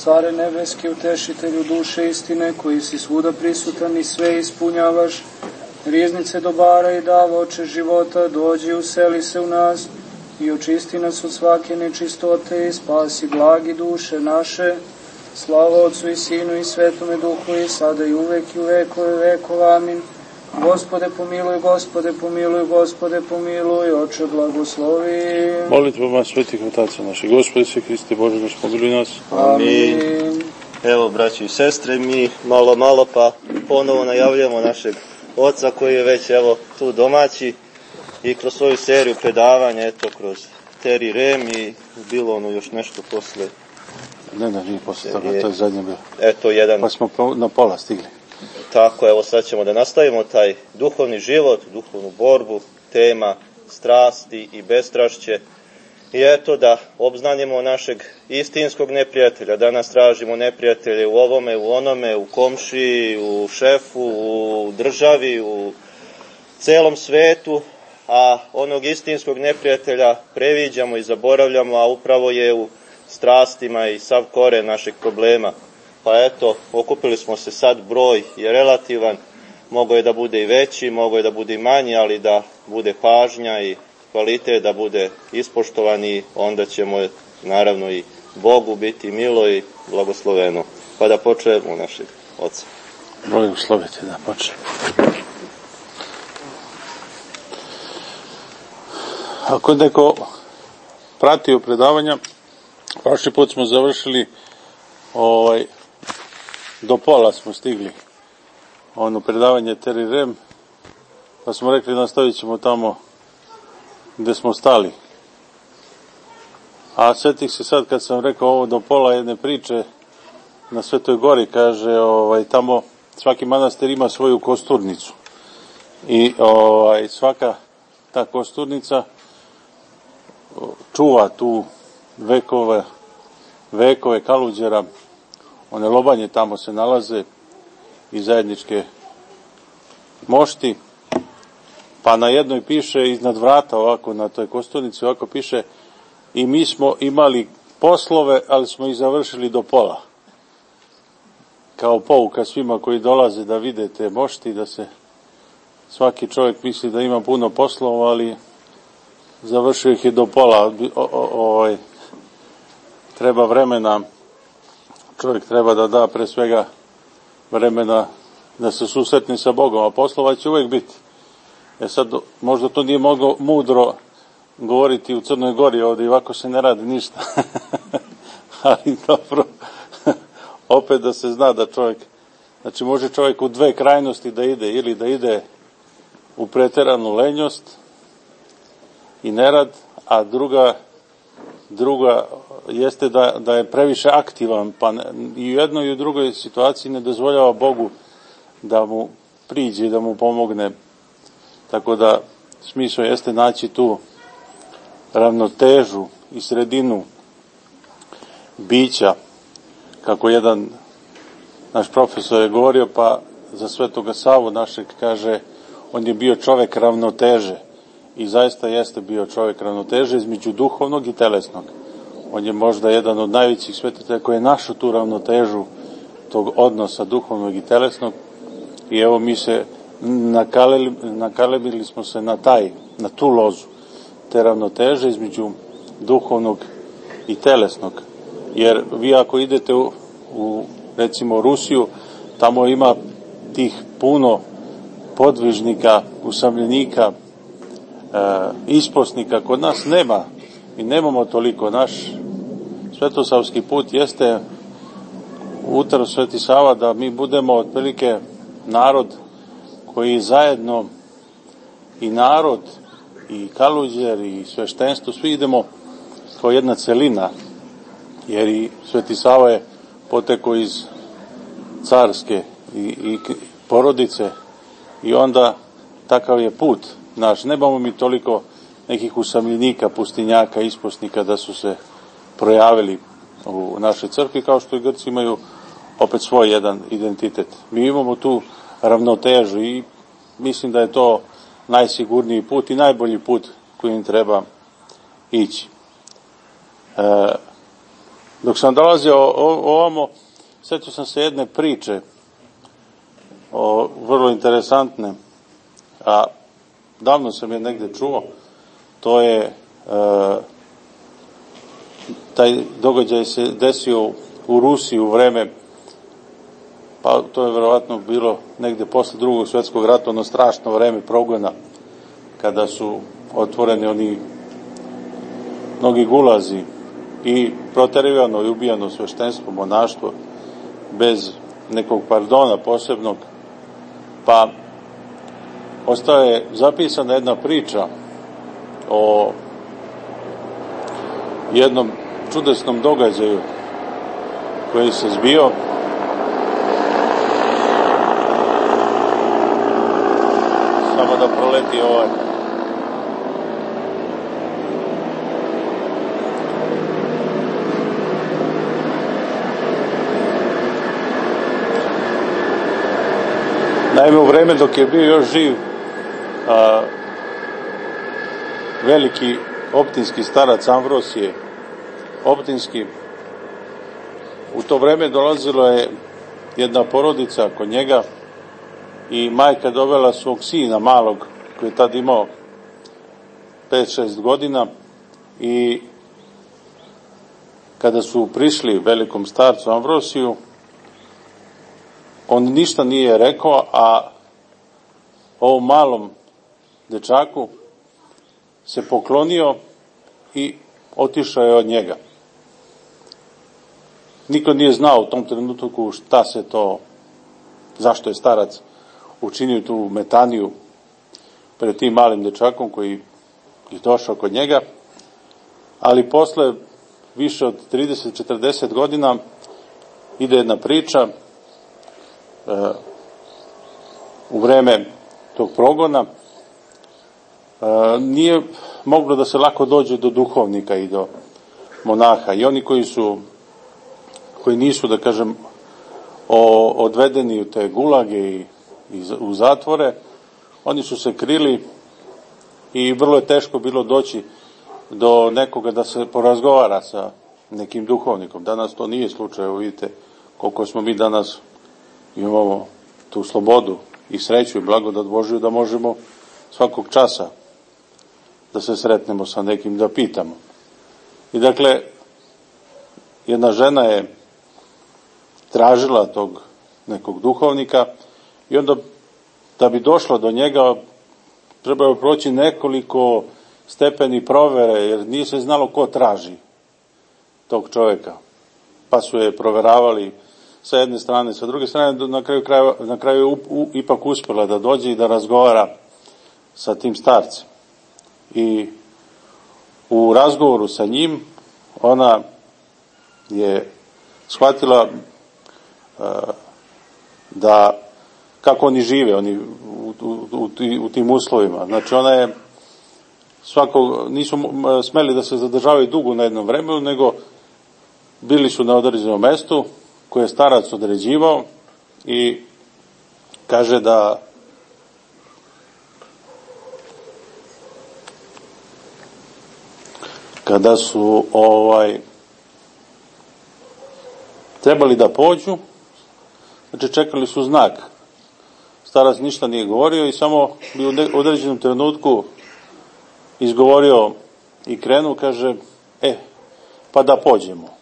Care nebeski, utešitelju duše istine, koji si svuda prisutan i sve ispunjavaš, riznice dobara i dava oče života, dođi useli se u nas i očisti nas od svake nečistote i spasi blagi duše naše. Slava Otcu i Sinu i Svetome Duhu i sada i uvek i u vekove vekova. Amin. Gospode pomiluj, Gospode pomiluj, Gospode pomiluj, Oče blagoslovi. Molitvama svetih otaca naših, Gospode se Hriste Bože, naš pomiluj nas. Amin. Evo, braći i sestre, mi malo pa ponovo najavljamo našeg oca koji je već evo tu domaći i kroz svoju seriju predavanja, eto kroz Teri Rem i bilo ono još nešto posle. Ne, nije posle toga, to je zadnje bilo. Eto jedan. Pa smo na pola stigli. Tako, evo sad ćemo da nastavimo taj duhovni život, duhovnu borbu, tema strasti i bestrašće. I eto da obznanimo našeg istinskog neprijatelja. Danas tražimo neprijatelje u ovome, u onome, u komšiji, u šefu, u državi, u celom svetu, a onog istinskog neprijatelja previđamo i zaboravljamo, a upravo je u strastima i sav koren našeg problema. Pa eto, okupili smo se sad, broj je relativan, mogo je da bude i veći, mogo je da bude i manji, ali da bude pažnja i kvalitet da bude ispoštovan i onda ćemo naravno i Bogu biti milo i blagosloveno. Pa da počnemo našeg oca. Blagoslovite da počnemo. Ako neko pratio predavanja, prošli put smo završili do pola smo stigli predavanje Teri Rem, pa smo rekli nastavit ćemo tamo gde smo stali. A sjetih se sad kad sam rekao ovo do pola jedne priče na Svetoj Gori, kaže tamo svaki manastir ima svoju kosturnicu i svaka ta kosturnica čuva tu vekove Kaluđera, one lobanje tamo se nalaze i zajedničke mošti, pa na jednoj piše iznad vrata ovako na toj kosturnici ovako piše i mi smo imali poslove, ali smo ih završili do pola. Kao pouka svima koji dolaze da vide te mošti, da se svaki čovjek misli da ima puno poslova, ali završio ih je do pola. Treba vremena, čovjek treba da da pre svega vremena da se susretne sa Bogom, a poslova će uvijek biti. Sad, možda to nije moglo mudro govoriti u Crnoj Gori, ovdje ovako se ne radi ništa. Ali dobro, opet da se zna da čovjek, znači može čovjek u dve krajnosti da ide, ili da ide u preteranu lenjost i nerad, a druga jeste da je previše aktivan, pa i u jednoj i u drugoj situaciji ne dozvoljava Bogu da mu priđe i da mu pomogne. Tako da smisao jeste naći tu ravnotežu i sredinu bića, kako jedan naš profesor je govorio, pa za Svetoga Savu našeg kaže, on je bio čovjek ravnoteže i zaista jeste bio čovjek ravnoteže između duhovnog i telesnog. On je možda jedan od najvećih svetitelja koji je našao tu ravnotežu tog odnosa duhovnog i telesnog i evo mi se nakalebili smo se na tu lozu te ravnoteže između duhovnog i telesnog. Jer vi ako idete u recimo Rusiju, tamo ima tih puno podvižnika, usamljenika, isposnika, kod nas nema. Mi nemamo toliko. Naš svetosavski put jeste utro Sveti Sava da mi budemo otprilike narod koji zajedno i narod i Kaluđer i sveštenstvo, svi idemo kao jedna celina, jer i Sveti Sava je potekao iz carske i porodice i onda takav je put naš. Nemamo mi toliko nekih usamljenika, pustinjaka, isposnika da su se projavili u našoj crkvi, kao što i Grci imaju opet svoj jedan identitet. Mi imamo tu ravnotežu i mislim da je to najsigurniji put i najbolji put kojim treba ići. Dok sam dolazio ovamo, sjetio sam se jedne priče, vrlo interesantne, a davno sam je negdje čuo. To je, taj događaj se desio u Rusiji u vreme, pa to je vjerovatno bilo negdje posle Drugog svjetskog rata, ono strašno vreme progona, kada su otvoreni oni mnogi gulazi i proterivano i ubijano sveštenstvo, monaštvo, bez nekog pardona posebnog, pa ostaje zapisana jedna priča o jednom čudesnom događaju koji se zbio. Samo da proleti ovaj. Naime, u vreme dok je bio još živ veliki optinski starac Amvrosije Optinski, u to vreme dolazila je jedna porodica kod njega i majka dovela svog sina malog, koji je tad imao 5-6 godina, i kada su prišli velikom starcu Amvrosiju, on ništa nije rekao, a ovom malom dečaku se poklonio i otišao je od njega. Niko nije znao u tom trenutku šta se to, zašto je starac učinio tu metaniju pred tim malim dečakom koji je došao kod njega, ali posle više od 30-40 godina ide jedna priča u vreme tog progona. Nije moglo da se lako dođe do duhovnika i do monaha, i oni koji nisu, da kažem, odvedeni u te gulage i u zatvore, oni su se krili i vrlo je teško bilo doći do nekoga da se porazgovara sa nekim duhovnikom. Danas to nije slučaj, vidite koliko smo mi danas, imamo tu slobodu i sreću i blagodat Božju da možemo svakog časa da se sretnemo sa nekim, da pitamo. I dakle, jedna žena je tražila tog nekog duhovnika i onda da bi došla do njega trebalo je proći nekoliko stepeni provere, jer nije se znalo ko traži tog čovjeka. Pa su je proveravali sa jedne strane, sa druge strane, na kraju ipak uspjela da dođe i da razgovara sa tim starcem. I u razgovoru sa njim ona je shvatila da kako oni žive, oni u tim uslovima. Znači ona je nisu smeli da se zadržavaju dugo na jednom vremenu, nego bili su na određenom mestu koje je starac određivao, i kaže da kada su trebali da pođu, znači čekali su znak. Starac ništa nije govorio i samo bi u određenom trenutku izgovorio i krenuo, kaže, pa da pođemo.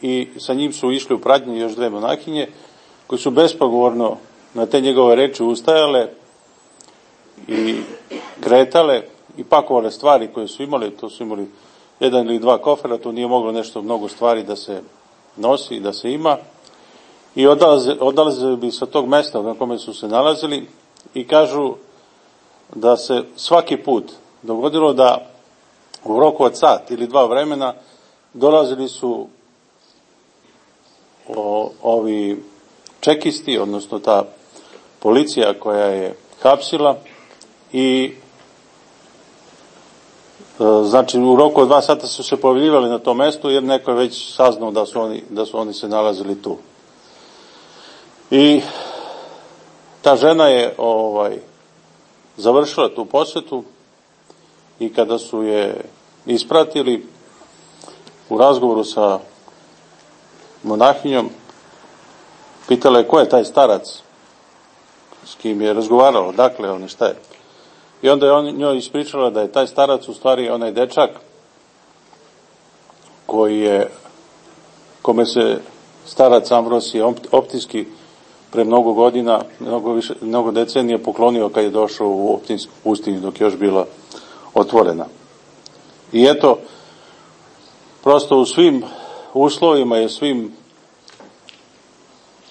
I sa njim su išli u pratnji još 2 monahinje, koji su bespogovorno na te njegove reči ustajale i kretale i pakovale stvari koje su imali. To su imali 1 ili 2 kofera, to nije moglo nešto mnogo stvari da se nosi i da se ima. I odlazili bi sa tog mesta na kome su se nalazili i kažu da se svaki put dogodilo da u roku od sat ili 2 vremena dolazili su ovi čekisti, odnosno ta policija koja je hapsila, i znači u roku od 2 sata su se pojavljivali na tom mestu, jer neko je već saznao da su oni se nalazili tu. I ta žena je završila tu posjetu, i kada su je ispratili u razgovoru sa monahinjom, pitala je ko je taj starac s kim je razgovaralo, dakle on je, šta je. I onda je njoj ispričala da je taj starac u stvari onaj dečak kome se starac Ambrosije Optinski pre mnogo godina, mnogo decenija poklonio kad je došao u Optinsku pustinju dok je još bila otvorena. I eto, prosto u svim uslovima i svim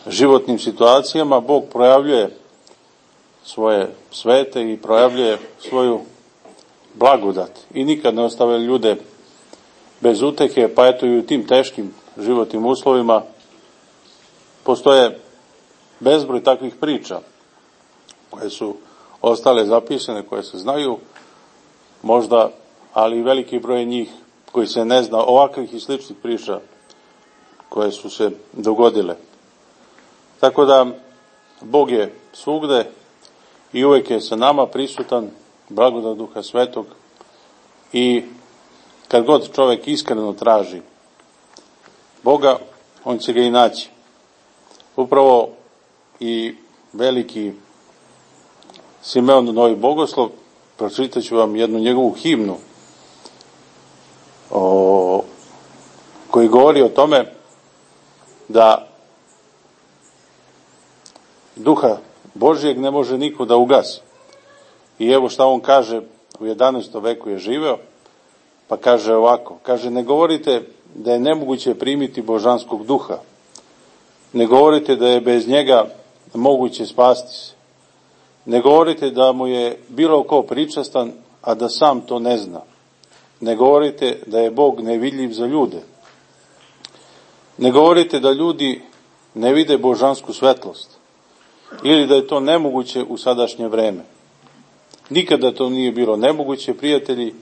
životnim situacijama Bog projavljuje svoje svete i projavljuje svoju blagodat i nikad ne ostavlja ljude bez utehe, pa eto i u tim teškim životnim uslovima postoje bezbroj takvih priča koje su ostale zapisane, koje se znaju možda, ali i veliki broj njih koji se ne zna, ovakvih i sličnih priča koje su se dogodile. Tako da Bog je svugde i uvek je sa nama prisutan, blagodat Duha Svetog, i kad god čovjek iskreno traži Boga, on će ga i naći. Upravo i veliki Simeon Novi Bogoslov, pročitat ću vam jednu njegovu himnu koji govori o tome da Duha Božijeg ne može niko da ugasi. I evo šta on kaže, u 11. veku je živeo, pa kaže ovako, kaže, ne govorite da je nemoguće primiti božanskog duha, ne govorite da je bez njega moguće spasti se, ne govorite da mu je bilo ko pričastan, a da sam to ne zna, ne govorite da je Bog nevidljiv za ljude, ne govorite da ljudi ne vide božansku svetlost, ili da je to nemoguće u sadašnje vreme. Nikada to nije bilo nemoguće, prijatelji,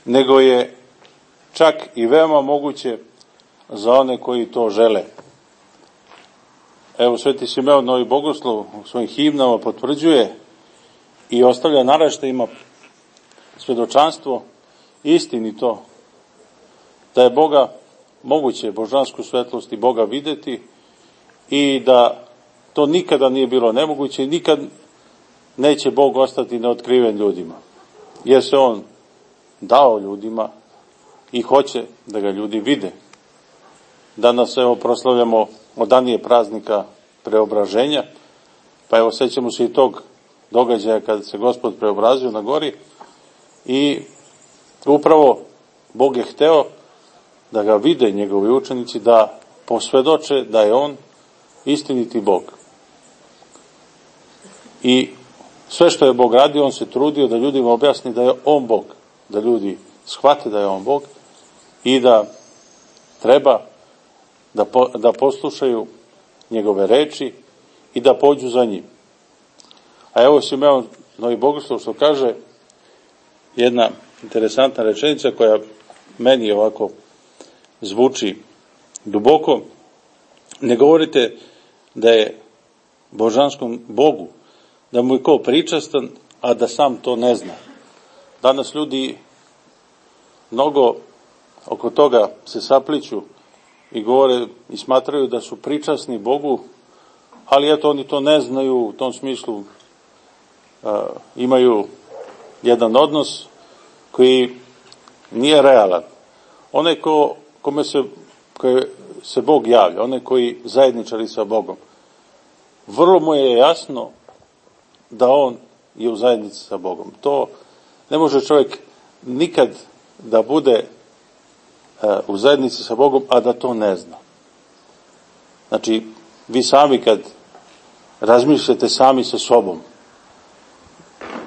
nego je čak i veoma moguće za one koji to žele. Evo, Sveti Simeon Novi Bogoslov u svojim himnama potvrđuje i ostavlja naraštajima svedočanstvo istinito da je Boga moguće božansku svetlost i Boga videti i da to nikada nije bilo nemoguće i nikad neće Bog ostati neotkriven ljudima, jer se on dao ljudima i hoće da ga ljudi vide. Danas evo proslavljamo odanije praznika preobraženja, pa evo sećamo se i tog događaja kada se Gospod preobrazio na gori i upravo Bog je hteo da ga vide njegovi učenici, da posvedoče da je on istiniti Bog. I sve što je Bog radio, on se trudio da ljudima objasni da je on Bog, da ljudi shvate da je on Bog i da treba da poslušaju njegove reči i da pođu za njim. A evo Simeon Novi Bogoslov što kaže, jedna interesantna rečenica koja meni ovako zvuči duboko. Ne govorite da je božanskom Bogu, da mu je ko pričastan, a da sam to ne zna. Danas ljudi mnogo oko toga se sapliću i govore i smatraju da su pričasni Bogu, ali eto oni to ne znaju, u tom smislu imaju jedan odnos koji nije realan. Onaj kome se Bog javlja, onaj koji zajedničari sa Bogom, vrlo mu je jasno da on je u zajednici sa Bogom. To ne može čovjek nikad da bude u zajednici sa Bogom, a da to ne zna. Znači, vi sami kad razmišljate sami sa sobom,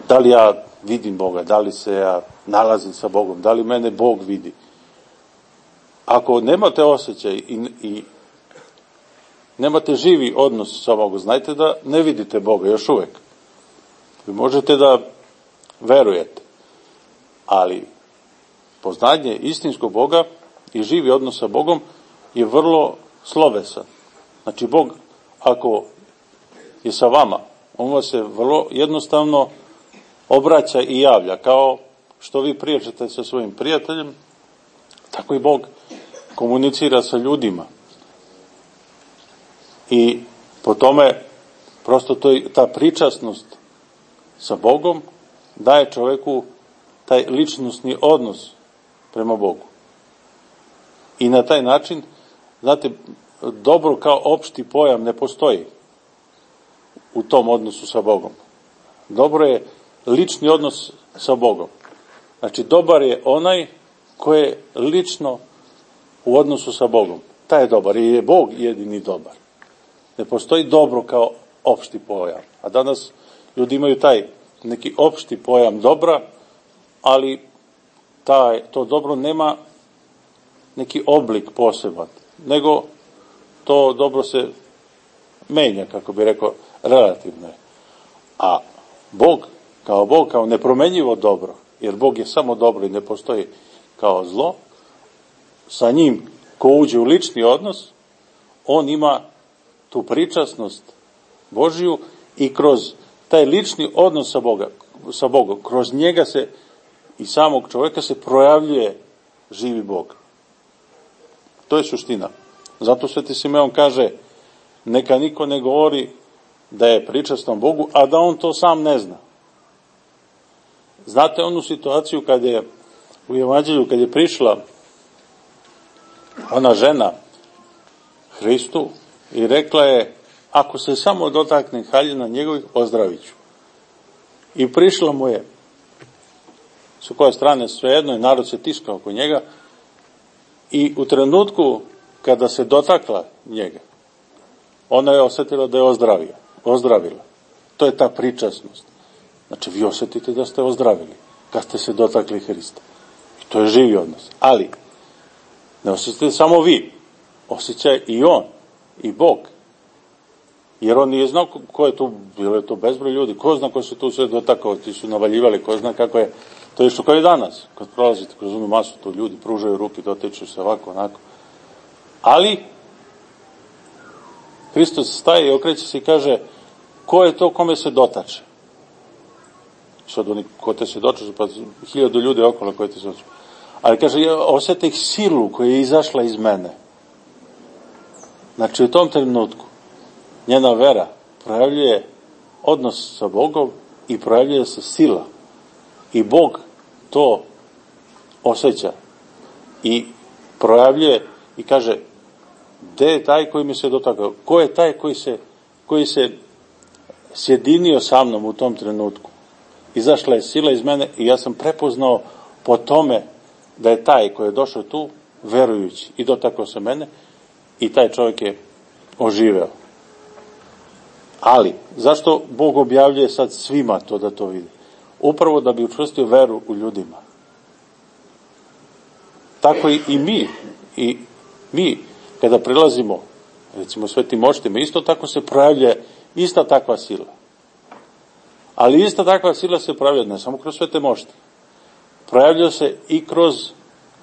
da li ja vidim Boga, da li se ja nalazim sa Bogom, da li mene Bog vidi. Ako nemate osjećaj i nemate živi odnos sa Bogom, znajte da ne vidite Boga još uvek. Vi možete da verujete, ali poznanje istinskog Boga i živi odnos sa Bogom je vrlo slovesan. Znači, Bog, ako je sa vama, on vas se vrlo jednostavno obraća i javlja, kao što vi pričate sa svojim prijateljem, tako i Bog komunicira sa ljudima. I po tome prosto ta pričasnost sa Bogom daje čoveku taj ličnosni odnos prema Bogu. I na taj način, znate, dobro kao opšti pojam ne postoji u tom odnosu sa Bogom. Dobro je lični odnos sa Bogom. Znači, dobar je onaj koji je lično u odnosu sa Bogom. Taj je dobar i je Bog jedini dobar. Ne postoji dobro kao opšti pojam. A danas ljudi imaju taj neki opšti pojam dobra, ali to dobro nema neki oblik poseban, nego to dobro se menja, kako bi rekao, relativno je. A Bog, kao nepromenjivo dobro, jer Bog je samo dobro i ne postoji kao zlo, sa njim ko uđe u lični odnos, on ima tu pričasnost Božiju i kroz taj lični odnos sa Bogom, kroz njega se i samog čovjeka se projavljuje živi Bog. To je suština. Zato Sveti Simeon kaže, neka niko ne govori da je pričastan Bogu, a da on to sam ne zna. Znate onu situaciju kad je u Evanđelju, kad je prišla ona žena Hristu i rekla je, ako se samo dotakne haljina njegovih, ozdravit ću. I prišla mu je, s koje strane svejedno je, narod se tiskao oko njega, i u trenutku kada se dotakla njega, ona je osjetila da je ozdravila. To je ta pričasnost. Znači, vi osjetite da ste ozdravili kad ste se dotakli Hrista. I to je živi odnos. Ali, ne osjećate samo vi, osjeća i on, i Bog. Jer on nije znao ko je tu, bilo je to bezbroj ljudi, ko zna ko se tu sve dotakao, ti su navaljivali, ko zna kako je, to je što kao i danas, kad prolazite kroz onu masu, to ljudi pružaju ruke, dotiču se ovako, onako. Ali, Hristos staje i okreće se i kaže, ko je to kome se dotače? Sad oni, ko te se dotače, pa 1000 ljudi okolo koje te se dotače. Ali kaže, ja osjetih silu koja je izašla iz mene. Znači, u tom trenutku njena vera projavljuje odnos sa Bogom i projavljuje se sila. I Bog to osjeća i projavljuje i kaže, gde je taj koji mi se dotakao? Ko je taj koji se sjedinio sa mnom u tom trenutku? Izašla je sila iz mene i ja sam prepoznao po tome da je taj koji je došao tu verujući i dotakao se mene i taj čovjek je oživeo. Ali, zašto Bog objavljuje sad svima to da to vidi? Upravo da bi učvrstio veru u ljudima. Tako i mi, kada prilazimo, recimo svetim moštima, isto tako se projavlja ista takva sila. Ali ista takva sila se projavlja ne samo kroz svete mošte. Projavlja se i kroz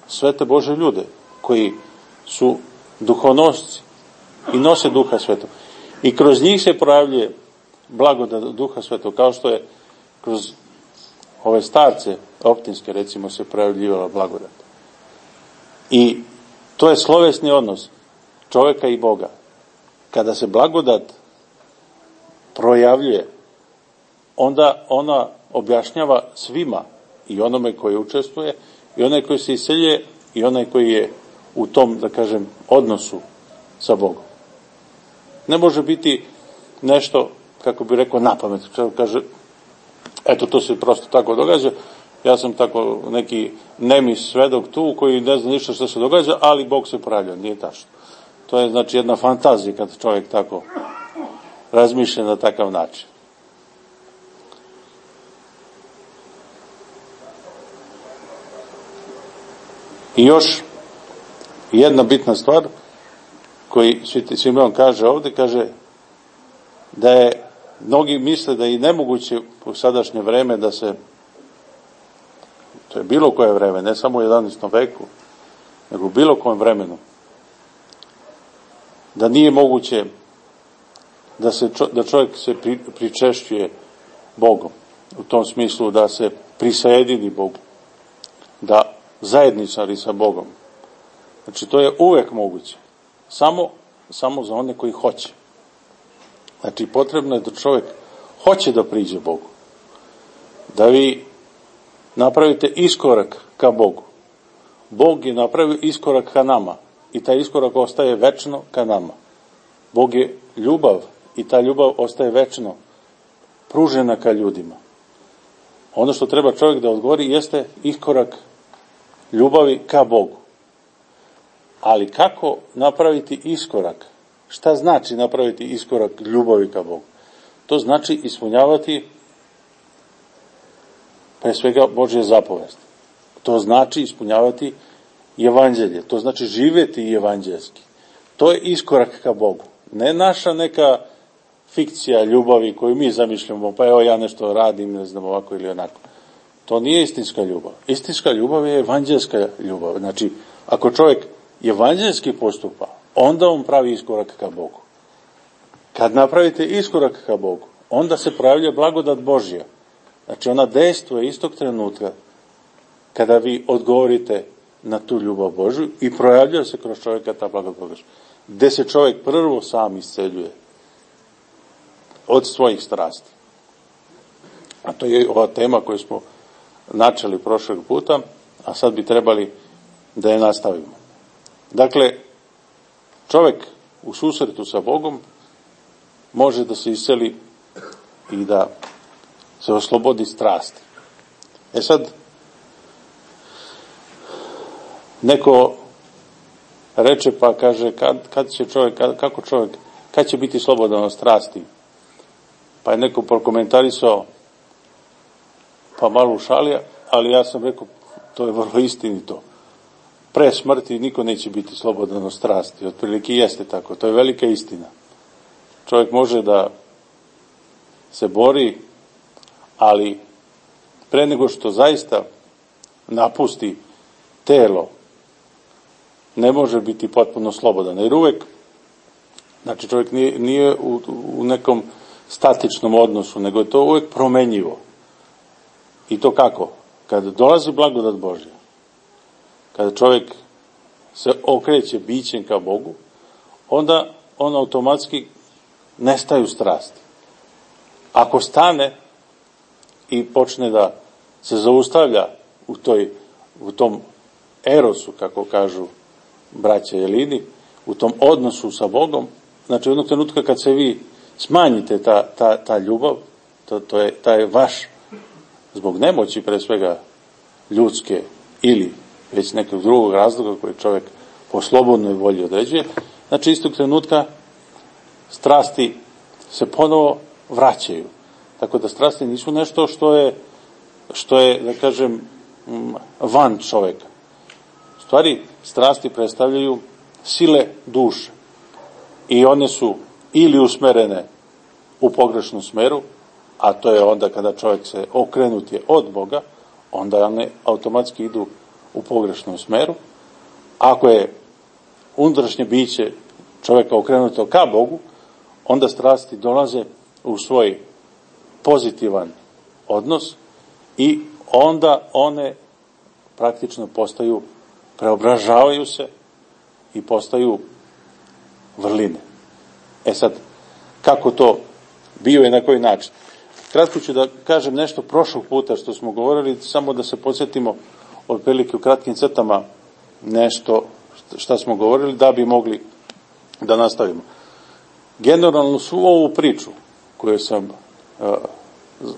svete Bože ljude, koji su duhonosci i nose Duha Svetog. I kroz njih se projavljuje blagodat Duha Svetog, kao što je kroz ove starce optinske, recimo, se projavljivala blagodat. I to je slovesni odnos čovjeka i Boga. Kada se blagodat projavljuje, onda ona objašnjava svima, i onome koji učestvuje, i onaj koji se iseljuje, i onaj koji je u tom, da kažem, odnosu sa Bogom. Ne može biti nešto, kako bi rekao, napamet. Kaže, eto, to se prosto tako događa, ja sam tako neki nemi svedok tu, koji ne zna ništa što se događa, ali Bog se projavlja, nije tačno. To je, znači, jedna fantazija kad čovjek tako razmišlja na takav način. I još jedna bitna stvar koji Sveti Simeon kaže ovdje, kaže da je, mnogi misle da je i nemoguće u sadašnje vreme da se, to je bilo koje vreme, ne samo u 11. veku, nego u bilo kojem vremenu, da nije moguće da čovjek se pričešćuje Bogom, u tom smislu da se prisajedini Bogu, da zajedničari sa Bogom. Znači, to je uvek moguće. Samo za one koji hoće. Znači, potrebno je da čovjek hoće da priđe Bogu. Da vi napravite iskorak ka Bogu. Bog je napravio iskorak ka nama i taj iskorak ostaje večno ka nama. Bog je ljubav i ta ljubav ostaje večno pružena ka ljudima. Ono što treba čovjek da odgovori jeste iskorak ljubavi ka Bogu. Ali kako napraviti iskorak? Šta znači napraviti iskorak ljubavi ka Bogu? To znači ispunjavati pre svega Božje zapovesti. To znači ispunjavati evanđelje. To znači živjeti evanđelski. To je iskorak ka Bogu. Ne naša neka fikcija ljubavi koju mi zamišljamo, pa evo ja nešto radim, ne znam, ovako ili onako. To nije istinska ljubav. Istinska ljubav je evanđelska ljubav. Znači, ako čovjek evanđelski postupa, onda on pravi iskorak ka Bogu. Kad napravite iskorak ka Bogu, onda se pravlja blagodat Božja. Znači, ona dejstvuje istog trenutka kada vi odgovorite na tu ljubav Božju i projavlja se kroz čovjeka ta blagodat Božja. Gde se čovjek prvo sam isceljuje od svojih strasti. A to je ova tema koju smo načeli prošlog puta, a sad bi trebali da je nastavimo. Dakle, čovjek u susretu sa Bogom može da se isceli i da se oslobodi strasti. Sad, neko reče pa kaže, kad će čovjek, kako čovjek, kad će biti slobodan od strasti? Pa je neko prokomentarisao, pa malo u šali, ali ja sam rekao, to je vrlo istinito. Pre smrti niko neće biti slobodan od strasti. Otprilike jeste tako. To je velika istina. Čovjek može da se bori, ali pre nego što zaista napusti telo, ne može biti potpuno slobodan. Jer uvek, znači čovjek nije u nekom statičnom odnosu, nego je to uvek promenjivo. I to kako? Kada dolazi blagodat Božja, kada čovjek se okreće bićem ka Bogu, onda on automatski nestaju strasti. Ako stane i počne da se zaustavlja u tom erosu, kako kažu braća Jelini, u tom odnosu sa Bogom, znači jednog trenutka kad se vi smanjite ta ljubav, taj vaš, zbog nemoći pre svega ljudske ili već nekog drugog razloga koji čovjek po slobodnoj volji određuje, znači istog trenutka strasti se ponovo vraćaju. Tako da strasti nisu nešto što je, da kažem, van čovjeka. U stvari, strasti predstavljaju sile duše. I one su ili usmerene u pogrešnom smeru, a to je onda kada čovjek se okrenut je od Boga, onda one automatski idu u pogrešnom smeru. Ako je unutrašnje biće čovjeka okrenuto ka Bogu, onda strasti dolaze u svoj pozitivan odnos i onda one praktično postaju, preobražavaju se i postaju vrline. Sad, kako to bio i na koji način? Kratko ću da kažem nešto prošlog puta što smo govorili, samo da se podsjetimo otprilike u kratkim crtama nešto šta smo govorili, da bi mogli da nastavimo. Generalno svu ovu priču koju sam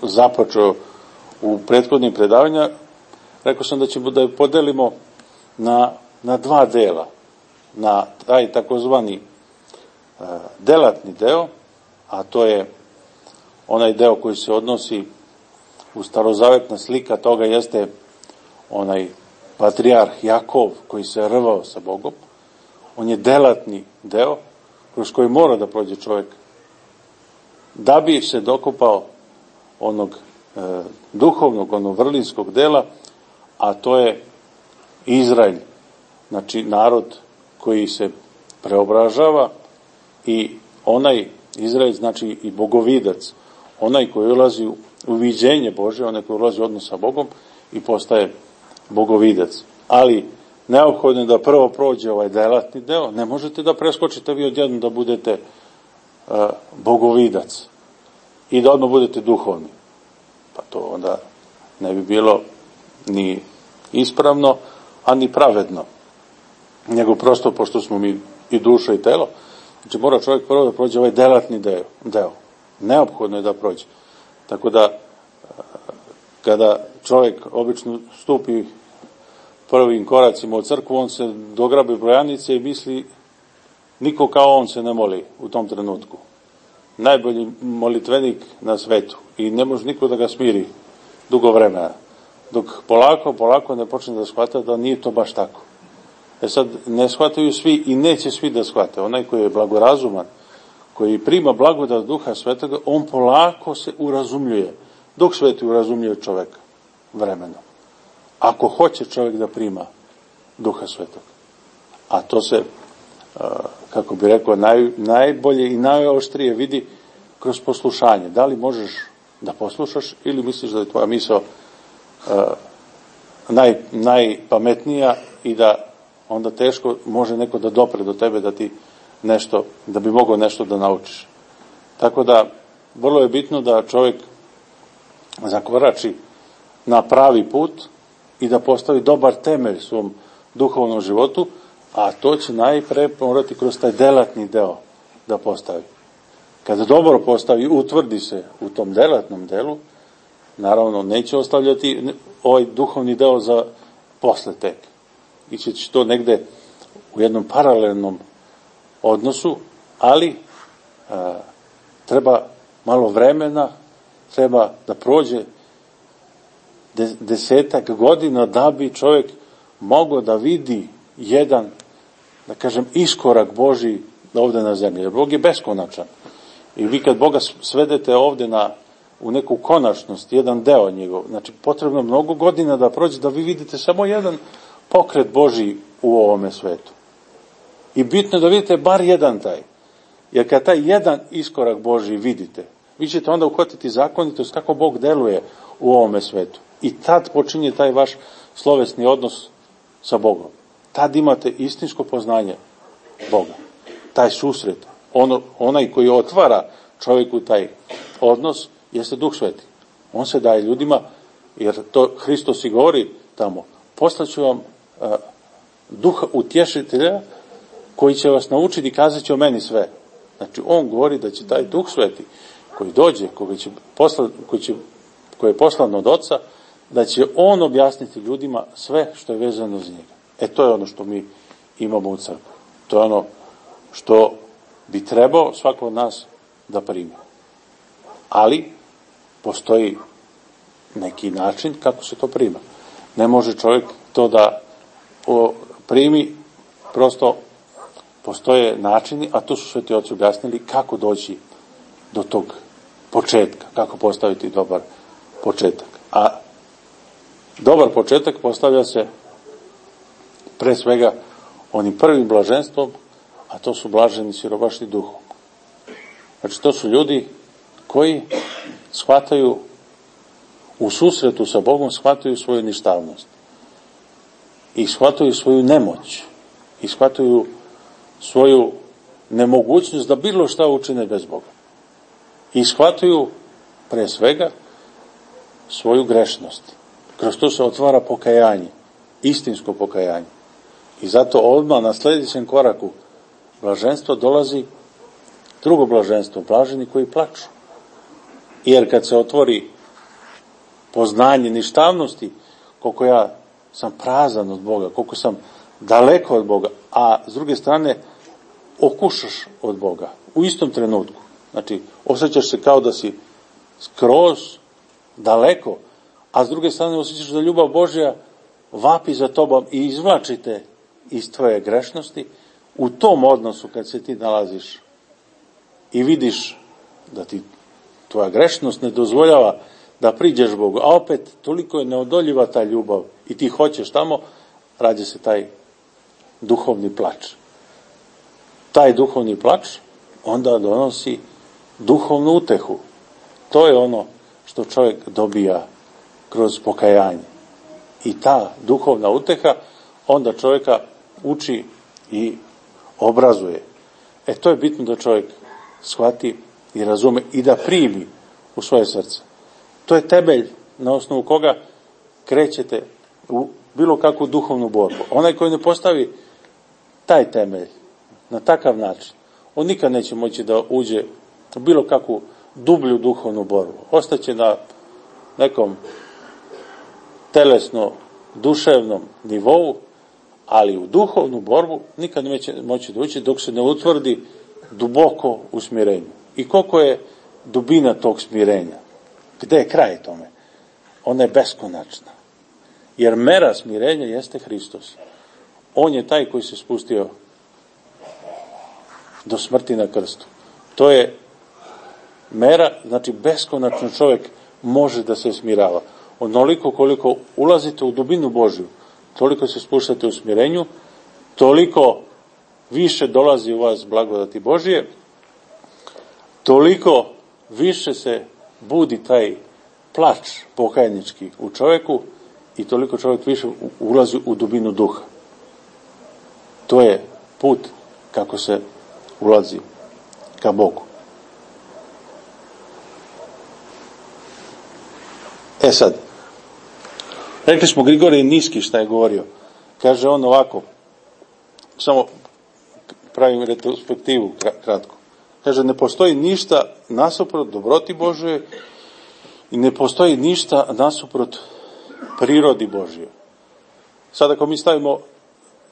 započeo u prethodnim predavanja, rekao sam da ćemo da je podelimo na dva dela. Na taj takozvani delatni deo, a to je onaj deo koji se odnosi u starozavetna slika toga jeste onaj patrijarh Jakov koji se rvao sa Bogom. On je delatni deo kroz koji mora da prođe čovjek da bi se dokopao onog duhovnog, onog vrlinskog dela, a to je Izrael, znači narod koji se preobražava i onaj Izrael znači i bogovidac, onaj koji ulazi u viđenje Božje, onaj koji ulazi u odnos sa Bogom i postaje bogovidac. Ali neophodno je da prvo prođe ovaj delatni deo, ne možete da preskočite vi odjednom da budete bogovidac i da odmah budete duhovni. Pa to onda ne bi bilo ni ispravno, a ni pravedno. Nego prosto, pošto smo mi i duša i telo, znači mora čovjek prvo da prođe ovaj delatni deo. Neophodno je da prođe. Tako da, kada čovjek obično stupi prvim koracima u crkvu, on se dograbi brojanice i misli, niko kao on se ne moli u tom trenutku. Najbolji molitvenik na svetu i ne može niko da ga smiri dugo vremena. Dok polako ne počne da shvata da nije to baš tako. Sad, ne shvataju svi i neće svi da shvate. Onaj koji je blagorazuman, koji prima blagodat Duha Svetoga, on polako se urazumljuje. Duh Sveti urazumljuje čoveka vremenom. Ako hoće čovjek da prima Duha Svetoga. A to se, kako bi rekao, najbolje i najoštrije vidi kroz poslušanje. Da li možeš da poslušaš ili misliš da je tvoja misao najpametnija i da onda teško može neko da dopre do tebe da ti nešto, da bi mogao nešto da naučiš. Tako da, vrlo je bitno da čovjek zakorači na pravi put i da postavi dobar temelj svom duhovnom životu, a to će najpre morati kroz taj delatni deo da postavi. Kada dobro postavi, utvrdi se u tom delatnom delu, naravno neće ostavljati ovaj duhovni deo za posle tek. Iće će to negde u jednom paralelnom odnosu, ali treba malo vremena, treba da prođe 10 godina da bi čovjek mogao da vidi jedan, da kažem, iskorak Božji ovde na zemlji. Jer Bog je beskonačan. I vi kad Boga svedete ovde u neku konačnost, jedan deo njegov, znači potrebno mnogo godina da prođe da vi vidite samo jedan pokret Božji u ovome svetu. I bitno je da vidite bar jedan taj. Jer kad taj jedan iskorak Božji vidite, vi ćete onda uhvatiti zakonitost kako Bog deluje u ovome svetu. I tad počinje taj vaš slovesni odnos sa Bogom. Tad imate istinsko poznanje Boga. Taj susret, onaj koji otvara čovjeku taj odnos, jeste Duh Sveti. On se daje ljudima, jer to Hristos i govori tamo, poslaću vam Duha utješitelja koji će vas naučiti i kazat će o meni sve. Znači, on govori da će taj Duh Sveti koji dođe, koji je poslan od Oca, da će on objasniti ljudima sve što je vezano za njega. To je ono što mi imamo u crkvi. To je ono što bi trebao svako od nas da primi. Ali postoji neki način kako se to prima. Ne može čovjek to da primi, prosto postoje načini, a to su sveti oci objasnili kako doći do tog početka, kako postaviti dobar početak. A dobar početak postavlja se pre svega onim prvim blaženstvom, a to su blaženi siromašni duhom. Znači, to su ljudi koji shvataju u susretu sa Bogom, shvataju svoju ništavnost i shvataju svoju nemoć i shvataju svoju nemogućnost da bilo šta učine bez Boga. I shvataju pre svega svoju grešnost. Kroz to se otvara pokajanje, istinsko pokajanje. I zato odmah na sljedećem koraku blaženstva dolazi drugo blaženstvo, blaženi koji plaču. Jer kad se otvori poznanje ništavnosti, koliko ja sam prazan od Boga, koliko sam daleko od Boga, a s druge strane okušaš od Boga u istom trenutku. Znači, osjećaš se kao da si skroz daleko, a s druge strane osjećaš da ljubav Božja vapi za tobom i izvlačite iz tvoje grešnosti. U tom odnosu kad se ti nalaziš i vidiš da ti tvoja grešnost ne dozvoljava da priđeš Bogu, a opet toliko je neodoljiva ta ljubav i ti hoćeš tamo, rađa se taj duhovni plač. Taj duhovni plač onda donosi duhovnu utehu. To je ono što čovjek dobija kroz pokajanje. I ta duhovna uteha onda čovjeka uči i obrazuje. To je bitno da čovjek shvati i razume i da primi u svoje srce. To je temelj na osnovu koga krećete u bilo kakvu duhovnu borbu. Onaj koji ne postavi taj temelj na takav način, on nikad neće moći da uđe u bilo kakvu dublju duhovnu borbu. Ostaće na nekom telesno-duševnom nivou, ali u duhovnu borbu nikad neće moći da uđe dok se ne utvrdi duboko u smirenju. I koliko je dubina tog smirenja? Gde je kraj tome? Ona je beskonačna. Jer mera smirenja jeste Hristos. On je taj koji se spustio do smrti na krstu. To je mera, znači beskonačno čovjek može da se smirava. Onoliko koliko ulazite u dubinu Božju, toliko se spuštate u smirenju, toliko više dolazi u vas blagodati Božije, toliko više se budi taj plač pokajnički u čovjeku i toliko čovjek više ulazi u dubinu duha. To je put kako se ulazi ka Bogu. Sad, rekli smo Grigorije Niski šta je govorio. Kaže on ovako, samo pravim retrospektivu kratko. Kaže, ne postoji ništa nasuprot dobroti Božje i ne postoji ništa nasuprot prirodi Božje. Sad ako mi stavimo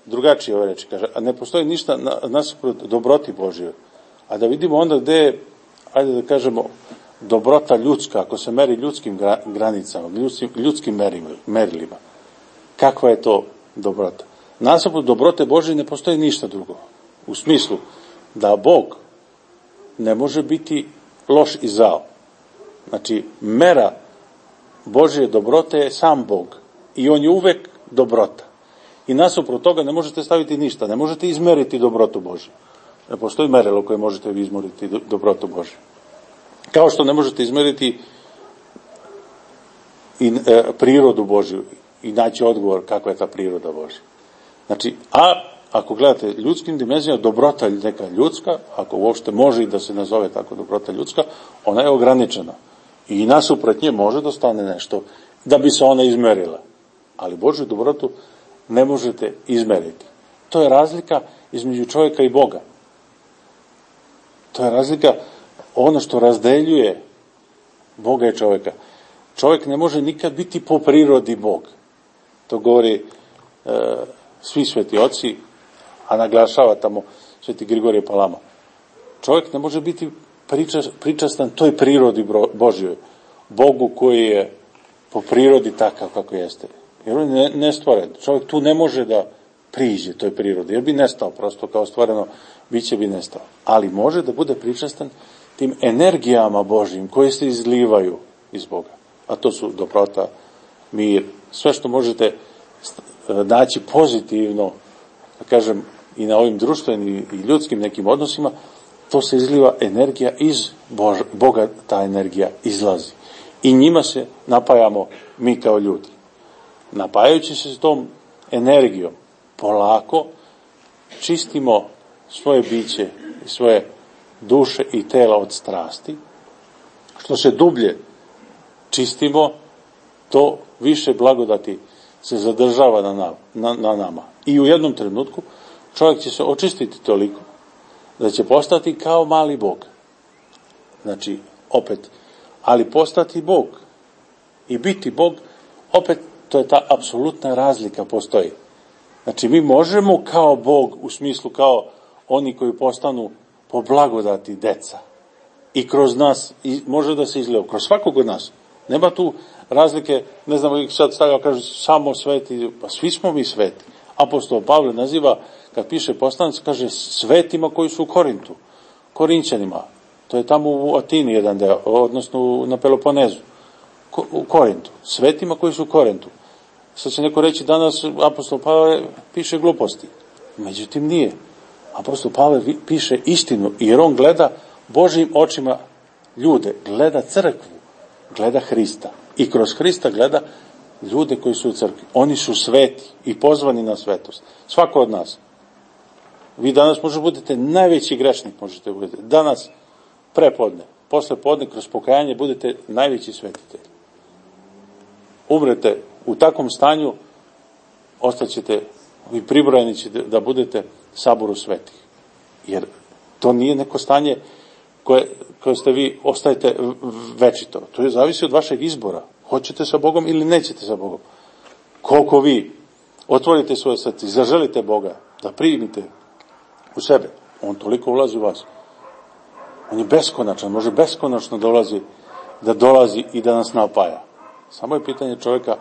drugačije ove reči, kaže, a ne postoji ništa nasuprot dobroti Božje. A da vidimo onda gde je, ajde da kažemo, dobrota ljudska, ako se meri ljudskim granicama, ljudskim merilima. Kakva je to dobrota? Nasuprot dobrote Božje ne postoji ništa drugo. U smislu da Bog ne može biti loš i zao. Znači, mera Božje dobrote je sam Bog. I on je uvek dobrota. I nasuprot toga ne možete staviti ništa. Ne možete izmeriti dobrotu Božju. Ne postoji merilo koje možete izmeriti dobrotu Božju. Kao što ne možete izmeriti i prirodu Božju i naći odgovor kakva je ta priroda Božja. Znači, ako gledate ljudskim dimenzijama, dobrota neka ljudska, ako uopšte može i da se nazove tako dobrota ljudska, ona je ograničena. I nasuprot nje može da stane nešto da bi se ona izmerila. Ali Božju dobrotu ne možete izmeriti. To je razlika između čovjeka i Boga. To je razlika, ono što razdeljuje Boga i čovjeka. Čovjek ne može nikad biti po prirodi Bog. To govori svi sveti oci, a naglašava tamo sveti Grigorije Palama. Čovjek ne može biti pričastan toj prirodi Božjoj, Bogu koji je po prirodi takav kako jeste. Jer on je nestvoren. Čovjek tu ne može da priđe toj prirodi, jer bi nestao, prosto kao stvoreno biće bi nestao. Ali može da bude pričastan tim energijama Božjim koje se izlivaju iz Boga. A to su dobrota, mir, sve što možete naći pozitivno, da kažem, i na ovim društvenim i ljudskim nekim odnosima, to se izliva energija iz Boga, ta energija izlazi. I njima se napajamo mi kao ljudi. Napajajući se s tom energijom, polako čistimo svoje biće i svoje duše i tela od strasti. Što se dublje čistimo, to više blagodati se zadržava na nama. I u jednom trenutku čovjek će se očistiti toliko da će postati kao mali Bog. Znači, opet, ali postati Bog i biti Bog, opet, to je ta apsolutna razlika postoji. Znači, mi možemo kao Bog, u smislu kao oni koji postanu po blagodati deca. I kroz nas može da se izgleda, kroz svakog od nas. Nema tu razlike, ne znamo, sad stavljamo, kaže, samo sveti, pa svi smo mi sveti. Apostol Pavle naziva, kad piše poslanic, kaže, svetima koji su u Korintu, Korinćanima. To je tamo u Atini jedan deo, odnosno na Peloponezu, u Korintu. Svetima koji su u Korintu. Sad će neko reći, danas apostol Pavle piše gluposti. Međutim, nije. Apostol Pavle piše istinu, jer on gleda Božjim očima ljude, gleda crkvu, gleda Hrista. I kroz Hrista gleda ljude koji su u crkvi. Oni su sveti i pozvani na svetost. Svako od nas. Vi danas možete budete najveći grešnik, možete budete. Danas prepodne, posle podne kroz pokajanje budete najveći svetitelj. Umrete u takvom stanju, ostaćete, vi pribrojeni ćete da budete saboru svetih. Jer to nije neko stanje koje ste vi, ostajete večito. To je zavisi od vašeg izbora. Hoćete sa Bogom ili nećete sa Bogom. Koliko vi otvorite svoje srce i zaželite Boga, da primite u sebe, on toliko ulazi u vas. On je beskonačan, može beskonačno da dolazi i da nas napaja. Samo je pitanje čovjeka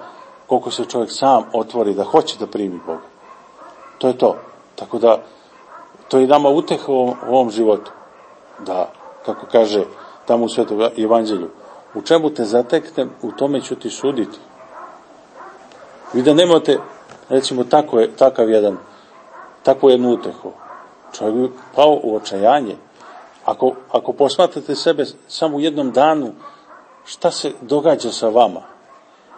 koliko se čovjek sam otvori da hoće da primi Boga. To je to. Tako da, to je nama uteha u ovom životu. Da, kako kaže tamo u Svetom evanđelju, u čemu te zateknem, u tome ću ti suditi. Vi da nemate, recimo, takvu jednu utehu, čovjek bi pao u očajanje. Ako posmatrate sebe samo u jednom danu, šta se događa sa vama?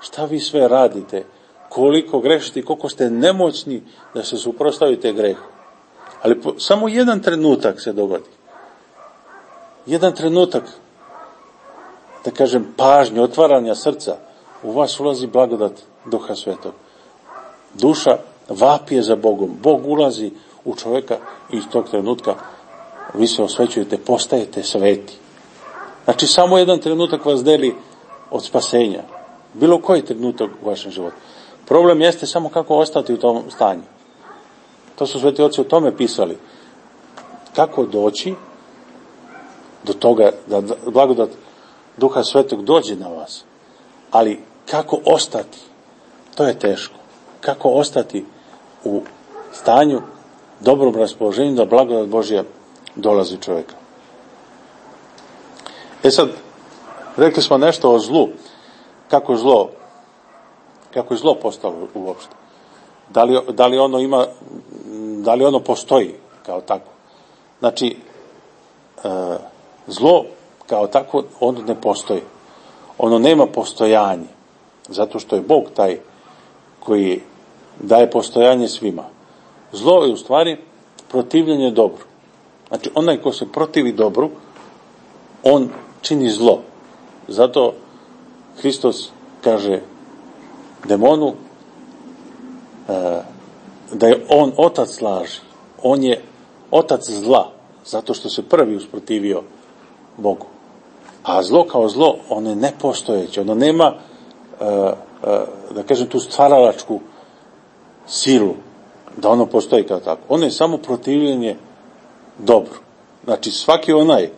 Šta vi sve radite? Koliko grešite i koliko ste nemoćni da se suprotstavite grehu. Ali samo jedan trenutak se dogodi. Jedan trenutak, da kažem, pažnje, otvaranja srca, u vas ulazi blagodat Duha Svetog. Duša vapije za Bogom. Bog ulazi u čovjeka i iz tog trenutka vi se osvećujete, postajete sveti. Znači, samo jedan trenutak vas deli od spasenja. Bilo koji trenutak u vašem životu. Problem jeste samo kako ostati u tom stanju. To su sveti oci o tome pisali. Kako doći do toga da blagodat Duha Svetog dođe na vas. Ali kako ostati? To je teško. Kako ostati u stanju, dobrom raspoloženju da blagodat Božja dolazi čovjeka. Sad, rekli smo nešto o zlu. Kako je zlo postalo uopšte? Da li ono postoji kao tako? Znači, zlo kao tako, ono ne postoji. Ono nema postojanje. Zato što je Bog taj koji daje postojanje svima. Zlo je u stvari protivljenje dobru. Znači, onaj ko se protivi dobru, on čini zlo. Zato Hristos kaže demonu da je on otac laži. On je otac zla, zato što se prvi usprotivio Bogu. A zlo kao zlo, ono je nepostojeće. Ono nema, da kažem, tu stvaralačku silu, da ono postoji kao tako. Ono je samo protivljenje dobru. Znači, svaki onaj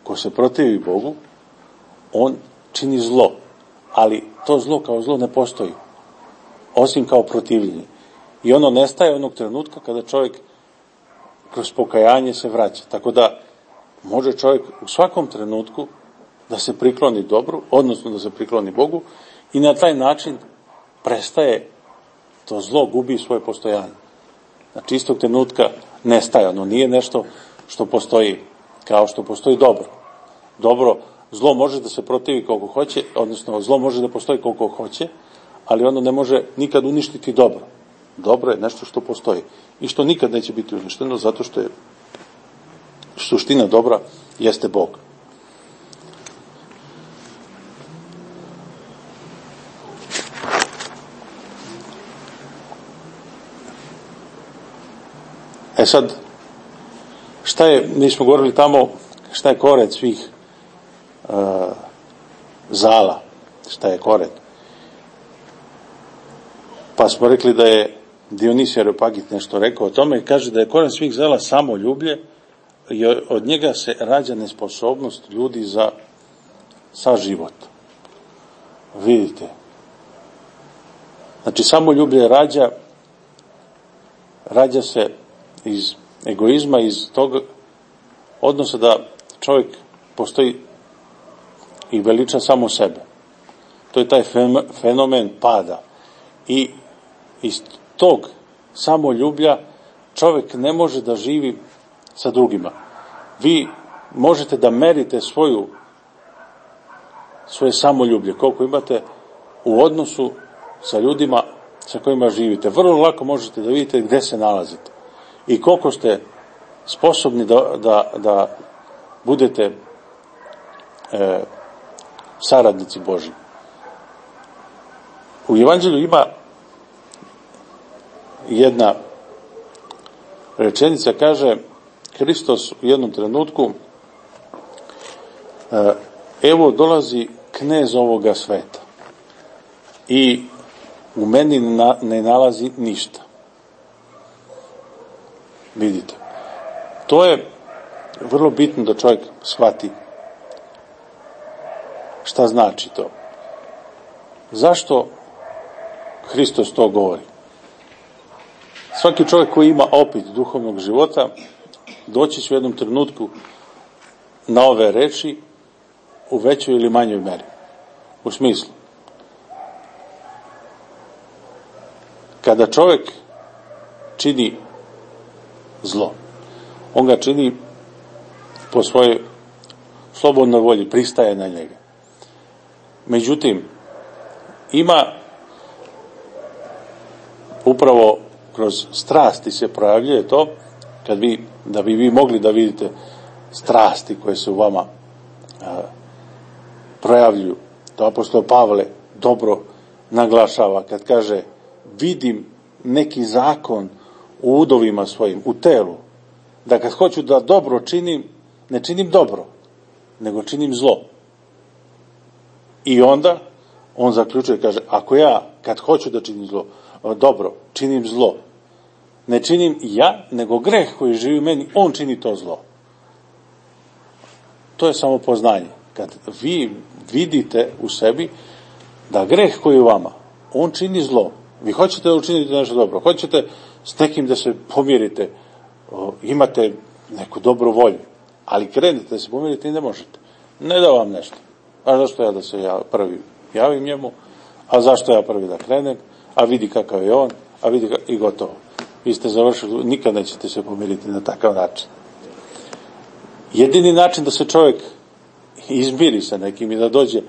ko se protivi Bogu, on čini zlo. Ali to zlo kao zlo ne postoji. Osim kao protivljenje. I ono nestaje onog trenutka kada čovjek kroz pokajanje se vraća. Tako da može čovjek u svakom trenutku da se prikloni dobru, odnosno da se prikloni Bogu i na taj način prestaje to zlo, gubi svoje postojanje. Znači, istog trenutka nestaje. Ono nije nešto što postoji kao što postoji dobro. Zlo može da se protivi koliko hoće, odnosno zlo može da postoji koliko hoće, ali ono ne može nikad uništiti dobro. Dobro je nešto što postoji i što nikad neće biti uništeno, zato što je suština dobra jeste Bog. Sad, mi smo govorili tamo, šta je koren svih zala, šta je koren. Pa smo rekli da je Dionisije Areopagit nešto rekao o tome i kaže da je koren svih zala samoljublje i od njega se rađa nesposobnost ljudi za saživot. Vidite. Znači, samoljublje rađa se iz egoizma, iz tog odnosa da čovjek postoji i veliča samo sebe. To je taj fenomen pada. I iz tog samoljublja čovjek ne može da živi sa drugima. Vi možete da merite svoje samoljublje, koliko imate u odnosu sa ljudima sa kojima živite. Vrlo lako možete da vidite gde se nalazite i koliko ste sposobni da budete saradnici Božji. U Evanđelju ima jedna rečenica, kaže Hristos u jednom trenutku, evo dolazi knez ovoga sveta i u meni ne nalazi ništa. Vidite, to je vrlo bitno da čovjek shvati šta znači to. Zašto Hristos to govori? Svaki čovjek koji ima opit duhovnog života doći će u jednom trenutku na ove reči u većoj ili manjoj meri. U smislu, kada čovjek čini zlo, on ga čini po svojoj slobodnoj volji, pristaje na njega. Međutim, ima upravo kroz strasti se projavljuje to, da bi vi mogli da vidite strasti koje se u vama projavljuju. To apostol Pavle dobro naglašava kad kaže vidim neki zakon u udovima svojim, u telu, da kad hoću da dobro činim, ne činim dobro, nego činim zlo. I onda on zaključuje, kaže, ako ja kad hoću da činim zlo, dobro, činim zlo, ne činim ja, nego greh koji živi u meni, on čini to zlo. To je samo poznanje. Kad vi vidite u sebi da greh koji je u vama, on čini zlo. Vi hoćete da učinite nešto dobro, hoćete s nekim da se pomirite, imate neku dobru volju, ali krenete da se pomirite i ne možete. Ne da vam nešto. A zašto ja da se ja prvi javim njemu? A zašto ja prvi da krenem? A vidi kakav je on, a vidi i gotovo. Vi ste završili, nikad nećete se pomiriti na takav način. Jedini način da se čovjek izmiri sa nekim i da dođe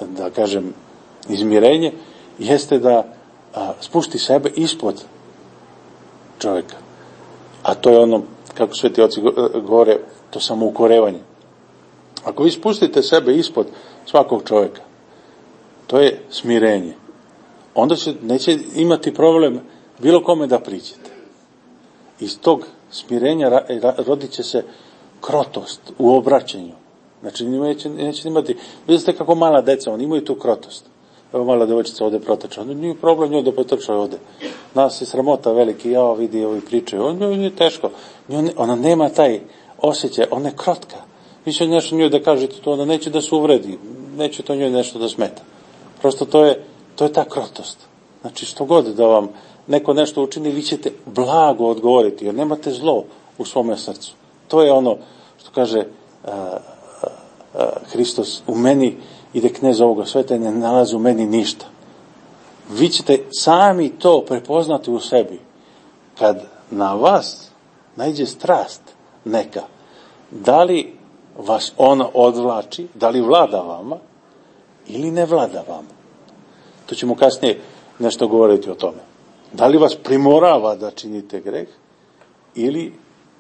da kažem, izmirenje, jeste da spušti sebe ispod čovjeka. A to je ono, kako sveti oci govore, to samoukorevanje. Ako vi spustite sebe ispod svakog čovjeka, to je smirenje. Onda neće imati problem bilo kome da priđete. Iz tog smirenja rodit će se krotost u obraćanju. Znači, neće imati, vidite kako mala deca, oni imaju tu krotost. Evo mala devojčica ovde proteče, onda nije problem njoj da potrče ovde. Nas je sramota veliki, ja vidi ovi pričaju, on je teško. Ona nema taj osjećaj, ona je krotka. Vi će nešto njoj da kažete to, ona neće da se uvredi, neće to njoj nešto da smeta. Prosto to je ta krotost. Znači, što god da vam neko nešto učini, vi ćete blago odgovoriti, jer nemate zlo u svome srcu. To je ono što kaže Hristos, u meni ide knez ovoga sveta i ne nalazi u meni ništa. Vi ćete sami to prepoznati u sebi. Kad na vas naiđe strast neka, da li vas ona odvlači, da li vlada vama ili ne vlada vama. To ćemo kasnije nešto govoriti o tome. Da li vas primorava da činite greh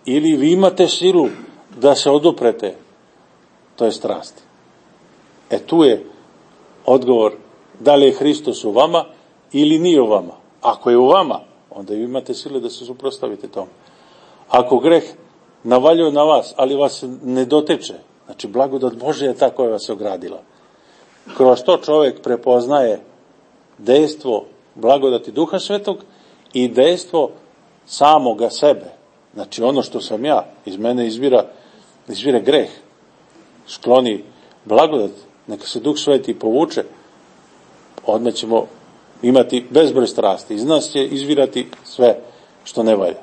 ili vi imate silu da se oduprete toj strasti. Tu je odgovor da li je Hristos u vama ili nije u vama. Ako je u vama, onda vi imate sile da se suprotstavite tome. Ako greh navaljuje na vas, ali vas ne dotiče, znači blagodat Božja je ta koja vas je ogradila. Kroz to čovjek prepoznaje dejstvo blagodati Duha Svetog i dejstvo samoga sebe. Znači ono što sam ja, iz mene izvire greh, skloni blagodat, neka se Duh Sveti povuče, odmah ćemo imati bezbroj strasti. Iz nas će izvirati sve što ne valja.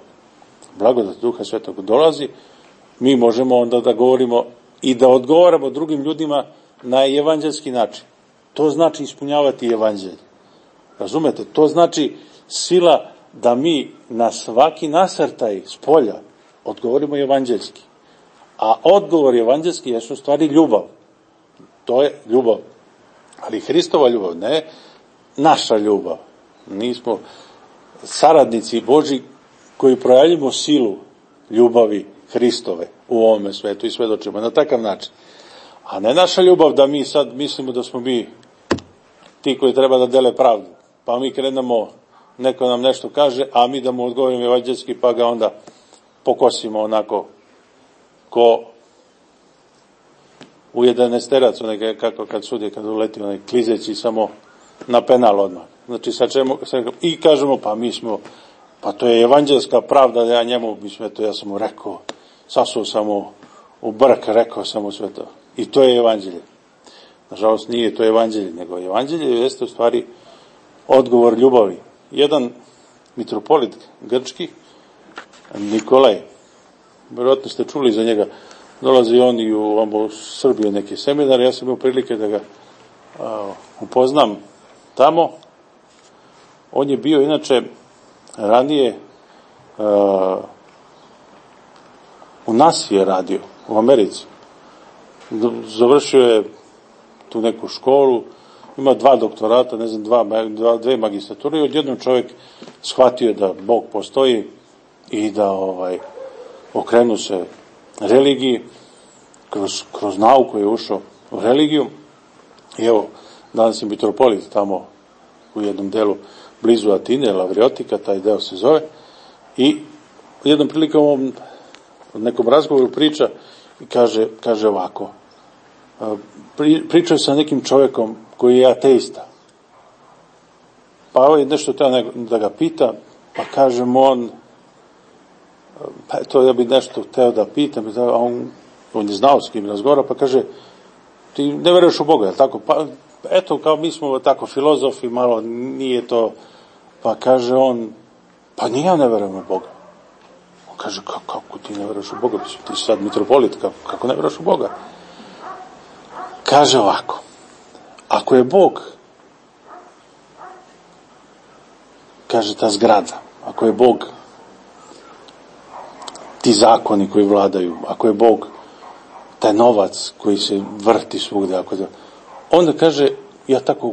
Blagodat Duha Svetog dolazi, mi možemo onda da govorimo i da odgovaramo drugim ljudima na evanđelski način. To znači ispunjavati evanđelje. Razumete? To znači sila da mi na svaki nasrtaj s polja odgovorimo evanđelski. A odgovor evanđelski je u stvari ljubav. To je ljubav. Ali Hristova ljubav, ne naša ljubav. Nismo saradnici Božji koji projavljamo silu ljubavi Hristove u ovome svetu i svedočimo na takav način. A ne naša ljubav da mi sad mislimo da smo mi ti koji treba da dele pravdu. Pa mi krenemo, neko nam nešto kaže, a mi da mu odgovorimo evanđelski, pa ga onda pokosimo onako ko u 11-terac, kako kad sudi, kad uleti onaj klizeći samo na penal odmah. Znači i kažemo, pa mi smo, pa to je evanđelska pravda, da ja njemu, ja sam mu rekao, sasuo sam mu u brk, rekao sam mu sve to. I to je evanđelje. Nažalost, nije to evanđelje, nego evanđelje jeste u stvari odgovor ljubavi. Jedan mitropolit grčki, Nikolaj, vjerojatno ste čuli za njega, dolazi on i u Srbiju neki seminar, ja sam imao prilike da ga upoznam tamo. On je bio inače ranije u NASA je radio, u Americi. Završio je tu neku školu, ima 2 doktorata, ne znam, 2 magistrature i odjednom čovjek shvatio da Bog postoji i da okrenu se religiji, kroz nauku je ušao u religiju i evo, danas je mitropolit tamo u jednom delu blizu Atine, Lavriotika, taj deo se zove, i jednom prilikom u nekom razgovoru priča i kaže ovako, pričao sa nekim čovjekom koji je ateista, pa nešto treba da ga pita, pa kaže mu on, pa to ja bi nešto hteo da pitam, a on je znao s kim razgovara, pa kaže, ti ne veruješ u Boga, je li tako? Pa eto, kao mi smo tako filozofi, malo nije to, pa kaže on, pa ni ja ne verujem u Boga. On kaže, kako ti ne veruješ u Boga? Ti si sad mitropolit, kako ne veruješ u Boga? Kaže ovako, ako je Bog, kaže ta zgrada, ako je Bog ti zakoni koji vladaju, ako je Bog taj novac koji se vrti svugde, onda kaže, ja tako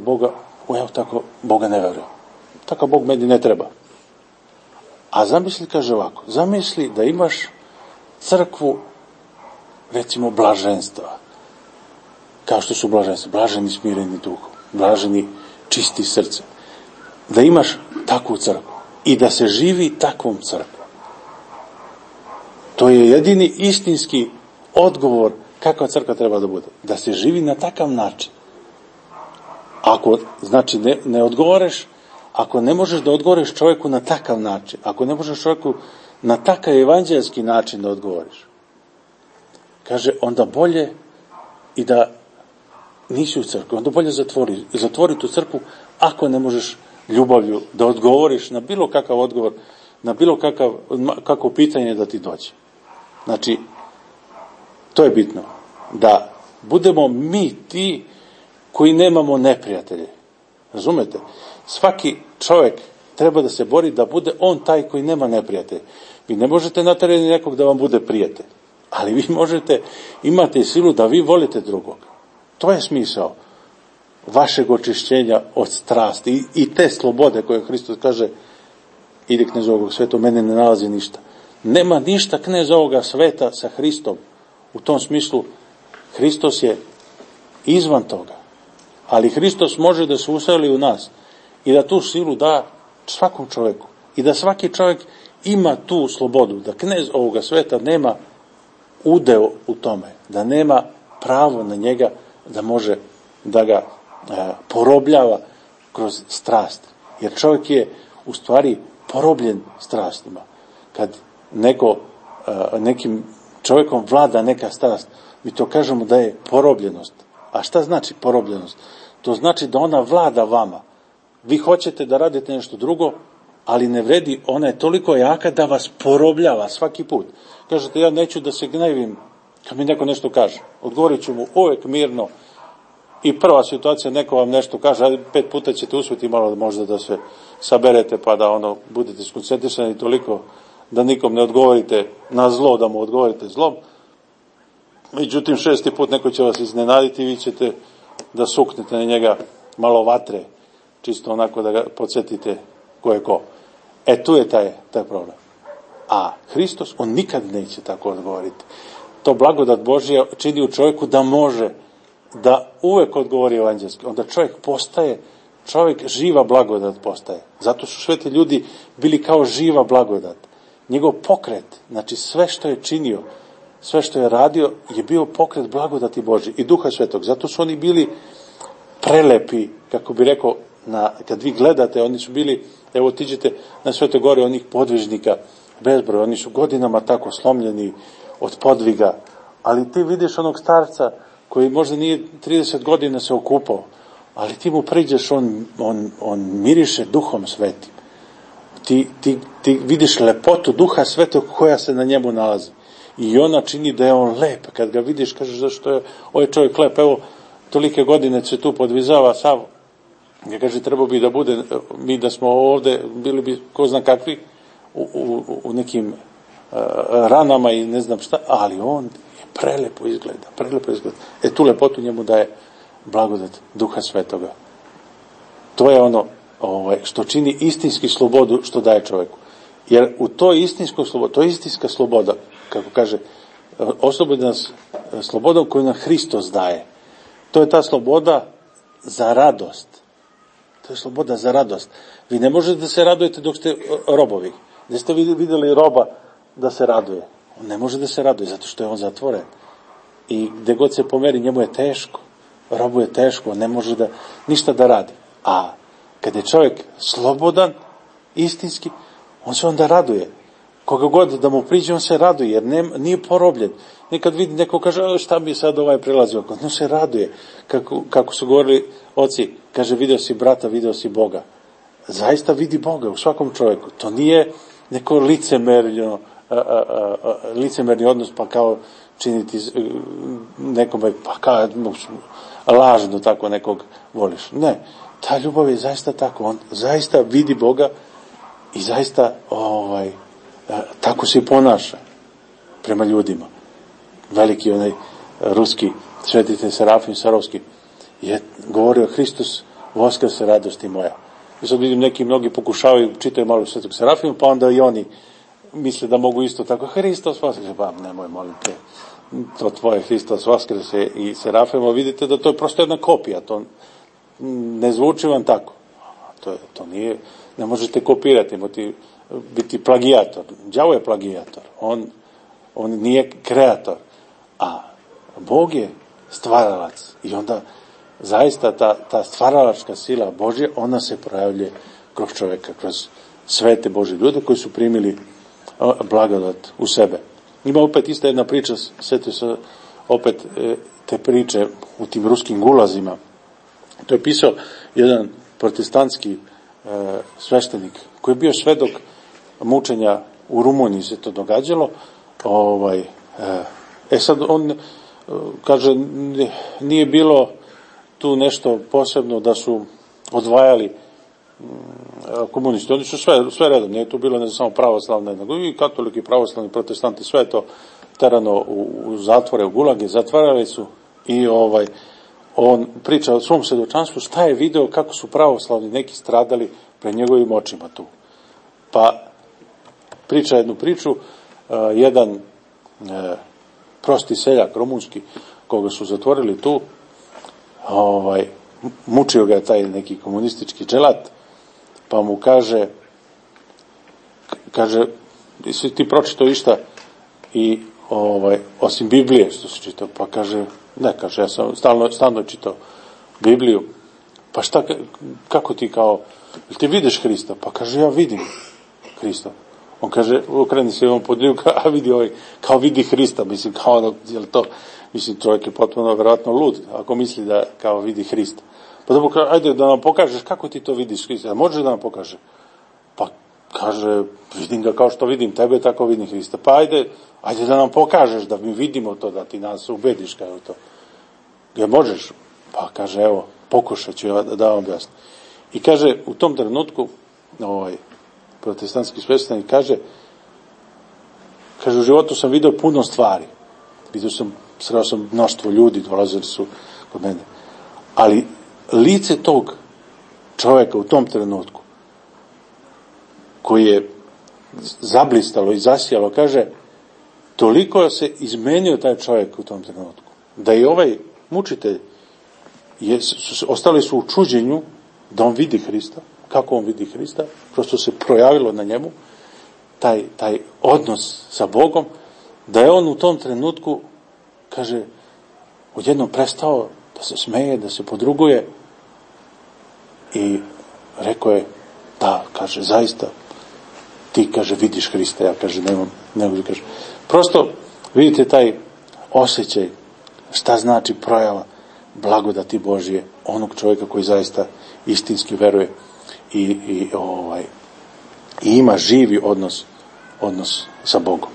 Boga ne verujem. Takav Bog meni ne treba. A zamisli, kaže ovako, zamisli da imaš crkvu, recimo, blaženstva. Kao što su blaženstva, blaženi smireni duhom, blaženi čisti srce. Da imaš takvu crkvu i da se živi takvom crkvom. To je jedini istinski odgovor kakva crkva treba da bude. Da se živi na takav način. Ako, znači, ne odgovoreš, ako ne možeš da odgovoriš čovjeku na takav način, ako ne možeš čovjeku na takav evanđelski način da odgovoriš, kaže, onda bolje i da nisi u crkvi, onda bolje zatvori tu crkvu ako ne možeš ljubavlju da odgovoriš na bilo kakav odgovor, na bilo kakvo pitanje da ti dođe. Znači, to je bitno, da budemo mi ti koji nemamo neprijatelje. Razumete? Svaki čovjek treba da se bori da bude on taj koji nema neprijatelje. Vi ne možete naterati nekog da vam bude prijatelj, ali vi možete, imate silu da vi volite drugog. To je smisao vašeg očišćenja od strasti i te slobode koje Hristos kaže, ide knez ovog sveta, u mene ne nalazi ništa. Nema ništa knez ovoga sveta sa Hristom. U tom smislu, Hristos je izvan toga. Ali Hristos može da se useli u nas i da tu silu da svakom čovjeku. I da svaki čovjek ima tu slobodu. Da knez ovoga sveta nema udeo u tome. Da nema pravo na njega da može da ga porobljava kroz strast. Jer čovjek je u stvari porobljen strastima. Kad nekim čovjekom vlada neka strast, mi to kažemo da je porobljenost. A šta znači porobljenost? To znači da ona vlada vama. Vi hoćete da radite nešto drugo, ali ne vredi, ona je toliko jaka da vas porobljava svaki put. Kažete, ja neću da se gnevim kad mi neko nešto kaže. Odgovorit ću mu uvek mirno. I prva situacija, neko vam nešto kaže, ali 5 puta ćete uspjeti malo možda da se saberete, pa da budete skoncentrisani toliko da nikom ne odgovorite na zlo, da mu odgovorite zlom. Međutim, 6. put neko će vas iznenaditi i vi ćete da suknete na njega malo vatre, čisto onako da ga podsjetite ko je ko. Tu je taj problem. A Hristos, on nikad neće tako odgovoriti. To blagodat Božja čini u čovjeku da može, da uvek odgovori evanđelski. Onda čovjek živa blagodat postaje. Zato su sveti ljudi bili kao živa blagodat. Njegov pokret, znači sve što je činio, sve što je radio, je bio pokret blagodati Božje i Duha Svetog. Zato su oni bili prelepi, kako bi rekao, kad vi gledate, oni su bili, evo otiđete na Svete Gore, onih podvižnika, bezbroj, oni su godinama tako slomljeni od podviga, ali ti vidiš onog starca koji možda nije 30 godina se okupao, ali ti mu priđeš, on miriše Duhom Svetim. Ti vidiš lepotu Duha Svetog koja se na njemu nalazi. I ona čini da je on lep. Kad ga vidiš, kažeš zašto je ovaj čovjek lep. Evo, tolike godine se tu podvizava sav. Ja kaže, trebao bi da bude, mi da smo ovde, bili bi ko zna kakvi, u nekim ranama i ne znam šta, ali on je prelepo izgleda. Tu lepotu njemu daje blagodat Duha Svetoga. To je ono što čini istinski slobodu što daje čovjeku. Jer u toj istinskoj slobodi, to je istinska sloboda, kako kaže, oslobodi nas slobodom koju nam Hristos daje. To je ta sloboda za radost. To je sloboda za radost. Vi ne možete da se radujete dok ste robovi. Gdje ste vidjeli roba da se raduje? On ne može da se raduje zato što je on zatvoren. I gdje god se pomeri, njemu je teško. Robu je teško, on ne može ništa da radi. A kad je čovjek slobodan, istinski, on se onda raduje. Koga god da mu priđe, on se raduje, jer nije porobljen. Nekad vidi, neko kaže, šta bi sad prelazio? On se raduje. Kako su govorili oci, kaže, video si brata, video si Boga. Zaista vidi Boga u svakom čovjeku. To nije neko licemerni odnos, pa kao činiti nekome, pa kao lažno tako nekog voliš. Ne, ta ljubav je zaista tako. On zaista vidi Boga i zaista tako se i ponaša prema ljudima. Veliki onaj ruski svetitelj Serafim Sarovski je govorio, Hristos voskrse, radosti moja. I sad vidim, mnogi pokušavaju, čitaju malo Svetog Serafima, pa onda i oni misle da mogu isto tako, Hristos voskrse, pa nemoj, molim te, to tvoje Hristos voskrse i Serafima, vidite da to je prosto jedna kopija, to ne zvuči vam tako. To nije, ne možete kopirati, biti plagijator. Đavo je plagijator, on nije kreator, a Bog je stvaralac i onda zaista ta stvaralačka sila Božja, ona se projavljuje kroz čovjeka, kroz svete Božje ljude koji su primili blagodat u sebe. Ima opet ista jedna priča, sjetio se opet te priče u tim ruskim gulazima. To je pisao jedan protestantski sveštenik koji je bio svedok mučenja u Rumuniji, se to događalo. Sad on kaže, nije bilo tu nešto posebno da su odvajali komunisti. Oni su sve redom, nije tu bilo ne samo pravoslavne, nego i katoliki, pravoslavni, protestanti, sve je to terano u zatvore, u gulage, zatvarali su i on priča o svom svjedočanstvu, šta je video, kako su pravoslavni neki stradali pred njegovim očima tu. Pa priča jednu priču, jedan prosti seljak rumunski, koga su zatvorili tu, mučio ga je taj neki komunistički dželat, pa mu kaže, jesi ti pročitao išta i osim Biblije što si čitao? Pa kaže, ne, kaže, ja sam stalno čitao Bibliju. Pa šta, kako ti kao, ili ti vidiš Hrista? Pa kaže, ja vidim Hrista. On kaže, okreni se on pod ljuka, a vidi kao vidi Hrista, mislim, kao jel to, mislim, čovjek je potpuno vjerojatno lud, ako misli da kao vidi Hrista. Pa dobro, ajde da nam pokažeš kako ti to vidiš Hrista, može da nam pokaže? Pa kaže, vidim ga kao što vidim tebe, tako vidim Hrista. Pa ajde da nam pokažeš, da mi vidimo to, da ti nas ubediš kao to. Ja možeš? Pa kaže, evo, pokušat ću da vam objasnim. I kaže, u tom trenutku, protestantski sveštenik kaže, u životu sam vidio puno stvari. Sreo sam mnoštvo ljudi, dolazili su kod mene. Ali lice tog čovjeka u tom trenutku, koji je zablistalo i zasijalo, kaže, toliko se izmenio taj čovjek u tom trenutku, da i ovaj mučitelj, ostali su u čuđenju da on vidi Hrista, kako on vidi Hrista, prosto se projavilo na njemu taj odnos sa Bogom, da je on u tom trenutku, kaže, odjednom prestao da se smeje, da se podruguje i rekao je, da, kaže, zaista, ti, kaže, vidiš Hrista, ja, kaže, ne mogu, kaže. Prosto, vidite taj osjećaj, šta znači projava blagodati Božje, onog čovjeka koji zaista istinski veruje i ima živi odnos sa Bogom.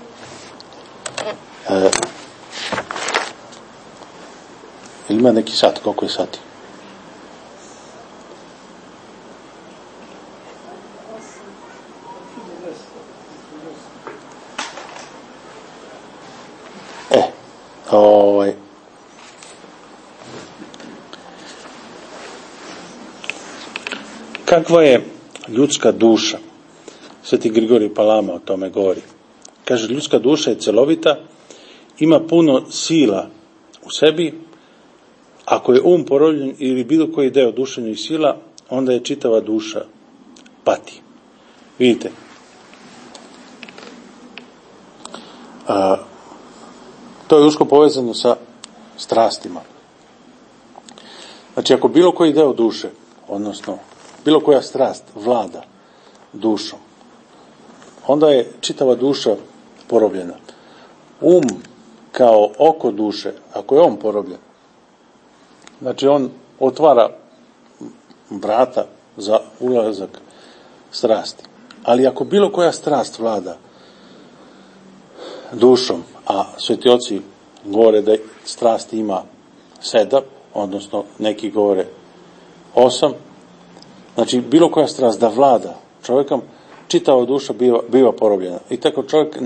Ima neki sat, koliko je sati? Kakva je ljudska duša? Sveti Grigorij Palama o tome govori. Kaže, ljudska duša je celovita, ima puno sila u sebi. Ako je porobljen ili bilo koji deo duševnih sila, onda je čitava duša pati. Vidite, to je usko povezano sa strastima. Znači, ako bilo koji deo duše, odnosno bilo koja strast vlada dušom, onda je čitava duša porobljena. Kao oko duše, ako je on porobljen, znači on otvara vrata za ulazak strasti. Ali ako bilo koja strast vlada dušom, a sveti oci govore da strasti ima 7, odnosno neki govore 8, znači bilo koja strast da vlada čovjekom, čitava duša biva porobljena. I tako čovjek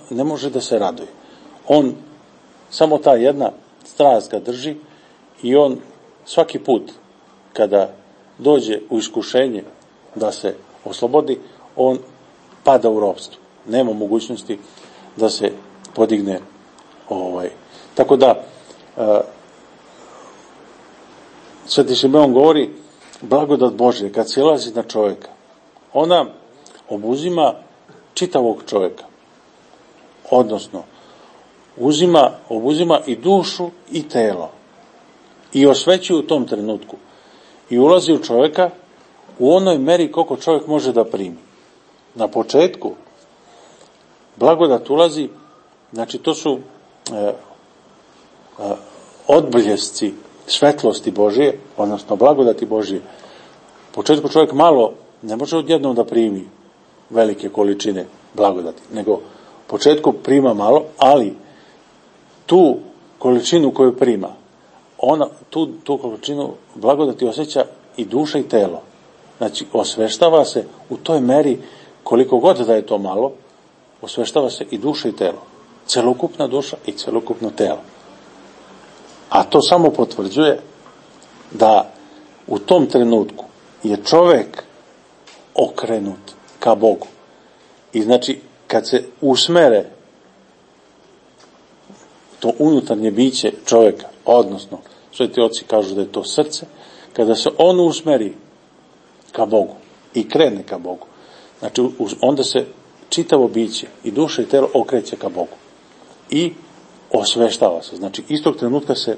ne može da se raduje. On, samo ta jedna strast ga drži i on svaki put kada dođe u iskušenje da se oslobodi, on pada u ropstvo. Nema mogućnosti da se podigne. Tako da Sveti Simeon govori, blagodat Božja kad silazi na čovjeka, ona obuzima čitavog čovjeka, odnosno obuzima i dušu i telo i osvećuje u tom trenutku i ulazi u čovjeka u onoj meri koliko čovjek može da primi. Na početku blagodat ulazi, znači to su odbljesci svetlosti Božje, odnosno blagodati Božje. U početku čovjek malo ne može odjednom da primi velike količine blagodati, nego u početku prima malo, ali tu količinu koju prima, tu količinu blagodati osjeća i duša i telo. Znači, osveštava se u toj meri, koliko god da je to malo, osveštava se i duša i telo. Celokupna duša i celokupno telo. A to samo potvrđuje da u tom trenutku je čovjek okrenut ka Bogu. I znači, kad se usmere to unutarnje biće čovjeka, odnosno, sveti oci kažu da je to srce, kada se on usmeri ka Bogu i krene ka Bogu, znači, onda se čitavo biće i duša i telo okreće ka Bogu. I osveštava se. Znači, istog trenutka se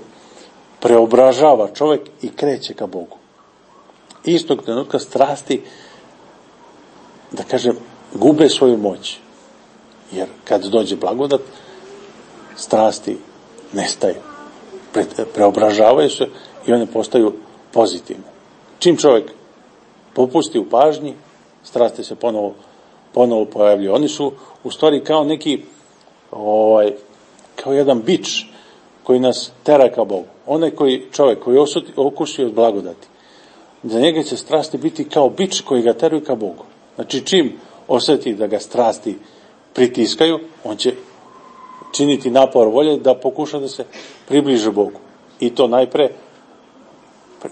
preobražava čovjek i kreće ka Bogu. Istog trenutka strasti, da kažem, gube svoju moć. Jer kad dođe blagodat, strasti nestaju. Preobražavaju se i one postaju pozitivne. Čim čovjek popusti u pažnji, strasti se ponovo pojavljuju. Oni su u stvari kao neki kao jedan bič koji nas tera ka Bogu. Onaj čovjek koji okusi od blagodati, za njega će strasti biti kao bič koji ga teraju ka Bogu. Znači, čim osjeti da ga strasti pritiskaju, on će činiti napor volje da pokuša da se približi Bogu. I to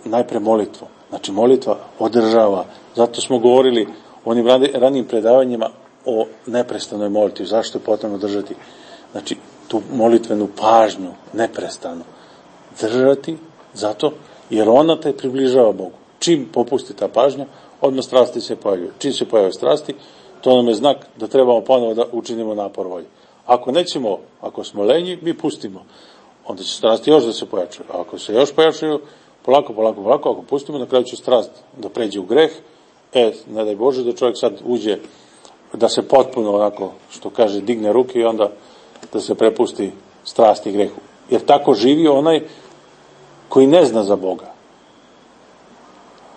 najpre molitvom. Znači, molitva održava. Zato smo govorili u onim ranijim predavanjima o neprestanoj molitvi. Zašto je potrebno držati? Znači, tu molitvenu pažnju neprestano držati, zato jer ona te približava Bogu. Čim popusti ta pažnja, odmah strasti se pojavljaju. Čim se pojave strasti, to nam je znak da trebamo ponovo da učinimo napor volje. Ako nećemo, ako smo lenji, mi pustimo. Onda će strasti još da se pojačaju. A ako se još pojačaju, polako, ako pustimo, na kraju će strast da pređe u greh. Ne daj Bože da čovjek sad uđe, da se potpuno onako, što kaže, digne ruke i onda da se prepusti strasti i grehu. Jer tako živi onaj koji ne zna za Boga.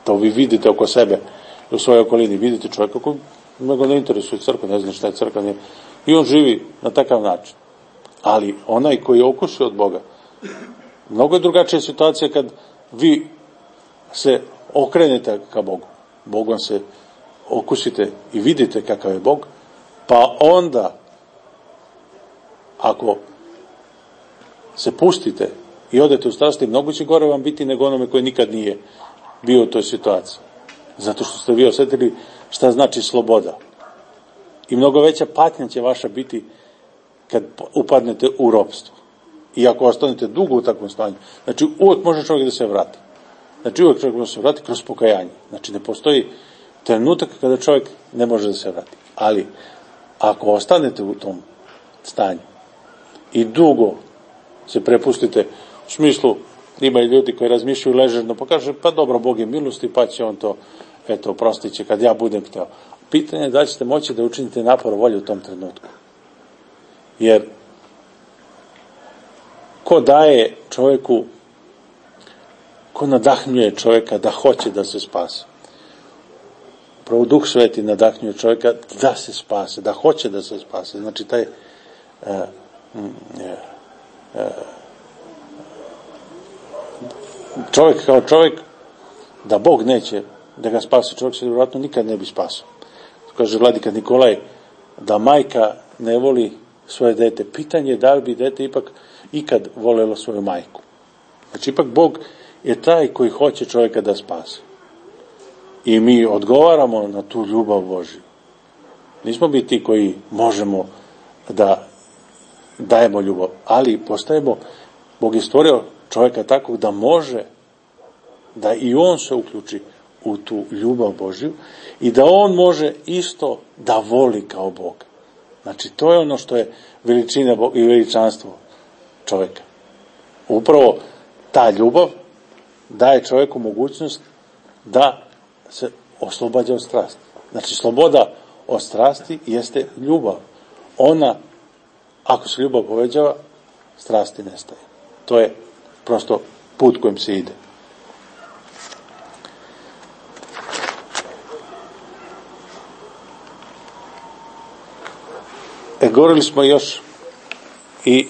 To vi vidite oko sebe, u svojoj okolini, vidite čovjeka koji mnogo ne interesuje crkva, ne zna šta je crkva, nije. I on živi na takav način. Ali onaj koji je okusio od Boga, mnogo je drugačija situacija kad vi se okrenete ka Bogu. Bogom se okusite i vidite kakav je Bog, pa onda, ako se pustite i odete u strasti, mnogo će gore vam biti nego onome koji nikad nije bio u toj situaciji. Zato što ste vi osjetili šta znači sloboda. I mnogo veća patnja će vaša biti kad upadnete u ropstvo. I ako ostanete dugo u takvom stanju. Znači, uvijek može čovjek da se vrati. Znači, uvijek čovjek može da se vrati kroz pokajanje. Znači, ne postoji trenutak kada čovjek ne može da se vrati. Ali, ako ostanete u tom stanju i dugo se prepustite, u smislu, ima i ljudi koji razmišljaju ležerno, pa kaže, pa dobro, Bog je milosti, pa će on to, oprostit će kad ja budem hteo. Pitanje je da ćete moći da učinite napor volje u tom trenutku. Jer ko daje čovjeku, ko nadahnjuje čovjeka da hoće da se spase? Upravo Duh Sveti nadahnjuje čovjeka da se spase, da hoće da se spase. Znači, taj čovjek kao čovjek, da Bog neće da ga spase, čovjek se vjerojatno nikad ne bi spasao. Kaže vladika Nikolaj, da majka ne voli svoje dete. Pitanje je da li bi dete ipak ikad volelo svoju majku. Znači, ipak Bog je taj koji hoće čovjeka da spase. I mi odgovaramo na tu ljubav Božju. Nismo mi ti koji možemo da dajemo ljubav, ali postajemo, Bog je stvorio čovjeka takvog da može, da i on se uključi u tu ljubav Božju i da on može isto da voli kao Bog. Znači, to je ono što je veličina i veličanstvo čovjeka. Upravo ta ljubav daje čovjeku mogućnost da se oslobađa od strasti. Znači, sloboda od strasti jeste ljubav. Ona, ako se ljubav povećava, strasti nestaje. To je prosto put kojim se ide. Govorili smo još i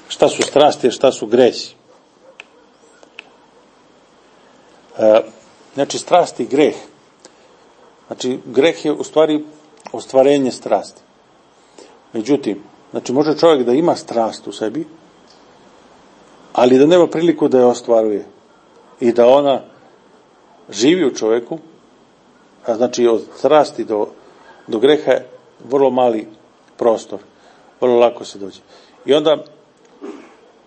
šta su strasti, a šta su gresi. Znači, strast i greh. Znači, greh je u stvari ostvarenje strasti. Međutim, znači, može čovjek da ima strast u sebi, ali da nema priliku da je ostvaruje. I da ona živi u čovjeku, a znači od strasti do greha je vrlo mali prostor. Vrlo lako se dođe. I onda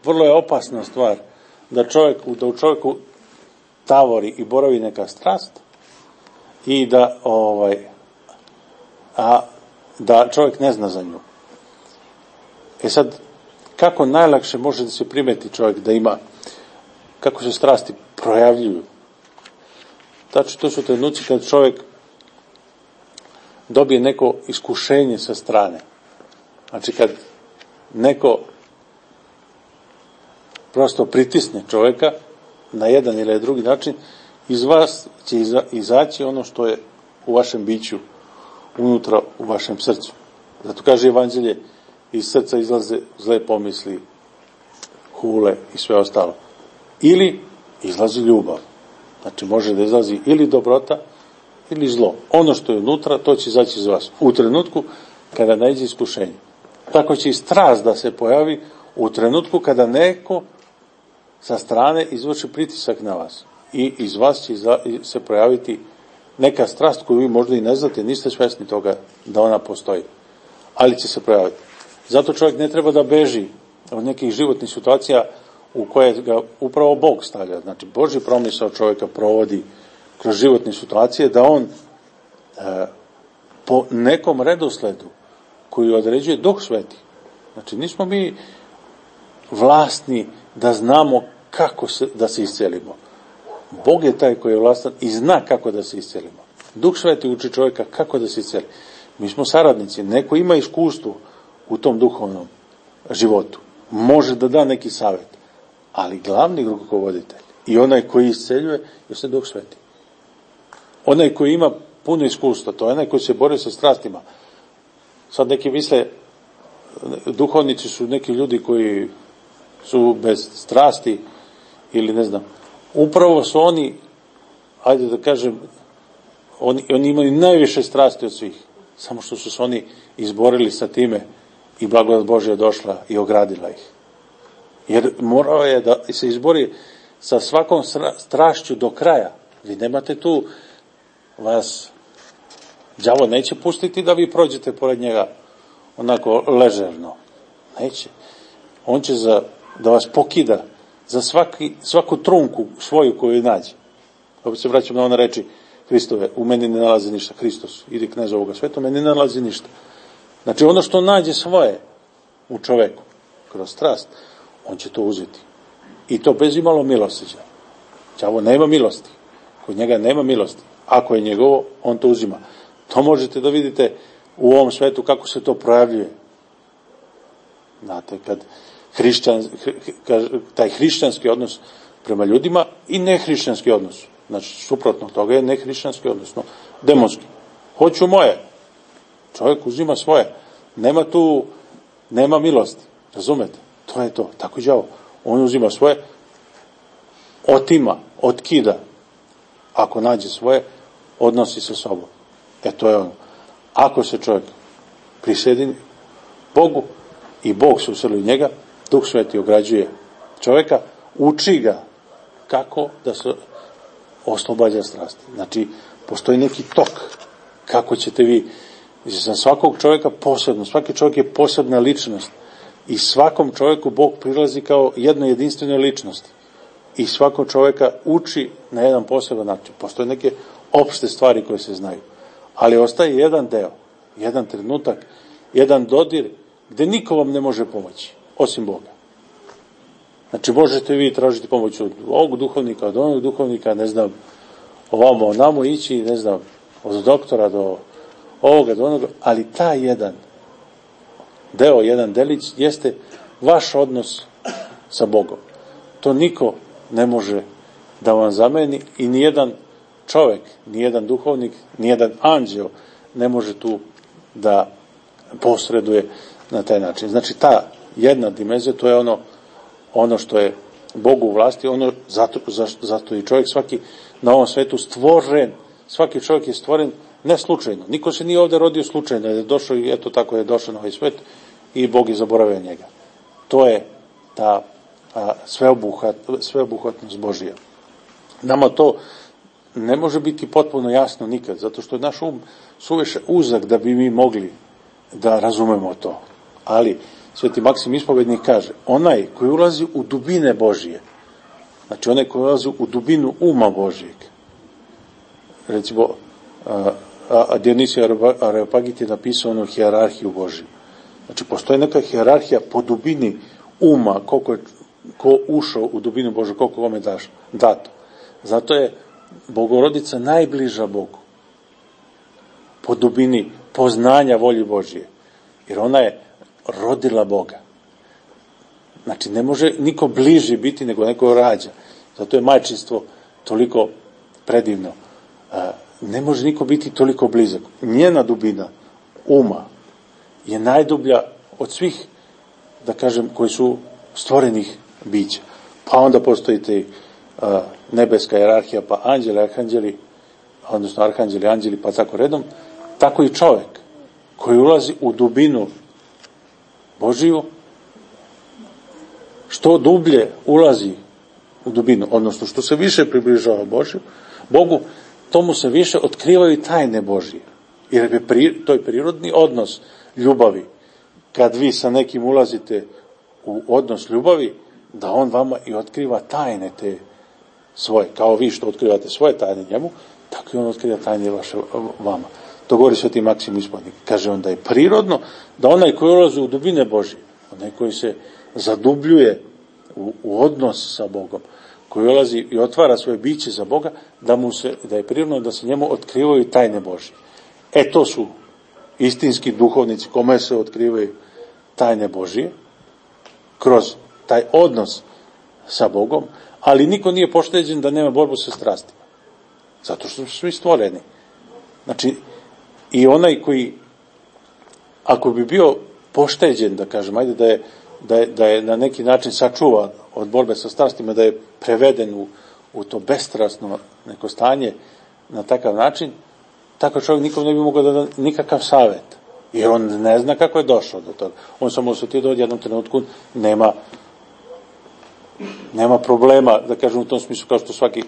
vrlo je opasna stvar da u čovjeku tavori i boravi neka strast i da čovjek ne zna za nju. Sad, kako najlakše može da se primeti čovjek da ima, kako se strasti projavljuju? Znači, to su trenuci kad čovjek dobije neko iskušenje sa strane. Znači, kad neko prosto pritisne čovjeka na jedan ili drugi način, iz vas će izaći ono što je u vašem biću, unutra u vašem srcu. Zato kaže Evanđelje, iz srca izlaze zle pomisli, hule i sve ostalo. Ili izlazi ljubav. Znači, može da izlazi ili dobrota, ili zlo. Ono što je unutra, to će izaći iz vas. U trenutku kada naiđe iskušenje. Tako će i strast da se pojavi u trenutku kada neko sa strane izvrši pritisak na vas. I iz vas će se projaviti neka strast koju vi možda i ne znate, niste svjesni toga da ona postoji, ali će se projaviti. Zato čovjek ne treba da beži od nekih životnih situacija u koje ga upravo Bog stavlja. Znači, Božji promisao čovjeka provodi kroz životne situacije, da on po nekom redosledu koji određuje Duh Sveti. Znači, nismo mi vlasni da znamo kako da se iscelimo. Bog je taj koji je vlastan i zna kako da se iscelimo. Duh Sveti uči čovjeka kako da se isceli. Mi smo saradnici, neko ima iskustvo u tom duhovnom životu. Može da da neki savjet, ali glavni rukovoditelj i onaj koji isceljuje je Duh Sveti. Onaj koji ima puno iskustva, to je onaj koji se bori sa strastima. Sad neki misle, duhovnici su neki ljudi koji su bez strasti ili ne znam. Upravo su oni, ajde da kažem, oni imaju najviše strasti od svih. Samo što su se oni izborili sa time i blagodat Božja došla i ogradila ih. Jer morao je da se izbori sa svakom strašću do kraja. Vi nemate tu, vas đavo neće pustiti da vi prođete pored njega onako ležerno. Neće. On će da vas pokida za svaku trunku svoju koju nađe. Opet se vraćam na one reči Hristove, u meni ne nalazi ništa. Hristos, idi knez ovoga sveta, u meni ne nalazi ništa. Znači ono što nađe svoje u čoveku, kroz strast, on će to uzeti. I to bez imalo milosrđa. Đavo nema milosti. Kod njega nema milosti. Ako je njegovo, on to uzima. To možete da vidite u ovom svetu kako se to projavljuje. Znate, kad taj hrišćanski odnos prema ljudima i nehrišćanski odnos. Znači, suprotno toga je nehrišćanski, odnosno demonski. Hoću moje. Čovjek uzima svoje. Nema milosti. Razumete? To je to. Tako i đavo. On uzima svoje, otima, otkida. Ako nađe svoje, odnosi sa sobom. To je ono. Ako se čovjek prisjedini Bogu i Bog se useli u njega, Duh Sveti ograđuje čovjeka, uči ga kako da se oslobađa strasti. Znači, postoji neki tok kako ćete vi, za svakog čovjeka posebno, svaki čovjek je posebna ličnost i svakom čovjeku Bog prilazi kao jednoj jedinstvenoj ličnosti i svakog čovjeka uči na jedan poseban način. Postoje neke opšte stvari koje se znaju, ali ostaje jedan deo, jedan trenutak, jedan dodir gdje niko vam ne može pomoći, osim Boga. Znači, možete vi tražiti pomoć od ovog duhovnika, od onog duhovnika, ne znam, ovamo, onamo ići, ne znam, od doktora do ovoga, do onoga, ali taj jedan deo, jedan delić, jeste vaš odnos sa Bogom. To niko ne može da vam zameni i nijedan čovjek, nijedan duhovnik, nijedan anđeo ne može tu da posreduje na taj način. Znači, ta jedna dimenzija, to je ono što je Bogu u vlasti, zato i čovjek svaki na ovom svetu stvoren, svaki čovjek je stvoren ne slučajno. Niko se nije ovdje rodio slučajno, je došao i eto tako je došao na ovaj svet i Bog je zaboravio njega. To je ta sveobuhvatnost Božija. Nama to ne može biti potpuno jasno nikad, zato što je naš suviše uzak da bi mi mogli da razumemo to. Ali Sveti Maksim Ispovednik kaže, onaj koji ulazi u dubine Božije, znači onaj koji ulazi u dubinu uma Božijeg, recimo Dionisije Areopagit je napisao onu hijerarhiju Božiju. Znači postoji neka hijerarhija po dubini uma, ko ušao u dubinu Božju, koliko kome dato. Zato je Bogorodica najbliža Bogu po dubini poznanja volje Božije, jer ona je rodila Boga. Znači, ne može niko bliži biti nego neko rađa. Zato je majčinstvo toliko predivno. Ne može niko biti toliko blizak. Njena dubina uma je najdublja od svih, da kažem, koji su stvorenih bića. Pa onda postoji te nebeska jerarhija, pa anđeli, arhanđeli, odnosno arhanđeli, anđeli, pa tako redom. Tako i čovjek koji ulazi u dubinu Božiju, što dublje ulazi u dubinu, odnosno što se više približava Bogu, tomu se više otkrivaju tajne Božije. Jer to je prirodni odnos ljubavi. Kad vi sa nekim ulazite u odnos ljubavi, da on vama i otkriva tajne te svoje. Kao vi što otkrivate svoje tajne njemu, tako i on otkriva tajne vaše vama. To govori Sveti Maksim Ispovjednik. Kaže on da je prirodno da onaj koji ulazi u dubine Božje, onaj koji se zadubljuje u odnos sa Bogom, koji ulazi i otvara svoje biće za Boga, da je prirodno da se njemu otkrivaju tajne Božje. To su istinski duhovnici kome se otkrivaju tajne Božje, kroz taj odnos sa Bogom, ali niko nije pošteđen da nema borbu sa strastima. Zato što su svi stvoreni. Znači, i onaj koji, ako bi bio pošteđen, da kažem, ajde da je na neki način sačuvan od borbe sa strastima, da je preveden u to bestrasno neko stanje na takav način, tako čovjek nikom ne bi mogao da da nikakav savjet. Jer on ne zna kako je došao do toga. On samo osjetio da u jednom trenutku nema problema, da kažem u tom smislu, kao što svaki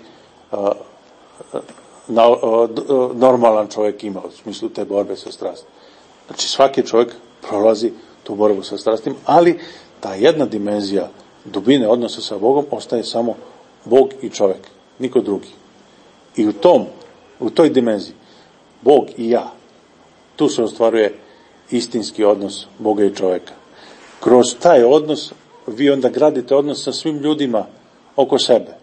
normalan čovjek ima u smislu te borbe sa strastima. Znači svaki čovjek prolazi tu borbu sa strastima, ali ta jedna dimenzija dubine odnosa sa Bogom ostaje samo Bog i čovjek, niko drugi. I u toj dimenziji Bog i ja, tu se ostvaruje istinski odnos Boga i čovjeka. Kroz taj odnos vi onda gradite odnos sa svim ljudima oko sebe.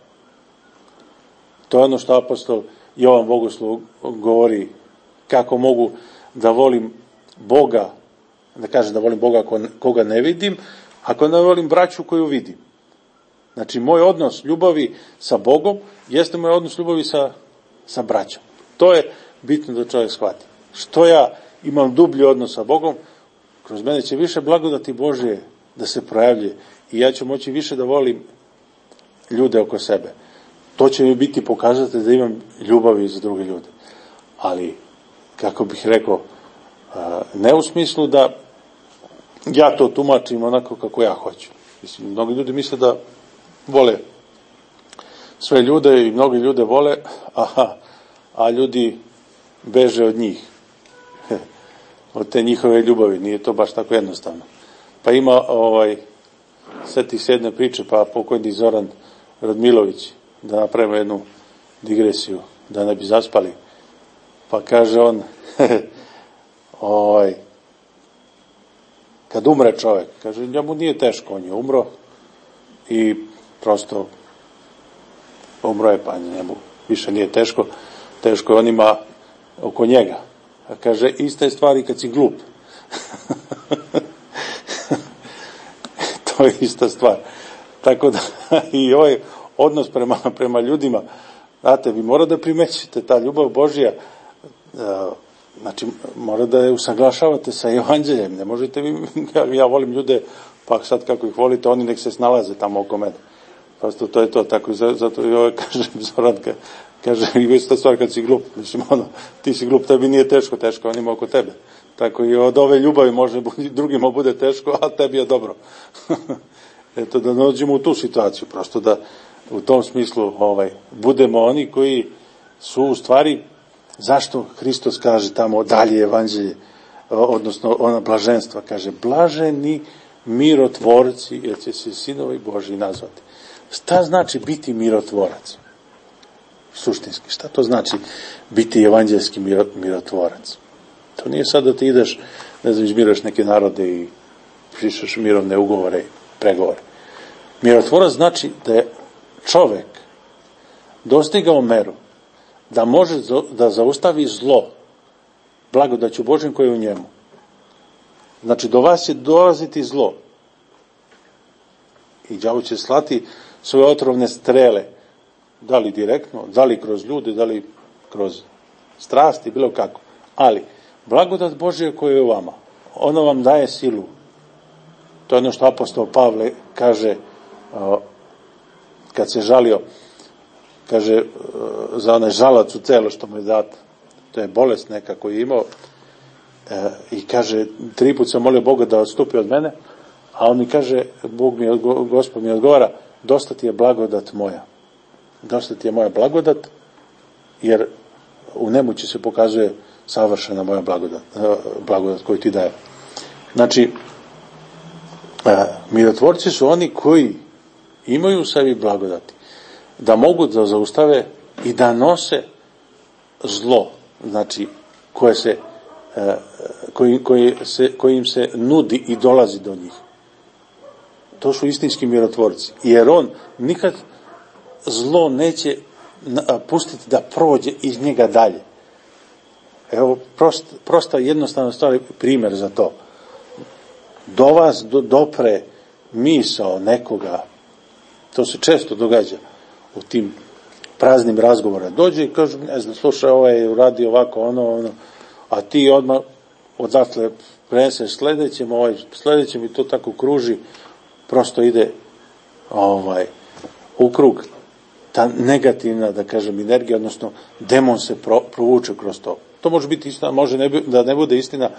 To je ono što apostol Jovan Bogoslov govori, kako mogu da volim Boga, da kažem da volim Boga koga ne vidim, ako ne volim braću koju vidim. Znači, moj odnos ljubavi sa Bogom jeste moj odnos ljubavi sa braćom. To je bitno da čovjek shvati. Što ja imam dublji odnos sa Bogom, kroz mene će više blagodati Božje da se projavljuje i ja ću moći više da volim ljude oko sebe. To će mi biti pokazatelj da imam ljubavi za druge ljude. Ali, kako bih rekao, ne u smislu da ja to tumačim onako kako ja hoću. Mislim, mnogi ljudi misle da vole sve ljude i mnogi ljude vole, a ljudi beže od njih. Od te njihove ljubavi. Nije to baš tako jednostavno. Pa ima seti se jedne priče, pa pokojni Zoran Radmilović, da napravimo jednu digresiju, da ne bi zaspali. Pa kaže on, kad umre čovjek, kaže, njemu nije teško, on je umro i prosto umro je, pa njemu više nije teško, teško je onima oko njega. A kaže, ista je stvar i kad si glup. To je ista stvar. Tako da i ovaj odnos prema ljudima, znate, vi morate da primećete ta ljubav Božja, znači mora da je usaglašavate sa evanđeljem. Ne možete vi, ja volim ljude, pa sad kako ih volite, oni nek se snalaze tamo oko mene. Prosto to je to, tako zato i ovaj kaže Zoran, kaže, i ista stvar kad si glup, mislim, ti si glup, tebi nije teško onima oko tebe. Tako i od ove ljubavi može drugima bude teško, a tebi je dobro. Eto, da dođemo u tu situaciju, prosto da u tom smislu budemo oni koji su u stvari, zašto Hristos kaže tamo dalje evanđelje, odnosno ona blaženstva, kaže, blaženi mirotvorci, jer će se sinovi Božji nazvati. Šta znači biti mirotvorac? Suštinski, šta to znači biti evanđelski mirotvorac? To nije sad da ti ideš, ne znam, izmiraš neke narode i pišeš mirovne ugovore i pregovore. Mirotvorac znači da je čovek dostigao meru da može da zaustavi zlo blagodaću Božjom koje je u njemu. Znači, do vas će dolaziti zlo i đavo će slati svoje otrovne strele, da li direktno, da li kroz ljude, da li kroz strasti, bilo kako. Ali blagodat Božja koja je u vama, ona vam daje silu. To je ono što apostol Pavle kaže kad se žalio, kaže za onaj žalac u telo što mu je dat, to je bolest neka koju je imao, i kaže, 3 puta sam molio Boga da odstupi od mene, a on mi kaže, Gospod mi odgovara, dosta ti je blagodat moja. Dosta ti je moja blagodat, jer u nemoći se pokazuje savršena moja blagodat koju ti daje. Znači, mirotvorci su oni koji imaju u sebi blagodati, da mogu da zaustave i da nose zlo, znači kojim se nudi i dolazi do njih. To su istinski mirotvorci, jer on nikad zlo neće pustiti da prođe iz njega dalje. Evo, prosta jednostavna stvar, primjer za to. Do vas dopre misao nekoga, to se često događa u tim praznim razgovorima. Dođe i kaže, ne znam, slušaj, ovaj je uradio ovako, ono, a ti odmah odatle preneseš sledećem i to tako kruži, prosto ide u krug ta negativna, da kažem, energija, odnosno demon se provuče kroz to. To može biti istina, može da ne bude istina,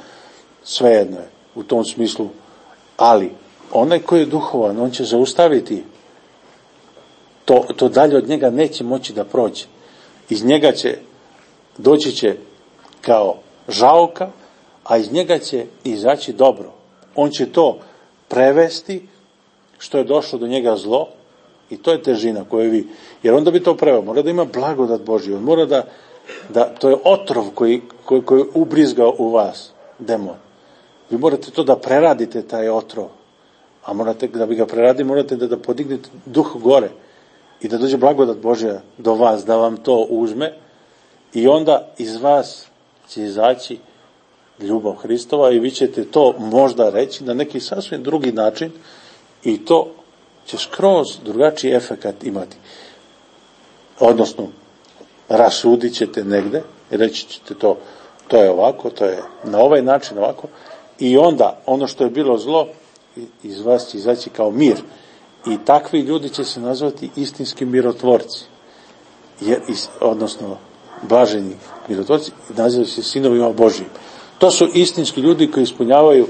svejedno je u tom smislu, ali onaj koji je duhovan, on će zaustaviti to dalje od njega neće moći da prođe. Iz njega doći će kao žaoka, a iz njega će izaći dobro. On će to prevesti što je došlo do njega zlo, i to je težina koju vi, jer onda bi to preveo, mora da ima blagodat Božju, on mora da to je otrov koji ubrizgao u vas demon. Vi morate to da preradite, taj otrov, a morate, da bi ga preradili, morate da podignete duh gore i da dođe blagodat Božja do vas, da vam to uzme, i onda iz vas će izaći ljubav Hristova i vi ćete to možda reći na neki sasvim drugi način, i to će skroz drugačiji efekat imati. Odnosno, rasudit ćete negde i reći ćete to je ovako, to je na ovaj način ovako, i onda ono što je bilo zlo iz vas će izaći kao mir, i takvi ljudi će se nazvati istinski mirotvorci, odnosno blaženi mirotvorci, nazivaju se sinovima Božijim. To su istinski ljudi koji ispunjavaju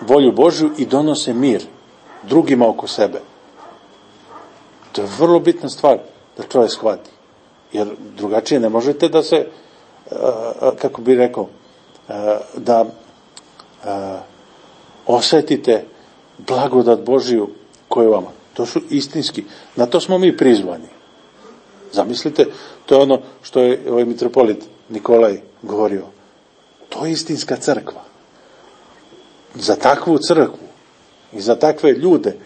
volju Božju i donose mir drugima oko sebe. To je vrlo bitna stvar da čovjek shvati, jer drugačije ne možete da se, kako bi rekao, da osjetite blagodat Božiju koju vama. To su istinski, na to smo mi prizvani. Zamislite, to je ono što je ovaj mitropolit Nikolaj govorio. To je istinska crkva. Za takvu crkvu i za takve ljude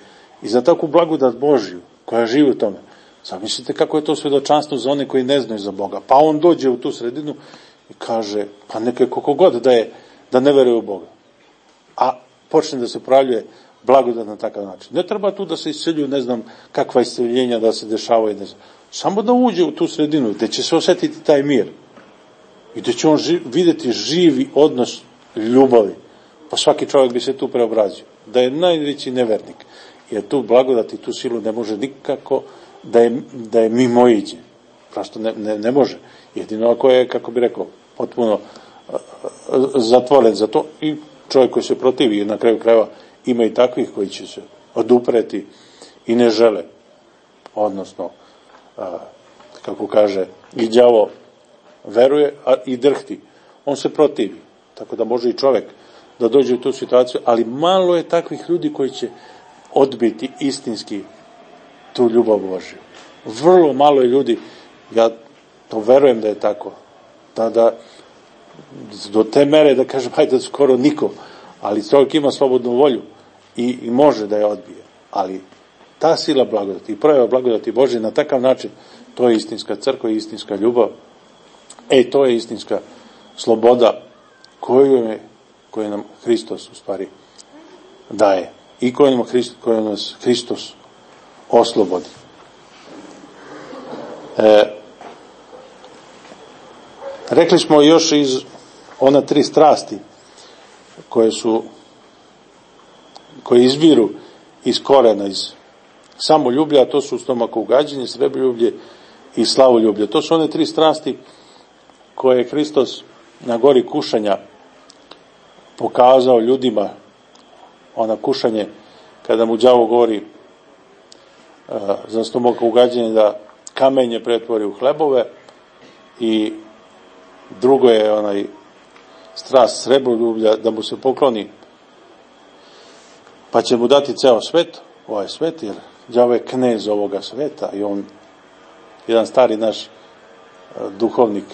i za takvu blagodat Božju koja živi u tome. Zamislite kako je to svjedočanstvo za one koji ne znaju za Boga. Pa on dođe u tu sredinu i kaže, pa neke koliko god da ne veruje u Boga. A počne da se projavljuje blagodat na takav način. Ne treba tu da se isceljuju, ne znam kakva isceljenja da se dešavaju, ne znam. Samo da uđe u tu sredinu gde će se osjetiti taj mir i gde će on vidjeti živi odnos ljubavi. Pa svaki čovjek bi se tu preobrazio. Da je najveći nevernik. Jer tu blagodat i tu silu ne može nikako da je mimoiđe. Prosto ne može. Jedino ako je, kako bi rekao, potpuno zatvoren za to, i čovjek koji se protivi, i na kraju krajeva ima i takvih koji će se odupreti i ne žele. Odnosno, kako kaže, i đavo veruje, a i drhti. On se protivi. Tako da može i čovjek da dođe u tu situaciju, ali malo je takvih ljudi koji će odbiti istinski tu ljubav Božju. Vrlo malo je ljudi, ja to verujem da je tako, da do te mere da kažem, hajde skoro nikom, ali čovjek ima slobodnu volju i može da je odbije. Ali ta sila blagodati i projava blagodati Božje na takav način, to je istinska crkva i istinska ljubav. To je istinska sloboda koju nam Hristos u stvari daje i koju nas Hristos oslobodi. Rekli smo još iz ona 3 strasti koje izviru iz korena, iz samoljublja, a to su stomakougađenje, srebroljublje i slavoljublje. To su one 3 strasti koje je Hristos na gori kušanja pokazao ljudima. Ona kušanje kada mu đavo govori za stomakougađenje da kamenje pretvori u hlebove, i drugo je strast srebroljublja, da mu se pokloni, pa će mu dati ceo svet, ovaj svet, jer đavo je knez ovoga sveta i on, jedan stari naš duhovnik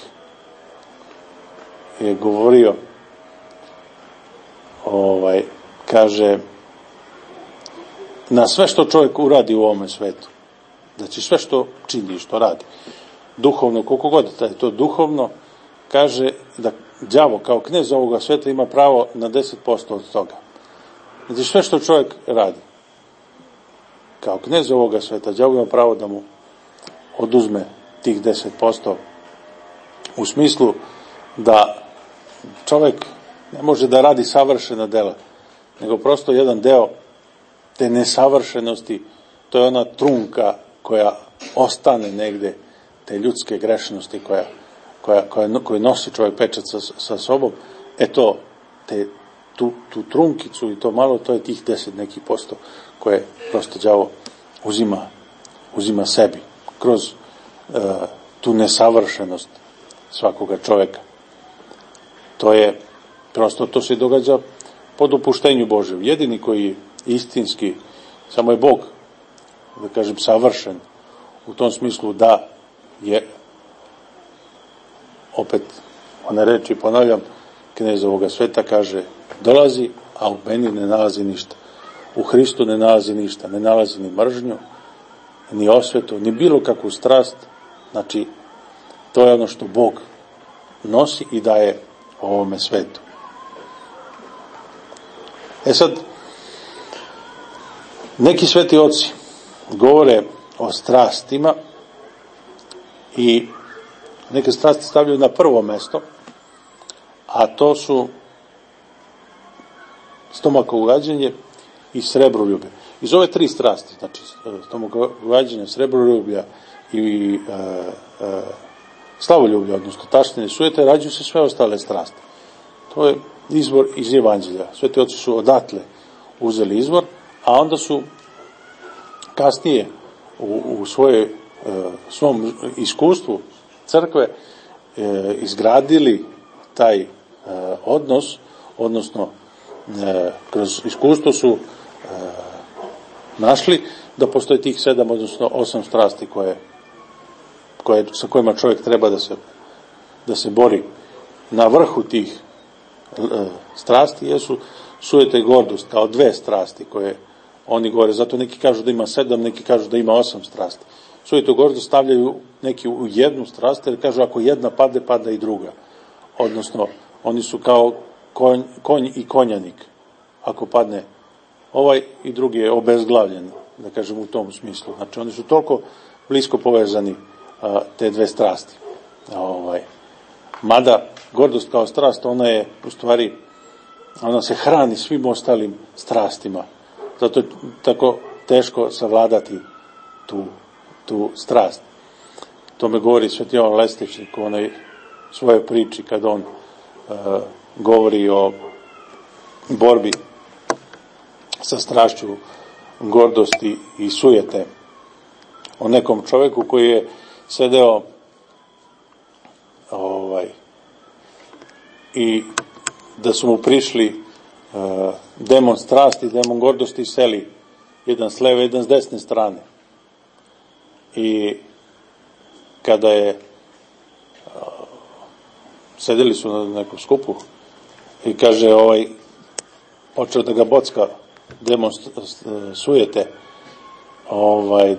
je govorio, kaže, na sve što čovjek uradi u ovome svetu, znači sve što čini, što radi, duhovno, koliko god da je to duhovno, kaže da đavo kao knez ovoga sveta ima pravo na 10% od toga. Znači sve što čovjek radi, kao knez ovoga sveta, đavo ima pravo da mu oduzme tih 10%, u smislu da čovjek ne može da radi savršena dela, nego prosto jedan deo te nesavršenosti, to je ona trunka koja ostane negde, te ljudske grešnosti koju nosi čovjek pečat sa sobom, tu trunkicu i to malo, to je tih 10 nekih posto koje prosto đavo uzima sebi kroz tu nesavršenost svakoga čovjeka. To je prosto, to se događa po dopuštenju Božjem. Jedini koji je istinski, samo je Bog, da kažem, savršen u tom smislu da je, opet one reči ponavljam, knez ovoga sveta kaže, dolazi, a u meni ne nalazi ništa. U Hristu ne nalazi ništa, ne nalazi ni mržnju, ni osvetu, ni bilo kakvu strast. Znači, to je ono što Bog nosi i daje ovome svetu. Sad, neki sveti oci govore o strastima i neke strasti stavljaju na prvo mesto, a to su stomakogađenje i srebroljublje. Iz ove tri strasti, znači stomakogađenje, srebroljublja i slavoljublja, odnosno taštine, sujete, rađuju se sve ostale strasti. To je izvor iz Evanđelja. Sveti oci su odatle uzeli izvor, a onda su kasnije u svom iskustvu crkve izgradili taj odnos, odnosno kroz iskustvo su našli da postoje tih 7, odnosno 8 strasti sa kojima čovjek treba da se bori. Na vrhu tih strasti jesu sujeta i gordost, kao 2 strasti koje oni govore. Zato neki kažu da ima 7, neki kažu da ima 8 strasti. Sujetu i gordost stavljaju neki u jednu strast, jer kažu ako jedna padne, pada i druga. Odnosno, oni su kao konj i konjanik. Ako padne ovaj i drugi je obezglavljen, da kažem u tom smislu. Znači, oni su toliko blisko povezani, te 2 strasti. Mada gordost kao strast, ona je u stvari, ona se hrani svim ostalim strastima. Zato je tako teško savladati tu strast. To me govori Sveti Jovan Lestičnik u onoj svojoj priči kad on govori o borbi sa strašću gordosti i sujete. O nekom čoveku koji je sedeo i da su mu prišli demon strasti, demon gordosti seli, jedan s leve, jedan s desne strane. I kada je sedeli su na nekom skupu i kaže počeo da ga bocka demon sujete,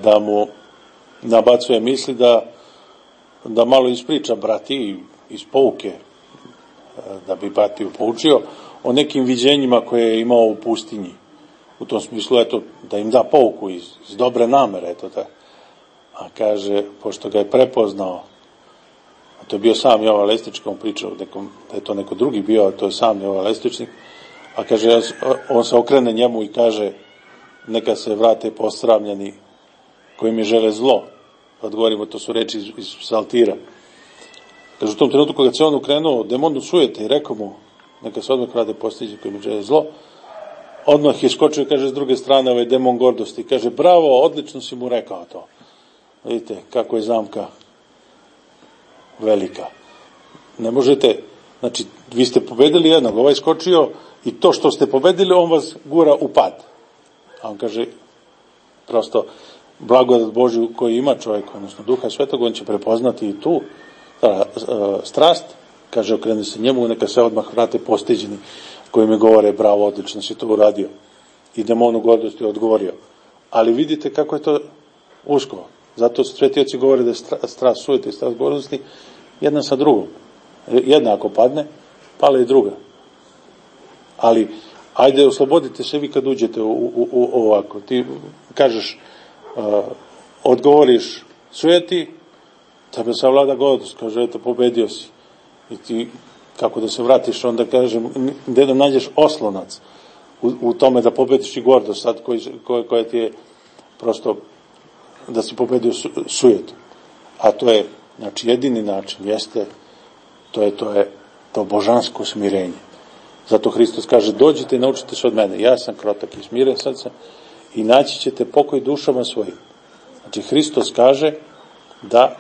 da mu nabacuje misli da malo ispriča brati iz pouke, da bi bratiju poučio o nekim viđenjima koje je imao u pustinji. U tom smislu, da im da pouku iz dobre namere, A kaže, pošto ga je prepoznao, a to je bio sam Jovan Lestičnik, on pričao da je to neko drugi bio, a to je sam Jovan Lestičnik, a kaže, on se okrene njemu i kaže, neka se vrate posramljeni koji mi žele zlo. Odgovorimo, to su reči iz psaltira. Kaže, u tom trenutku kada se on ukrenuo demonu sujete i rekao mu, neka se odmah vrate postiđi koji mi žele zlo, odmah je skočio, kaže, s druge strane ovaj demon gordosti. Kaže, bravo, odlično si mu rekao to. Vidite, kako je zamka velika. ne možete, znači, vi ste pobedili jednog, ovaj skočio i to što ste pobedili, on vas gura u pad. A on kaže, prosto, blagodat Božju koji ima čovjek, odnosno Duha Svetog, on će prepoznati i tu strast, kaže, okrene se njemu, neka se odmah vrate postiđeni, koji mi govore, bravo, odlično si to uradio. I demonu gordosti odgovorio. Ali vidite kako je to usko. Zato sveti oci govore da je strast sujete i strast gordosti jedna sa drugom. Jedna ako padne, pale i druga. Ali, ajde, oslobodite se vi kad uđete u ovako. Ti kažeš, odgovoriš sujeti, tebe savlada gordost, kaže, eto, pobedio si. I ti, kako da se vratiš, onda kažem, gde da nađeš oslonac u tome da pobediš i gordost, sad koja ti je prosto da si pobedio sujetu. A to je, znači, jedini način, jeste, to je to božansko smirenje. Zato Hristos kaže, dođite i naučite se od mene. Ja sam krotak i smiren srca i naći ćete pokoj dušama svojim. Znači, Hristos kaže da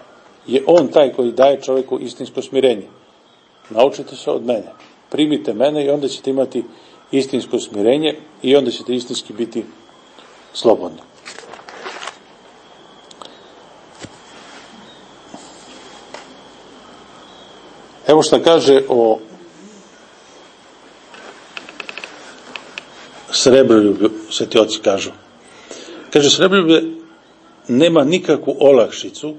je on taj koji daje čovjeku istinsko smirenje. Naučite se od mene. Primite mene i onda ćete imati istinsko smirenje i onda ćete istinski biti slobodni. Evo šta kaže o srebroljublju, sveti oci kažu. Kaže, srebroljublje nema nikakvu olakšicu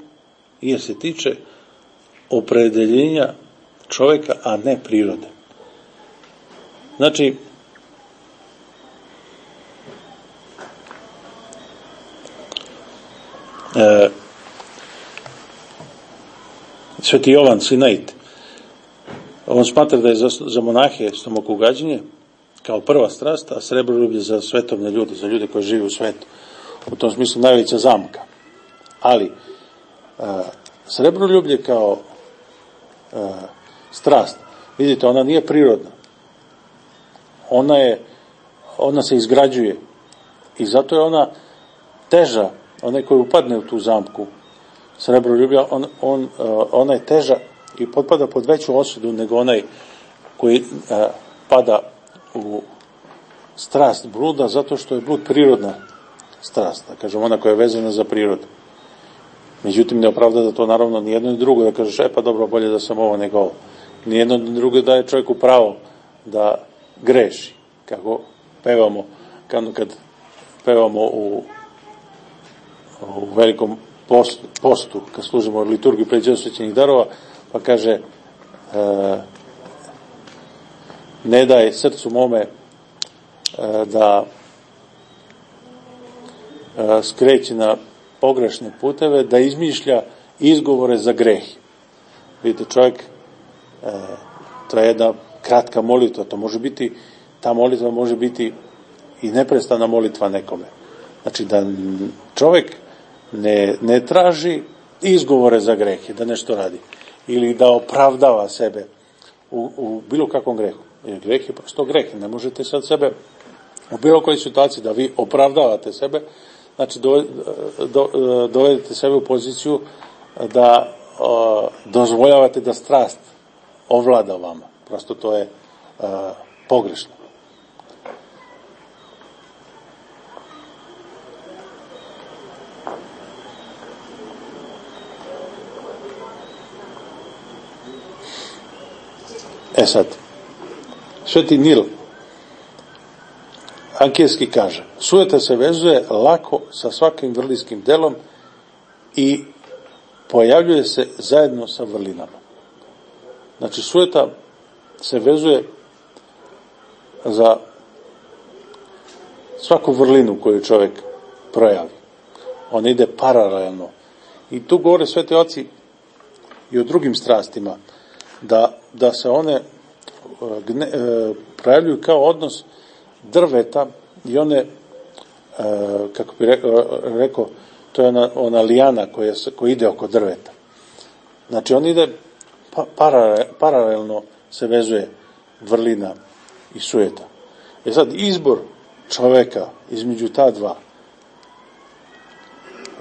jer se tiče opredeljenja čovjeka, a ne prirode. Znači, sveti Jovan Sinaid, on smatra da je za monahe stomakogađenje kao prva strast, a srebroljublje za svetovne ljude, za ljude koji žive u svetu. U tom smislu najveća zamka. Ali, srebroljublje kao strast, vidite, ona nije prirodna. Ona se izgrađuje i zato je ona teža, onaj koji upadne u tu zamku srebroljublja, ona je teža i potpada pod veću osudu nego onaj koji pada u strast bluda, zato što je blud prirodna strast, da kažem, ona koja je vezana za prirodu. Međutim, ne opravda da to naravno ni jedno ni drugo, da kažeš, pa dobro, bolje da sam ovo nego ovo. Ni jedno ni drugo daje čovjeku pravo da greši, kako pevamo, kad pevamo u velikom postu, kad služimo liturgiju pređenja svećenih darova, pa kaže, ne daj srcu mome da skreće na pogrešne puteve, da izmišlja izgovore za greh. Vidite, čovjek, to je jedna kratka molitva, ta molitva može biti i neprestana molitva nekome. Znači, da čovjek ne traži izgovore za greh, da nešto radi, ili da opravdava sebe u bilo kakvom grehu. Jer greh je prosto greh, ne možete sad sebe u bilo kojoj situaciji da vi opravdavate sebe, znači dovedete sebe u poziciju da dozvoljavate da strast ovlada vama. Prosto to je pogrešno. Sad, sveti Nil Ankijski kaže, sujeta se vezuje lako sa svakim vrlinskim delom i pojavljuje se zajedno sa vrlinama. Znači, sujeta se vezuje za svaku vrlinu koju čovjek projavi. On ide paralelno. I tu govore sveti oci i o drugim strastima, da se one projavljuju kao odnos drveta i one, kako bi rekao, to je ona lijana koja ide oko drveta. Znači, on ide paralelno se vezuje vrlina i sujeta. Sad, izbor čoveka između ta dva,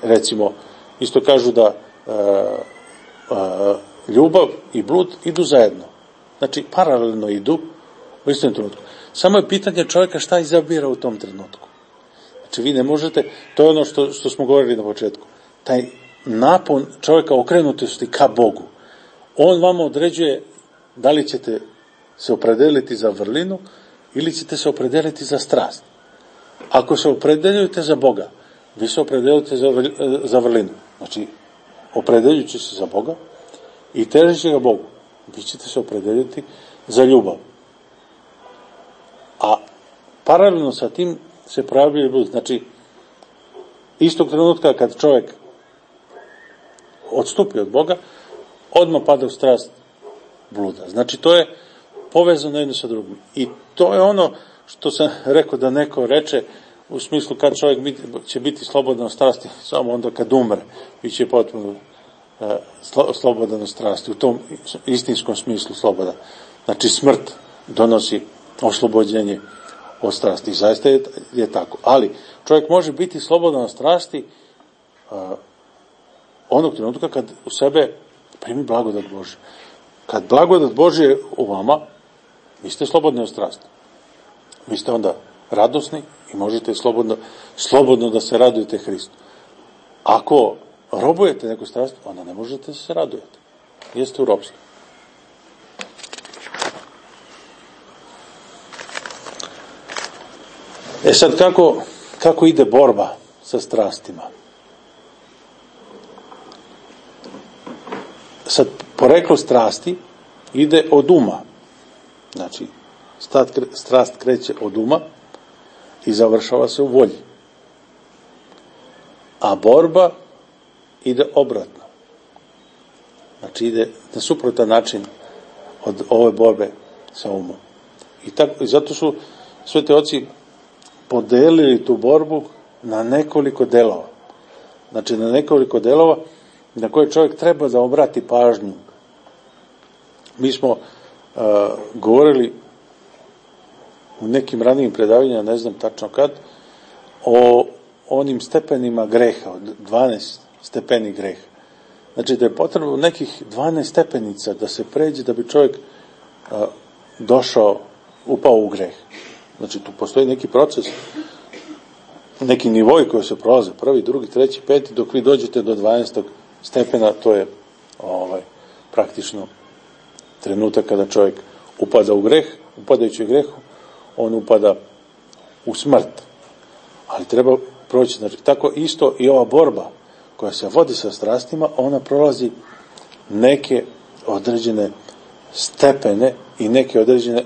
recimo, isto kažu da ljubav i blud idu zajedno. Znači, paralelno idu u istom trenutku. Samo je pitanje čovjeka šta izabira u tom trenutku. Znači, vi ne možete, to je ono što smo govorili na početku, taj napon čovjeka okrenutosti ka Bogu. On vama određuje da li ćete se opredeliti za vrlinu ili ćete se opredeliti za strast. Ako se opredeljujete za Boga, vi se opredeljujete za vrlinu. Znači, opredeljujući se za Boga i težeći ga Bogu, vi ćete se opredeliti za ljubav. A paralelno sa tim se pojavljuje blud. Znači, istog trenutka kad čovjek odstupi od Boga, odmah pada u strast bluda. Znači, to je povezano jedno sa drugim. I to je ono što sam rekao da neko reče u smislu kad čovjek će biti slobodan od strasti, samo onda kad umre, bit će potpuno slobodan od strasti, u tom istinskom smislu slobodan. Znači, smrt donosi oslobođenje od strasti. Zaista je tako. Ali, čovjek može biti slobodan od strasti onog trenutka kad u sebe primi blagodat Božju. Kad blagodat Božje je u vama, vi ste slobodni od strasti. Vi ste onda radosni i možete slobodno da se radujete Hristu. Ako robujete neku strast, onda ne možete da se radujete. Jeste u ropstvu. Sad kako ide borba sa strastima? Sad, poreklo strasti ide od uma. Znači, strast kreće od uma i završava se u volji. A borba ide obratno. Znači, ide na suprotan način od ove borbe sa umom. I zato su sveti oci podelili tu borbu na nekoliko delova. Znači, na nekoliko delova na koje čovjek treba da obrati pažnju. Mi smo govorili u nekim ranijim predavanjima, ne znam tačno kad, o onim stepenima greha, od 12 stepeni greha. Znači, da je potrebno nekih 12 stepenica da se pređe da bi čovjek upao u greh. Znači, tu postoji neki proces, neki nivoj koji se prolaze, prvi, drugi, treći, peti, dok vi dođete do 12. stepena, to je praktično trenutak kada čovjek upada u greh, upadajući u grehu, on upada u smrt. Ali treba proći, znači, tako isto i ova borba koja se vodi sa strastima, ona prolazi neke određene stepene i neke određene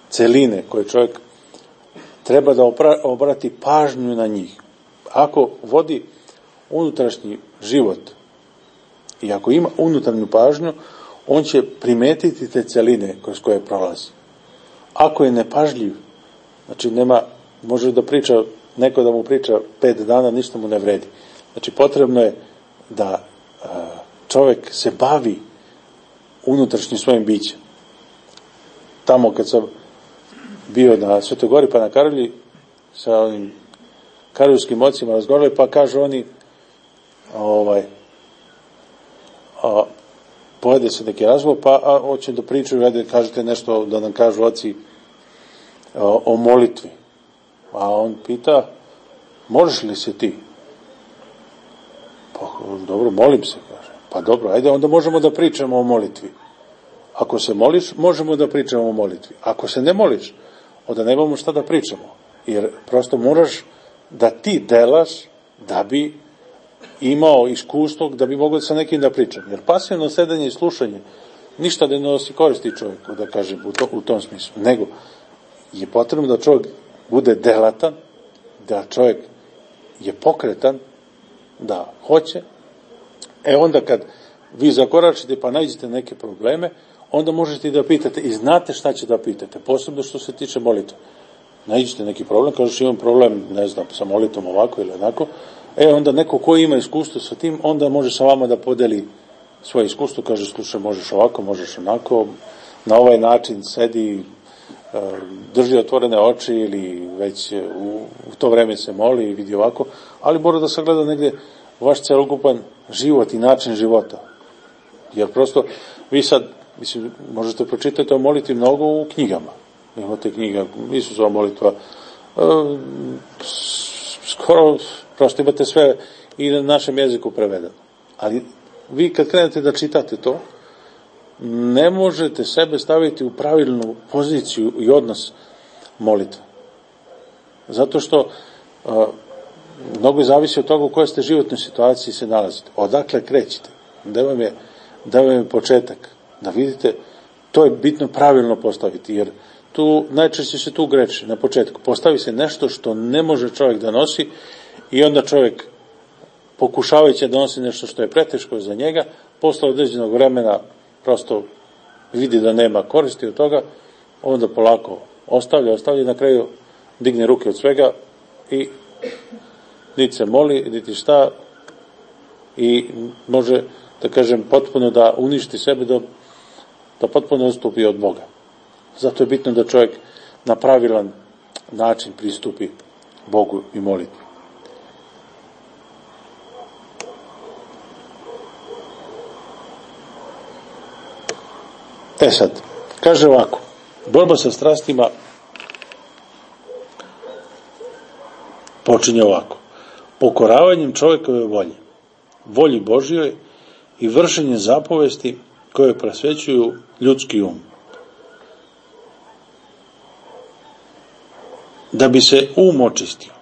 celine koje čovjek treba da obrati pažnju na njih. Ako vodi unutrašnji život i ako ima unutarnju pažnju, on će primetiti te celine kroz koje prolazi. Ako je nepažljiv, znači može da priča, neko da mu priča 5 dana, ništa mu ne vredi. Znači, potrebno je da čovjek se bavi unutrašnjim svojim bićem. Tamo kad sam bio na Svetoj Gori pa na Karolji, sa onim karoljskim ocima razgovarali, pa kažu oni povede se neki razgovor, pa hoće da pričaju, ajde kažete nešto da nam kažu oci o molitvi. A on pita, možeš li se ti? Pa dobro, molim se, kaže. Pa dobro, ajde, onda možemo da pričamo o molitvi. Ako se moliš, možemo da pričamo o molitvi. Ako se ne moliš, onda nemamo šta da pričamo. Jer prosto moraš da ti delaš da bi imao iskustvo, da bi mogao sa nekim da pričam. Jer pasivno sedenje i slušanje ništa ne nosi koristi čovjeku, da kažem, u tom smislu. Nego je potrebno da čovjek bude delatan, da čovjek je pokretan, da hoće. Onda kad vi zakoračite pa nađete neke probleme, onda možete i da pitate i znate šta će da pitate, posebno što se tiče molitve. Nađete neki problem, kažeš imam problem, ne znam, sa molitvom ovako ili onako, onda neko ko ima iskustvo sa tim, onda može sa vama da podeli svoje iskustvo, kaže slušaj, možeš ovako, možeš onako, na ovaj način sedi, drži otvorene oči ili već u to vreme se moli i vidi ovako, ali mora da sagleda negdje vaš celokupan život i način života. Jer prosto, vi sad, mislim, možete pročitati o molitvi mnogo u knjigama. Imate knjiga Isusova molitva, skoro, prosto imate sve i na našem jeziku prevedeno. Ali vi kad krenete da čitate to, ne možete sebe staviti u pravilnu poziciju i odnos molitve. Zato što mnogo zavisi od toga u kojoj ste životnoj situaciji se nalazite. Odakle krećete? Da vam je početak. Da vidite, to je bitno pravilno postaviti, jer tu najčešće se tu greši na početku. Postavi se nešto što ne može čovjek da nosi i onda čovjek, pokušavajući da nosi nešto što je preteško za njega, posle određenog vremena prosto vidi da nema koristi od toga, onda polako ostavlja i na kraju digne ruke od svega i niti se moli, niti šta, i može, da kažem, potpuno da uništi sebe, da potpuno odstupi od Boga. Zato je bitno da čovjek na pravilan način pristupi Bogu i molitvi. Sad, kaže ovako, borba sa strastima počinje ovako: pokoravanjem čovjekove volji Božjoj i vršenjem zapovesti koje prosvećuju ljudski um. Da bi se um očistio,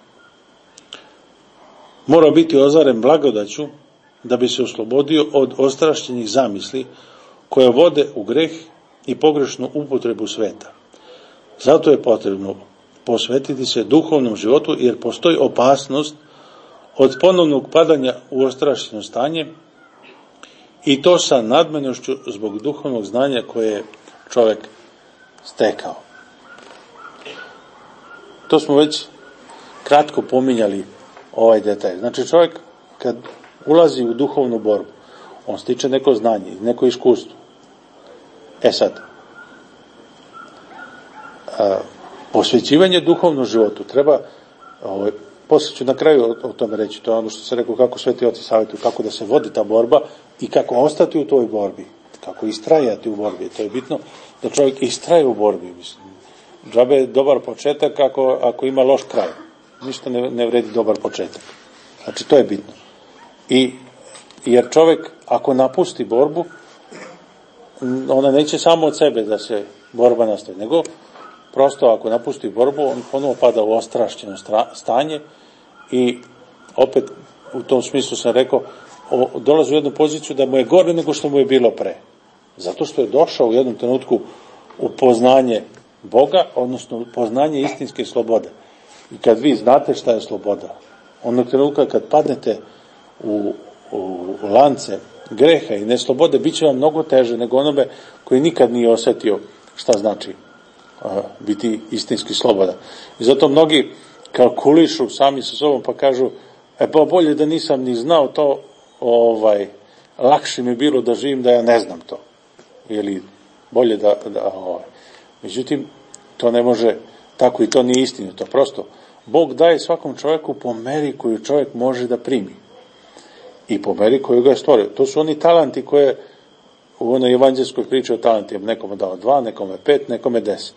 mora biti ozaren blagodaću, da bi se oslobodio od ostrašćenih zamisli koje vode u greh i pogrešnu upotrebu sveta. Zato je potrebno posvetiti se duhovnom životu, jer postoji opasnost od ponovnog padanja u ostrašćeno stanje, i to sa nadmenošću zbog duhovnog znanja koje je čovjek stekao. To smo već kratko pominjali ovaj detalj. Znači, čovjek kad ulazi u duhovnu borbu, on stiče neko znanje, neko iskustvo. Sad, posvećivanje duhovnom životu treba, posle ću na kraju o tome reći, to je ono što se rekao, kako Sveti Oci savjetuju, kako da se vodi ta borba i kako ostati u toj borbi, kako istrajati u borbi. To je bitno da čovjek istraje u borbi. Mislim, džabe je dobar početak ako ima loš kraj. Ništa ne vredi dobar početak. Znači, to je bitno. Jer čovjek, ako napusti borbu, ona neće samo od sebe da se borba nastavi, nego prosto ako napusti borbu, on ponovo pada u ostrašćeno stanje i opet u tom smislu sam rekao, dolazi u jednu poziciju da mu je gore nego što mu je bilo pre. Zato što je došao u jednom trenutku u poznanje Boga, odnosno poznanje istinske slobode. I kad vi znate šta je sloboda, onog trenutka kad padnete u lance greha i neslobode, bit će vam mnogo teže nego onome koji nikad nije osjetio šta znači biti istinski slobodan. I zato mnogi kalkulišu sami sa sobom pa kažu, pa bolje da nisam ni znao to, lakše mi bilo da živim da ja ne znam to. Ili bolje da Međutim, to ne može tako i to nije istinito. Prosto, Bog daje svakom čovjeku po meri koju čovjek može da primi. I po meri koju ga je stvorio. To su oni talanti koje u onoj evanđelskoj priči o talentima, nekome dao 2, nekome 5, nekome 10.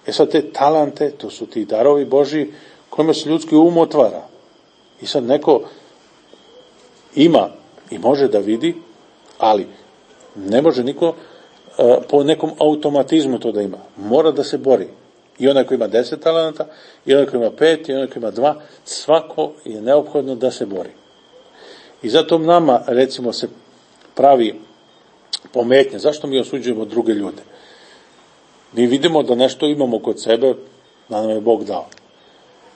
Sad te talente, to su ti darovi Božji kojima se ljudski um otvara. I sad neko ima i može da vidi, ali ne može niko po nekom automatizmu to da ima. Mora da se bori. I onaj koji ima 10 talenta, i onaj koji ima 5, i onaj koji ima 2, svako je neophodno da se bori. I zato nama, recimo, se pravi pometnja. Zašto mi osuđujemo druge ljude? Mi vidimo da nešto imamo kod sebe, da nam je Bog dao.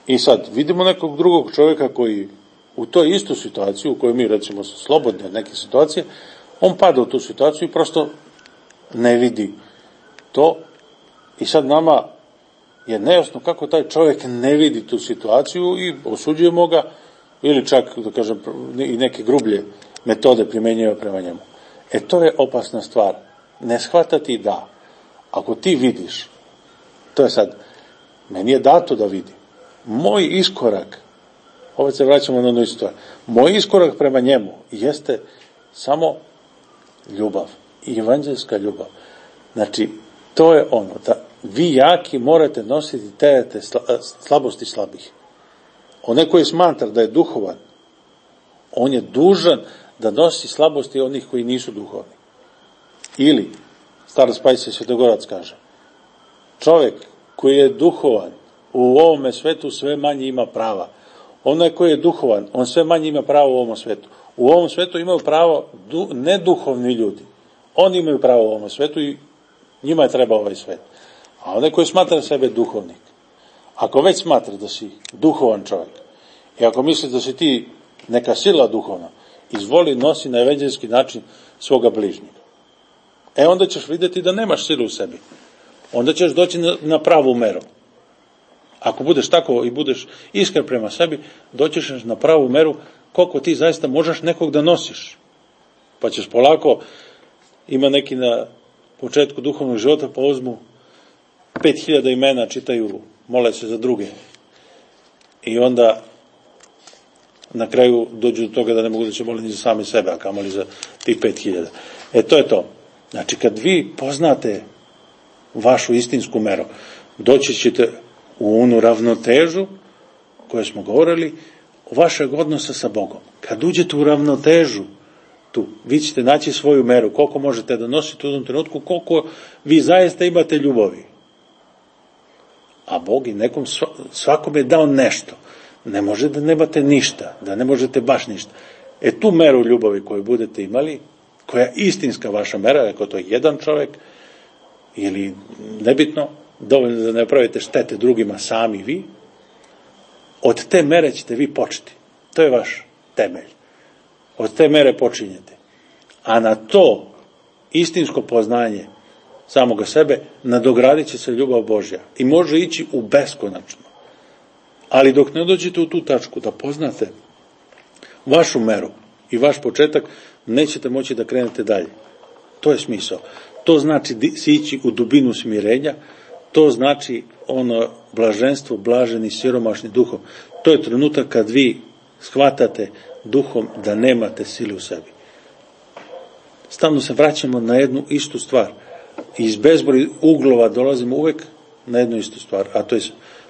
I sad, vidimo nekog drugog čovjeka koji u toj istu situaciju, u kojoj mi, recimo, smo slobodni od neke situacije, on pada u tu situaciju i prosto ne vidi to. I sad nama je nejasno kako taj čovjek ne vidi tu situaciju i osuđujemo ga, ili čak, da kažem, i neke grublje metode primjenjujemo prema njemu. To je opasna stvar. Ne shvatati da, ako ti vidiš, to je sad, meni je dato da vidi. Moj iskorak, opet se vraćamo na onu stvar, moj iskorak prema njemu jeste samo ljubav i evanđelska ljubav. Znači, to je ono, da vi jaki morate nositi terete slabosti slabih. Onaj koji smatra da je duhovan, on je dužan da nosi slabosti onih koji nisu duhovni. Ili, starac Pajsije Svetogorac kaže, čovjek koji je duhovan u ovome svetu sve manje ima prava. Onaj koji je duhovan, on sve manje ima pravo u ovom svetu. U ovom svetu imaju pravo neduhovni ljudi. Oni imaju pravo u ovom svetu i njima je treba ovaj svet. A onaj koji smatra sebe duhovnik, ako već smatra da si duhovan čovjek i ako misliš da si ti neka sila duhovna, izvoli nosi na evanđelski način svoga bližnjega. Onda ćeš vidjeti da nemaš silu u sebi. Onda ćeš doći na pravu meru. Ako budeš tako i budeš iskren prema sebi, doćeš na pravu meru koliko ti zaista možeš nekog da nosiš. Pa ćeš polako, ima neki na početku duhovnog života, pa uzmu 5000 imena, čitaju, mole se za druge. I onda na kraju dođu do toga da ne mogu da će moliti ni za sami sebe, a kamoli za tih 5000. To je to. Znači, kad vi poznate vašu istinsku meru, doći ćete u onu ravnotežu koju smo govorili, vašeg odnosa sa Bogom. Kad uđete u ravnotežu tu, vi ćete naći svoju meru, koliko možete da nosite u tom trenutku, koliko vi zaista imate ljubavi. A Bog i nekom, svakom je dao nešto. Ne može da nemate ništa, da ne možete baš ništa. Tu meru ljubavi koju budete imali, koja je istinska vaša mera, ako to je jedan čovjek, ili nebitno, dovoljno da ne pravite štete drugima sami vi, od te mere ćete vi početi. To je vaš temelj. Od te mere počinjete. A na to istinsko poznanje samoga sebe nadogradit će se ljubav Božja. I može ići u beskonačno. Ali dok ne dođete u tu tačku da poznate vašu meru i vaš početak, nećete moći da krenete dalje. To je smisao. To znači sići u dubinu smirenja, to znači ono blaženstvo, blaženi, siromašni duhom. To je trenutak kad vi shvatate duhom da nemate sile u sebi. Stalno se vraćamo na jednu istu stvar. Iz bezbroj uglova dolazimo uvek na jednu istu stvar, a to je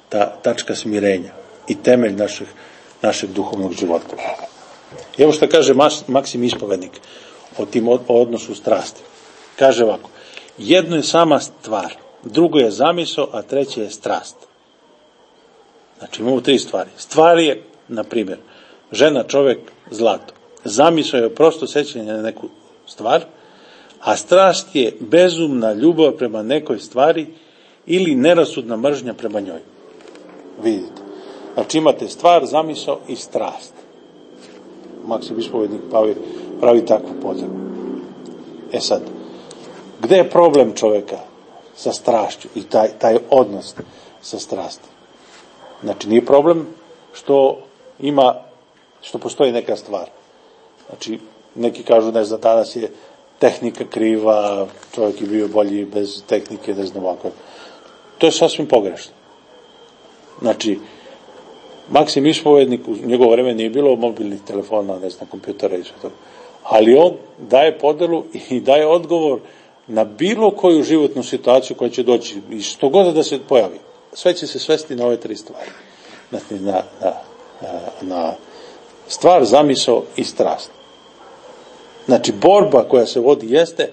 ta tačka smirenja i temelj našeg duhovnog života. I evo što kaže Maksim Ispovednik o tim odnosu strasti. Kaže ovako, jedno je sama stvar, drugo je zamisao, a treće je strast. Znači imamo 3 stvari. Stvar je, na primjer, žena, čovjek, zlato. Zamisao je prosto sećanje na neku stvar, a strast je bezumna ljubav prema nekoj stvari ili nerasudna mržnja prema njoj. Vidite. Znači imate stvar, zamisao i strast. Maksim Ispovednik pravi takvu podelu. Sad, gde je problem čovjeka sa strašću i taj odnos sa strasti? Znači, nije problem što postoji neka stvar. Znači, neki kažu, ne znam, danas je tehnika kriva, čovjek je bio bolji bez tehnike, ne znam ovako. To je sasvim pogrešno. Znači, Maksim Ispovednik, u njegovo vreme nije bilo mobilnih telefona, ne znam, kompjutera i sve to. Ali on daje podelu i daje odgovor na bilo koju životnu situaciju koja će doći, i što god da se pojavi. Sve će se svesti na ove 3 stvari. Znači, na stvar, zamisao i strast. Znači, borba koja se vodi jeste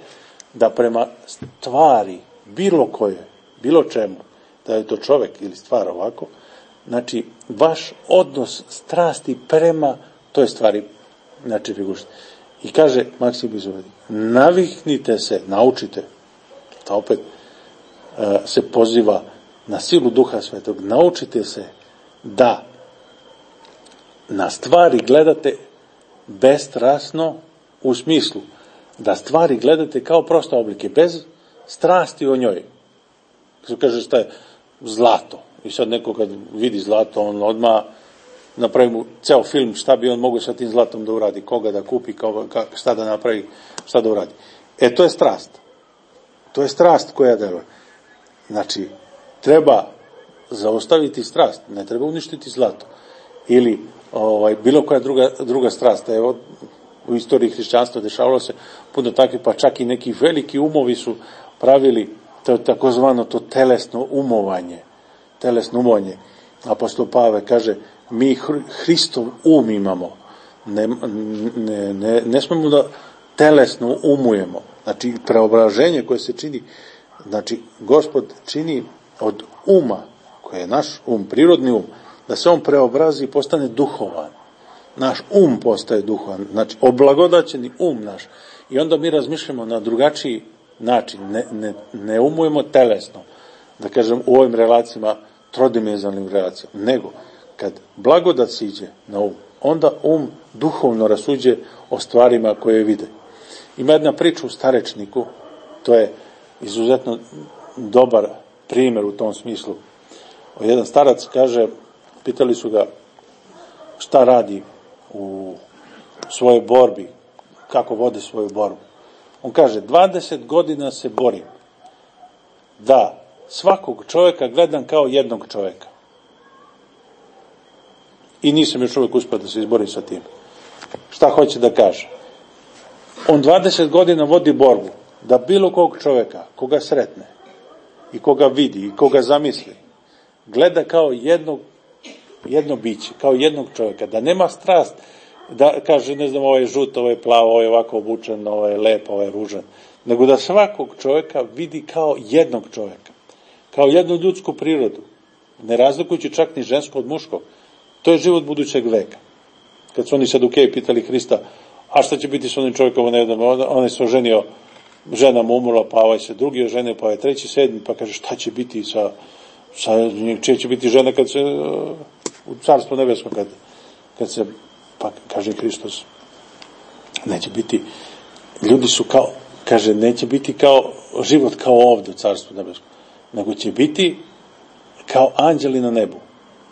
da prema stvari, bilo koje, bilo čemu, da je to čovjek ili stvar ovako, znači, vaš odnos strasti prema toj stvari, znači, figuršte. I kaže Maksim Ispovednik, naviknite se, naučite, to opet se poziva na silu Duha Svetog, naučite se da na stvari gledate bestrasno, u smislu da stvari gledate kao proste oblike, bez strasti o njoj. Što kaže, šta je zlato. I sad neko kad vidi zlato, on odmah napravi mu ceo film šta bi on mogao sa tim zlatom da uradi, koga da kupi, šta da napravi, šta da uradi. To je strast. To je strast koja deluje. Znači, treba zaustaviti strast, ne treba uništiti zlato. Ili bilo koja druga strast. Evo, u istoriji hrišćanstva dešavalo se puno takvih, pa čak i neki veliki umovi su pravili to takozvano to telesno umovanje. Apostol Pavle kaže, mi Hristov imamo. Ne smemo da telesno umujemo. Znači, preobraženje koje se čini, znači, Gospod čini od uma, koji je naš prirodni da se on preobrazi i postane duhovan. Naš postaje duhovan, znači, oblagodaćeni naš. I onda mi razmišljamo na drugačiji način, ne umujemo telesno, da kažem, u ovim relacijama, trodimenzionalnim relacijama, nego, kad blagodat siđe na onda duhovno rasuđe o stvarima koje vide. Ima jedna priča u Starečniku, to je izuzetno dobar primjer u tom smislu. Jedan starac kaže, pitali su ga šta radi u svojoj borbi, kako vodi svoju borbu. On kaže, 20 godina se borim da svakog čovjeka gledam kao jednog čovjeka. I nisam još uvijek uspio da se izborim sa tim. Šta hoće da kaže? On 20 godina vodi borbu da bilo kog čovjeka, koga sretne i koga vidi i koga zamisli, gleda kao jedno biće, kao jednog čovjeka, da nema strast, da kaže, ne znam, ovo je žut, ovo je plavo, ovo je ovako obučen, ovo je lep, ovo je ružan, nego da svakog čovjeka vidi kao jednog čovjeka, kao jednu ljudsku prirodu, ne razlikujući čak ni žensko od muškog. To je život budućeg veka. Kad su oni Sadukeji pitali Hrista, a šta će biti s onim čovjekom, on se oženio, žena mu umrla, pa ovaj se drugi oženio, pa ovaj treći, sedmi, pa kaže, šta će biti čija će biti žena kad se u carstvu nebeskom, kad se, pa kaže Hristos, neće biti, ljudi su kao, kaže, neće biti kao život kao ovdje u carstvu nebeskom, nego će biti kao anđeli na nebu.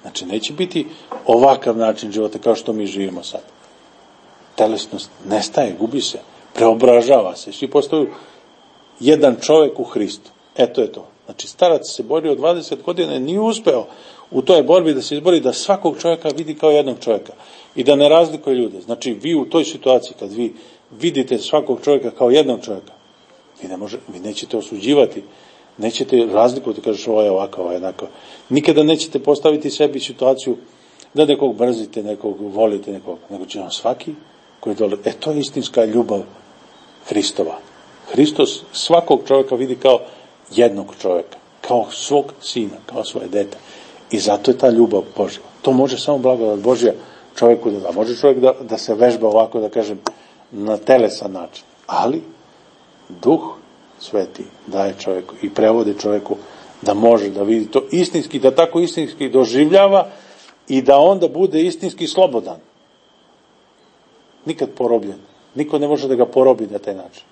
Znači, neće biti ovakav način života kao što mi živimo sad. Telesnost nestaje, gubi se, preobražava se. Svi postaju jedan čovjek u Hristu. Eto je to. Znači, starac se borio 20 godina i nije uspeo u toj borbi da se izbori da svakog čovjeka vidi kao jednog čovjeka i da ne razlikuje ljude. Znači, vi u toj situaciji, kad vi vidite svakog čovjeka kao jednog čovjeka, vi nećete osuđivati, nećete razlikovati, kažeš ovo je ovako, ovo je jednako. Nikada nećete postaviti sebi situaciju da nekog mrzite, nekog volite, nekog, nego će vam svaki koji dole. To je istinska ljubav Hristova. Hristos svakog čovjeka vidi kao jednog čovjeka, kao svog sina, kao svoje dete. I zato je ta ljubav Božja. To može samo blagodat Božja čovjeku da da. Može čovjek da se vežba ovako, da kažem, na telesan način. Ali Duh Sveti daje čovjeku i prevodi čovjeku da može da vidi to istinski, da tako istinski doživljava i da onda bude istinski slobodan. Nikad porobljen. Niko ne može da ga porobi na taj način.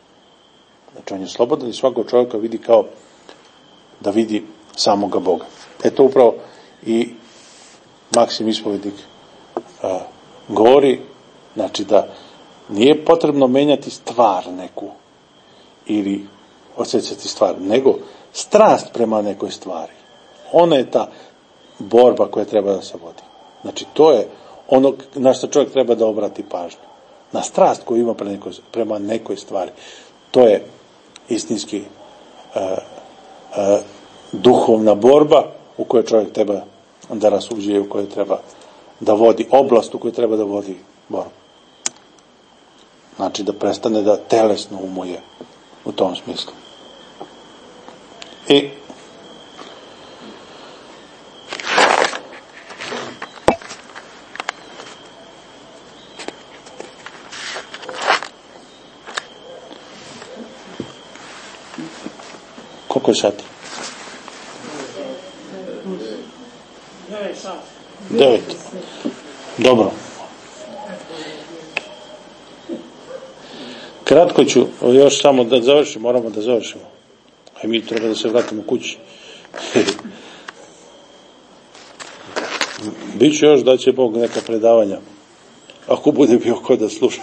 Znači, on je slobodan i svakog čovjeka vidi kao da vidi samoga Boga. Eto upravo i Maksim Ispovednik govori, znači da nije potrebno menjati stvar neku ili osjećati stvar, nego strast prema nekoj stvari. Ona je ta borba koja treba da se vodi. Znači, to je ono na što čovjek treba da obrati pažnju. Na strast koju ima prema nekoj stvari. To je istinski duhovna borba u kojoj čovjek treba da rasuđuje, u kojoj treba da vodi oblast, u kojoj treba da vodi borbu. Znači, da prestane da telesno umuje u tom smislu. I koliko je sati? 9. Dobro. Kratko ću još samo da završimo, moramo da završimo. A mi treba da se vratimo kući. Biće još da će Bog neka predavanja. Ako bude bio ko da sluša.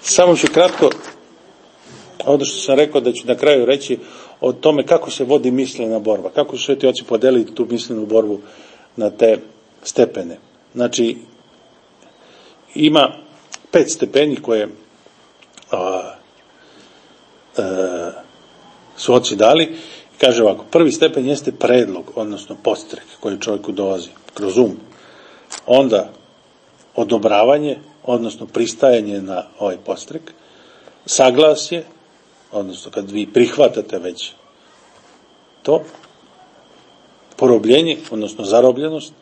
Samo ću kratko, ono što sam rekao da ću na kraju reći o tome kako se vodi mislena borba, kako su sveti oci podelili tu mislenu borbu na te stepene. Znači, ima 5 stepeni koje su oci dali. Kaže ovako, prvi stepen jeste predlog, odnosno podstrek koji čovjeku dolazi kroz um. Onda odobravanje, odnosno pristajanje na ovaj podstrek, saglasje, odnosno kad vi prihvatate već to, porobljenje, odnosno zarobljenost.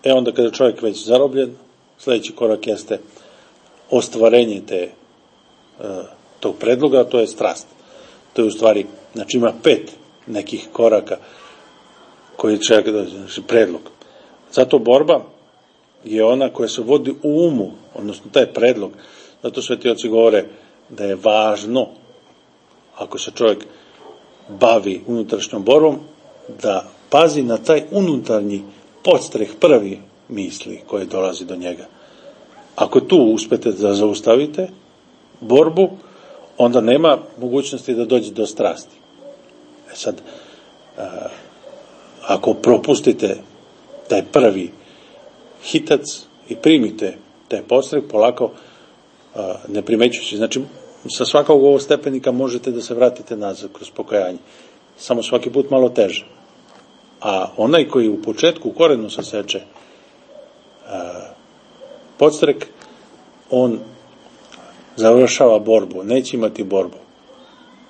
Onda kada je čovjek već zarobljen, sljedeći korak jeste ostvarenje tog predloga, a to je strast. To je u stvari, znači ima 5 nekih koraka koji čovjek dođe, znači predlog. Zato borba je ona koja se vodi u umu, odnosno taj predlog. Zato sveti oci govore da je važno, ako se čovjek bavi unutrašnjom borbom, da pazi na taj unutarnji podstreh prvi misli koje dolazi do njega. Ako tu uspete da zaustavite borbu, onda nema mogućnosti da dođe do strasti. Sad, ako propustite taj prvi hitac i primite taj podstreh polako, ne primećujući, znači sa svakog ovog stepenika možete da se vratite nazad kroz pokajanje. Samo svaki put malo teže. A onaj koji u početku u korenu saseče podstrek, on završava borbu, neće imati borbu,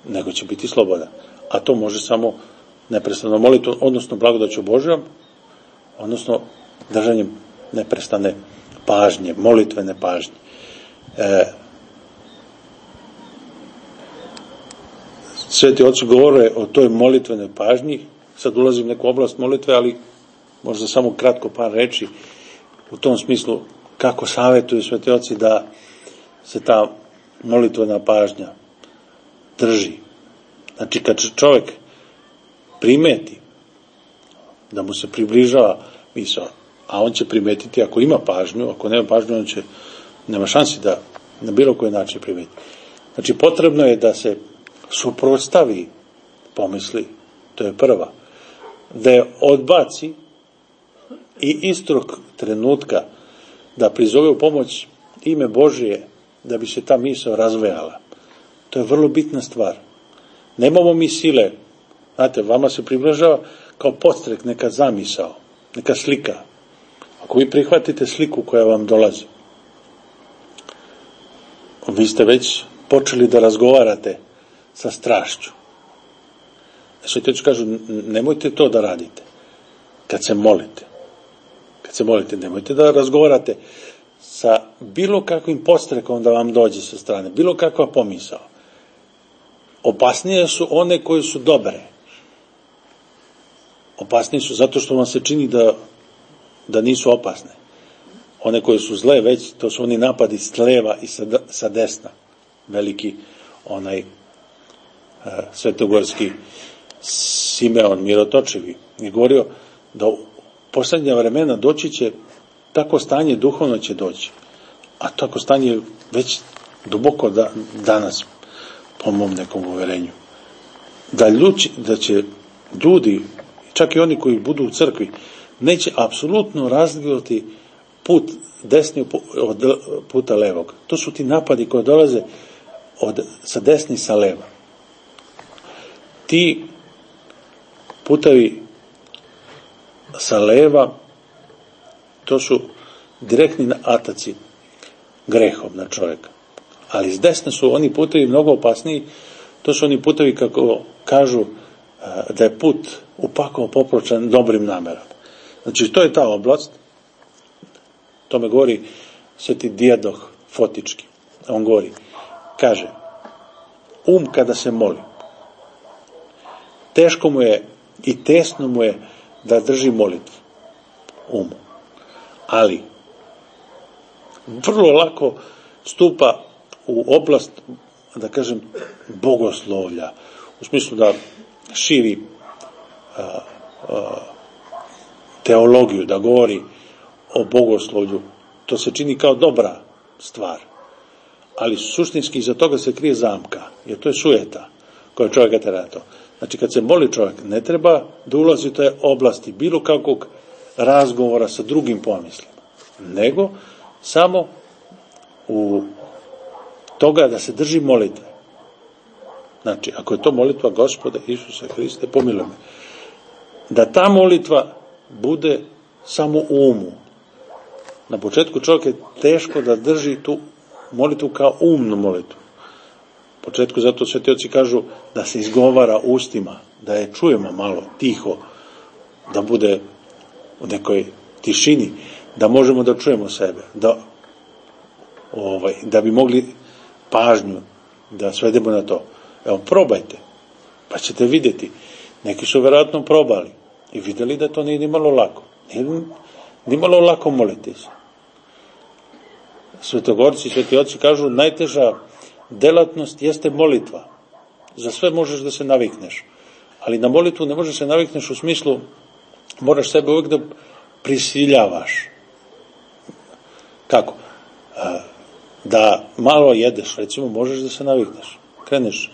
nego će biti slobodan. A to može samo neprestano molitvom, odnosno blagodaću Božjom, odnosno držanjem neprestane pažnje, molitvene pažnje. Sveti oci govore o toj molitvenoj pažnji. Sad ulazim u neku oblast molitve, ali možda samo kratko par reči u tom smislu kako savjetuju sveti oci da se ta molitvena pažnja drži. Znači kad čovjek primeti da mu se približava misao, a on će primetiti ako ima pažnju, ako nema pažnju, on će, nema šansi da na bilo koji način primeti. Znači potrebno je da se suprotstavi pomisli, to je prva, da je odbaci i istog trenutka da prizove u pomoć ime Božije da bi se ta misao razvejala. To je vrlo bitna stvar. Nemamo mi sile, znate, vama se približava kao podstrek neka zamisao, neka slika. Ako vi prihvatite sliku koja vam dolazi, vi ste već počeli da razgovarate sa strašću. Sveti oci kažu, nemojte to da radite kad se molite. Kad se molite, nemojte da razgovarate sa bilo kakvim podstrekom da vam dođe sa strane, bilo kakva pomisao. Opasnije su one koje su dobre. Opasnije su zato što vam se čini da nisu opasne. One koje su zle već, to su oni napadi s leva i sa desna. Veliki onaj svetogorski Simeon Mirotočevi je govorio da u posljednja vremena doći će tako stanje, duhovno će doći. A tako stanje već duboko danas, po mom nekom uverenju. Da će ljudi, čak i oni koji budu u crkvi, neće apsolutno razlikovati put desni od puta levog. To su ti napadi koji dolaze sa desni i sa leva. Ti putevi sa leva, to su direktni ataci grehom na čovjeka. Ali s desne su oni putevi mnogo opasniji. To su oni putevi, kako kažu, da je put upako popločan dobrim namerama. Znači, to je ta oblast. To me govori sveti Dijadoh Fotički. On govori, kaže, kada se moli, teško mu je i tesno mu je da drži molitvu umu. Ali vrlo lako stupa u oblast, da kažem, bogoslovlja. U smislu da širi teologiju, da govori o bogoslovlju. To se čini kao dobra stvar. Ali suštinski iza toga se krije zamka, jer to je sujeta koja čovjeka tera na to. Znači, kad se moli čovjek, ne treba da ulazi u te oblasti bilo kakvog razgovora sa drugim pomislima, nego samo u toga da se drži molitve. Znači, ako je to molitva Gospode Isuse Hriste, pomiluj me, da ta molitva bude samo u umu. Na početku čovjek je teško da drži tu molitvu kao umnu molitvu. U početku zato sveti oci kažu da se izgovara ustima, da je čujemo malo, tiho, da bude u nekoj tišini, da možemo da čujemo sebe, da bi mogli pažnju da svedemo na to. Evo, probajte, pa ćete vidjeti. Neki su vjerojatno probali i vidjeli da to nije ni malo lako. Ni malo lako moliti se. Svetogorci, sveti oci kažu, najteža delatnost jeste molitva. Za sve možeš da se navikneš, ali na molitvu ne možeš se navikneš u smislu, moraš sebe uvijek da prisiljavaš. Kako? Da malo jedeš, recimo, možeš da se navikneš. Kreneš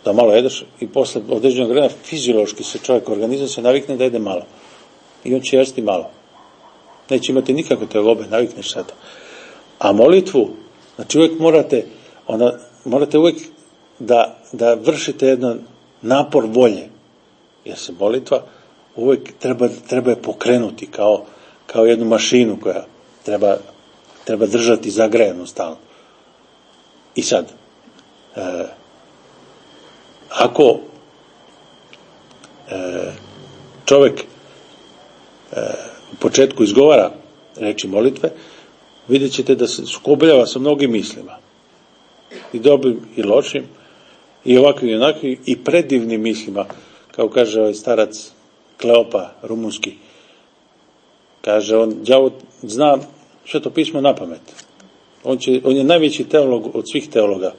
da malo jedeš i posle određenog vremena fiziološki se čovjek, organizam se navikne da jede malo. I on će jesti malo. Neće imati nikakve tegobe, navikneš se to. A molitvu, znači uvijek morate uvijek da vršite jedan napor volje. Jer se molitva uvijek treba je pokrenuti kao jednu mašinu koja treba držati zagrejanu stalno. I sad, ako čovjek u početku izgovara reči molitve, vidjet ćete da se sukobljava sa mnogim mislima. I dobrim i lošim, i ovakvim i onakvim, i predivnim mislima. Kao kaže ovaj starac Kleopa, rumunski. Kaže, đavo zna Sveto pismo na pamet. On je najveći teolog od svih teologa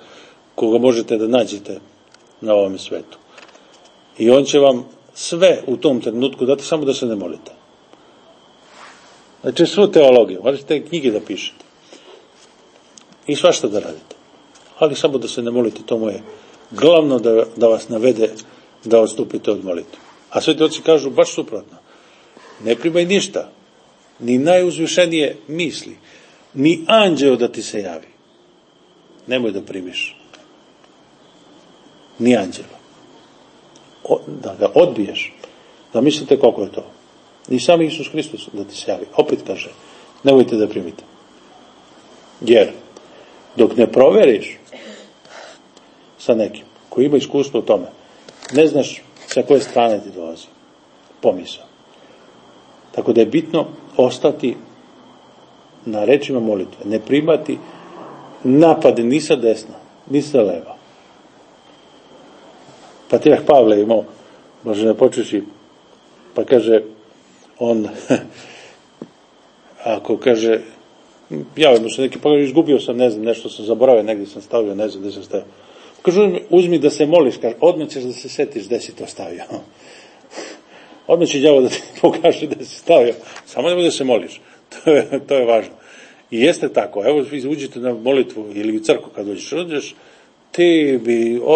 koga možete da nađete na ovom svetu. I on će vam sve u tom trenutku dati, samo da se ne molite. Znači, svu teologiju, možete knjige da pišete. I svašta da radite. Ali samo da se ne molite, to mu je glavno da vas navede da odstupite od molitve. A sveti oci kažu baš suprotno. Ne primaj ništa, ni najuzvišenije misli, ni anđeo da ti se javi. Nemoj da primiš. Ni anđela. Da ga odbiješ. Da mislite koliko je to. Ni sam Isus Hristos da ti se javi. Opet kaže, nemojte da primite. Jer, dok ne proveriš sa nekim koji ima iskustvo u tome, ne znaš sa koje strane ti dolazi pomisao. Tako da je bitno ostati na rečima molitve. Ne primati napade ni sa desna, ni sa leva. Patrijarh Pavle imao, može ne počeši, pa kaže on, ako kaže, javio mu se neki, pa izgubio sam, ne znam, nešto sam zaboravio, negdje sam stavio, ne znam gdje sam stavio. Kaže, uzmi da se moliš, kaže, odmah ćeš da se setiš gdje si to stavio. Odmah će đavo da ti pokaže da si stavio. Samo nemoj da se moliš. To je važno. I jeste tako. Evo, uđite na molitvu ili u crkvu kad dođeš, ti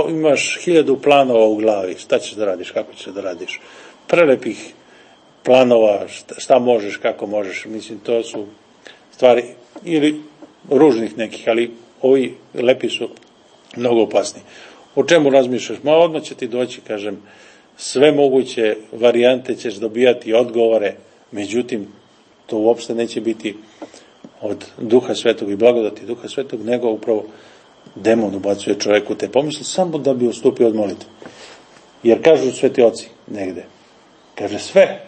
imaš 1000 planova u glavi. Šta ćeš da radiš, kako ćeš da radiš. Prelepih planova, šta možeš, kako možeš. Mislim, to su stvari ili ružnih nekih, ali ovi lepi su mnogo opasni. O čemu razmišljaš? Odmah će ti doći, kažem, sve moguće varijante ćeš dobijati odgovore, međutim, to uopšte neće biti od Duha Svetog i blagodati Duha Svetog, nego upravo demon ubacuje čovjeku te pomisli samo da bi odstupio od molitve. Jer kažu sveti oci negde, kaže sve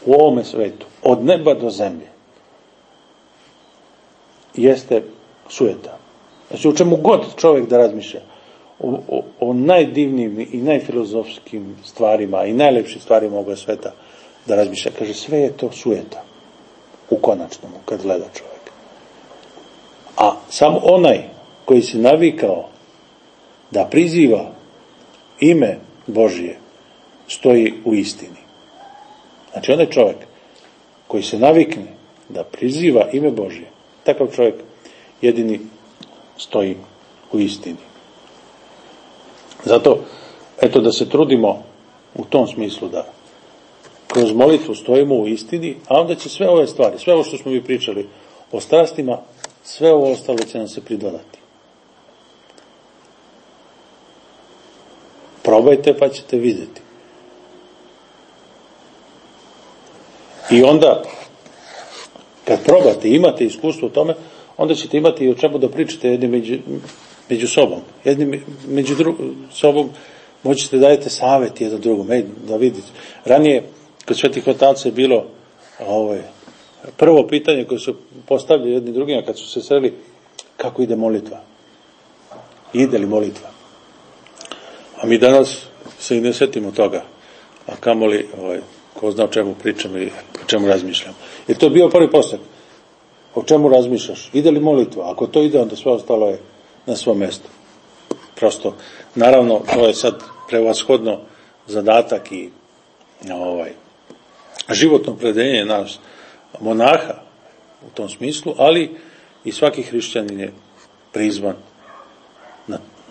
u ovome svetu, od neba do zemlje, jeste sujeta. Znači, u čemu god čovjek da razmišlja, o najdivnijim i najfilozofskim stvarima i najlepšim stvarima ovoga sveta da razmišlja. Kaže, sve je to sujeta u konačnom, kad gleda čovjek. A samo onaj koji se navikao da priziva ime Božije stoji u istini. Znači, onaj čovjek koji se navikne da priziva ime Božije, takav čovjek jedini stoji u istini. Zato, eto, da se trudimo u tom smislu da kroz molitvu stojimo u istini, a onda će sve ove stvari, sve ovo što smo mi pričali o strastima, sve ovo ostalo će nam se pridodati. Probajte pa ćete vidjeti. I onda, kad probate, imate iskustvo u tome, onda ćete imati i o čemu da pričate jedni među sobom. Jedni među sobom moćete dajete savjet jedan drugom, da vidite. Ranije, kod svetih otaca je bilo prvo pitanje koje su postavljali jedni drugima kad su se sreli, kako ide molitva? Ide li molitva? A mi danas se i ne setimo toga, a kamoli ko zna o čemu pričam i o čemu razmišljam. Jer to je bio prvi postak. O čemu razmišljaš? Ide li molitva? Ako to ide, onda sve ostalo je na svom mjestu. Prosto, naravno, to je sad prevashodno zadatak i životno opredeljenje nas monaha u tom smislu, ali i svaki hrišćanin je prizvan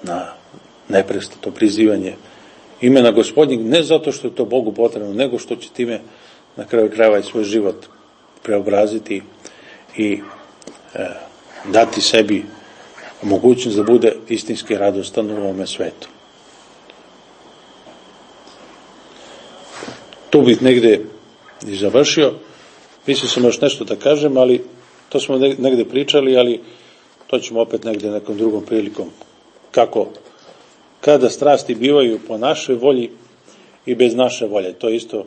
na neprestato prizivanje imena Gospodnjeg, ne zato što je to Bogu potrebno, nego što će time na kraju krajeva i svoj život preobraziti i dati sebi mogućnost da bude istinski radostan u ovome svetu. Tu bih negde i završio. Mislio sam još nešto da kažem, ali to smo negde pričali, ali to ćemo opet negde nekom drugom prilikom. Kako? Kada strasti bivaju po našoj volji i bez naše volje. To je isto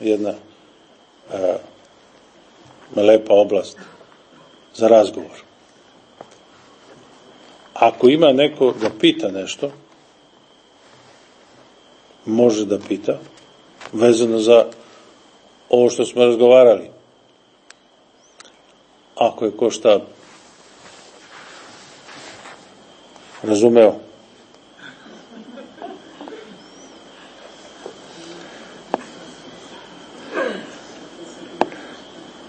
jedna lepa oblast za razgovor. Ako ima neko da pita nešto, može da pita, vezano za ovo što smo razgovarali. Ako je ko šta razumeo.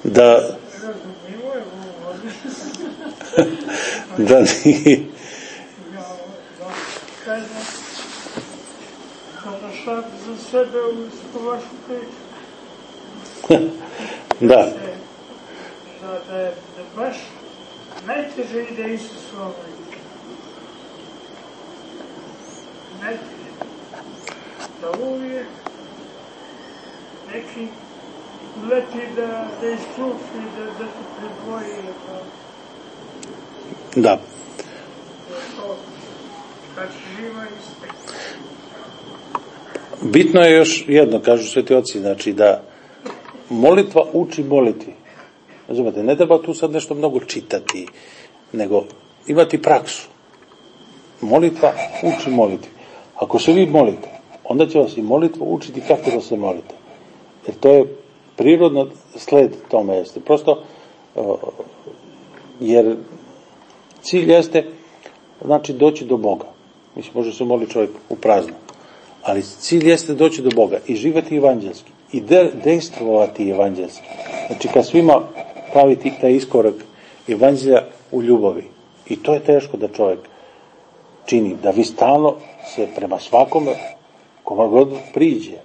Da nije za sebe u vašu priču. Da. Da je baš najteže ide Isus ovaj. Najteže. Da uvijek neki leti da isčufi, da se predvoji. Da. Kad živa istek. Bitno je još jedno, kažu sveti oci, znači da molitva uči molitvi. Razumete, ne treba tu sad nešto mnogo čitati, nego imati praksu. Molitva uči molitvi. Ako se vi molite, onda će vas i molitva učiti kako da se molite. Jer to je prirodno sled tome jeste. Prosto, jer cilj jeste, znači doći do Boga. Mislim, može se moliti čovjek u prazno. Ali cilj jeste doći do Boga i živjeti evanđelski. I dejstvovati evanđelski. Znači, kad svima praviti taj iskorak evanđelja u ljubavi. I to je teško da čovjek čini. Da vi stalno se prema svakome, kome god priđe,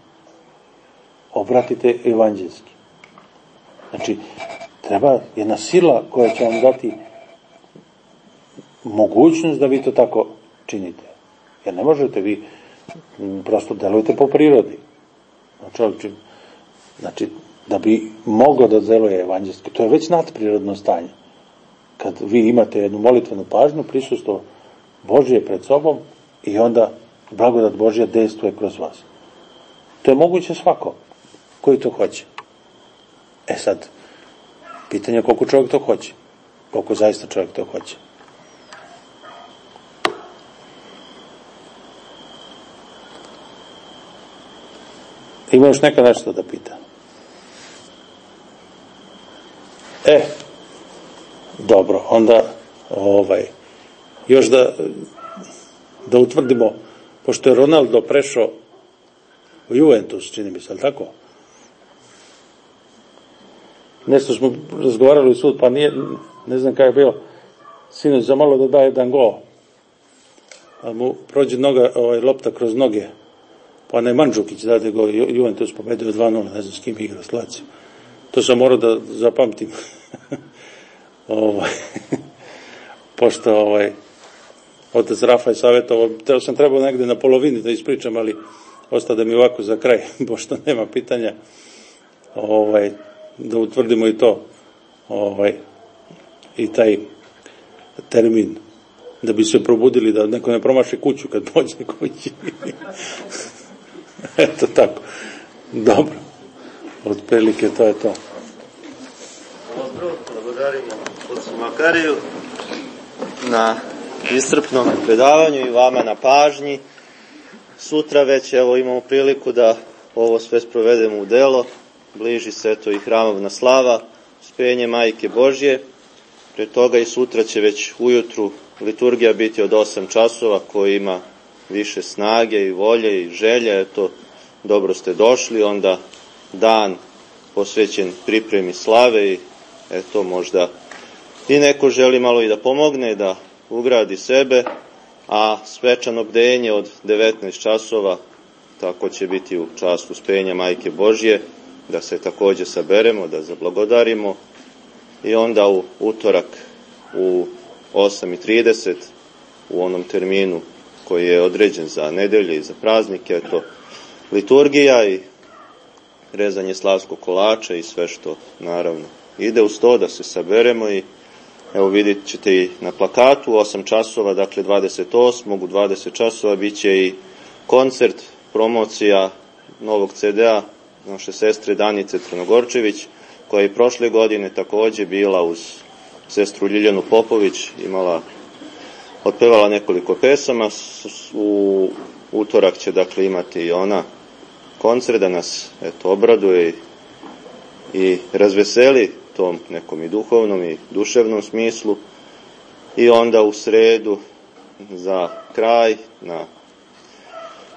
obratite evanđelski. Znači, treba jedna sila koja će vam dati mogućnost da vi to tako činite. Jer ne možete vi prosto delujete po prirodi. Znači, da bi moglo da deluje evanđelski, to je već nadprirodno stanje. Kad vi imate jednu molitvenu pažnju, prisustvo Božje pred sobom i onda blagodat Božja dejstvuje kroz vas. To je moguće svako koji to hoće. Sad, pitanje je koliko čovjek to hoće. Koliko zaista čovjek to hoće. Ima još neka nešto da pita? Dobro, onda još da utvrdimo, pošto je Ronaldo prešao u Juventus, čini mi se, ali tako? Nešto smo razgovarali u sud, pa ne znam kada je bilo, sinoć za malo da daje jedan gol, ali mu prođe lopta kroz noge, pa onaj Mandžukić dade gol, Juventus pobedio 2-0, ne znam s kim igra, s Lazijom. To sam morao da zapamtim. pošto otac Rafa je savjetovao, sam trebao negde na polovini da ispričam, ali ostade mi ovako za kraj, pošto nema pitanja, da utvrdimo i to, i taj termin, da bi se probudili, da neko ne promaši kuću kad pođe kući. Eto tako. Dobro. Otprilike to je to. Dobro, благодарimo ocu Makariju na iscrpnom predavanju i vama na pažnji. Sutra već imamo priliku da ovo sve sprovedemo u delo. Bliži se i hramovna slava, uspenje Majke Božje. Pre toga i sutra će već ujutru liturgija biti od 8 časova, koji ima više snage i volje i želje. Eto, dobro ste došli, onda dan posvećen pripremi slave i eto, možda i neko želi malo i da pomogne, da ugradi sebe, a svečano bdenje od 19 časova, tako će biti u čast uspenja Majke Božje, da se takođe saberemo, da zablagodarimo i onda u utorak u 8:30 u onom terminu koji je određen za nedelje i za praznike, eto, liturgija i rezanje slavskog kolača i sve što naravno ide uz to, da se saberemo. I evo vidjet ćete i na plakatu 8 časova, dakle 28. u 20 časova bit će i koncert, promocija novog CD-a naše sestre Danice Crnogorčević, koja je prošle godine takođe bila uz sestru Ljiljanu Popović, otpevala nekoliko pesama. U utorak će dakle imati i ona koncert da nas obraduje i razveseli tom nekom i duhovnom i duševnom smislu. I onda u sredu za kraj, na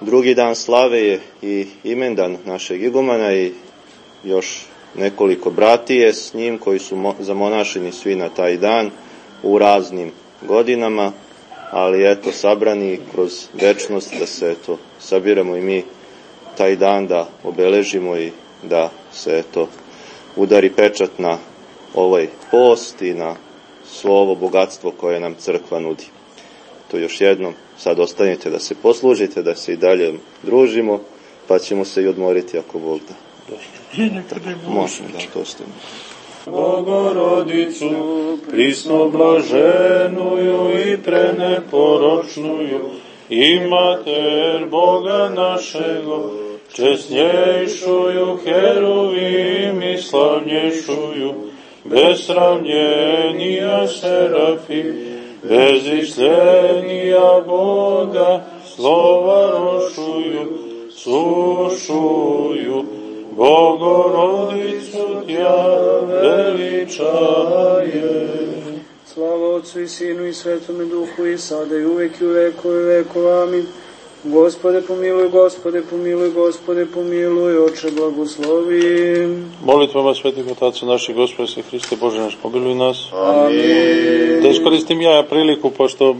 drugi dan slave, je i imendan našeg igumana i još nekoliko bratije s njim koji su zamonašeni svi na taj dan u raznim godinama, ali eto, sabrani kroz večnost, da se sabiramo i mi taj dan, da obeležimo i da se udari pečat na ovaj post i na svo ovo bogatstvo koje nam crkva nudi. To još jednom, sad ostanite da se poslužite, da se i dalje družimo, pa ćemo se i odmoriti ako Bog da. Možemo da to ostavimo. Bogorodicu, prisno blaženuju i preneporočnuju, i mater Boga našego, česnjejšuju heruvim i slavnjejšuju, bez sravnjenija serafim, bez islenija Boga, slova rošuju, sušuju, Bogorodicu tja veličaje. Slava Otcu i Sinu i Svetome Duhu, i sada i uvek i u vekove vekova. Amin. Gospode pomiluj, Gospode pomiluj, Gospode pomiluj, Oče blagoslovi. Molitvama svetih otaca naših, Gospode se Hriste Bože naš, pomiluj nas. Amin. Da iskoristim ja priliku, pošto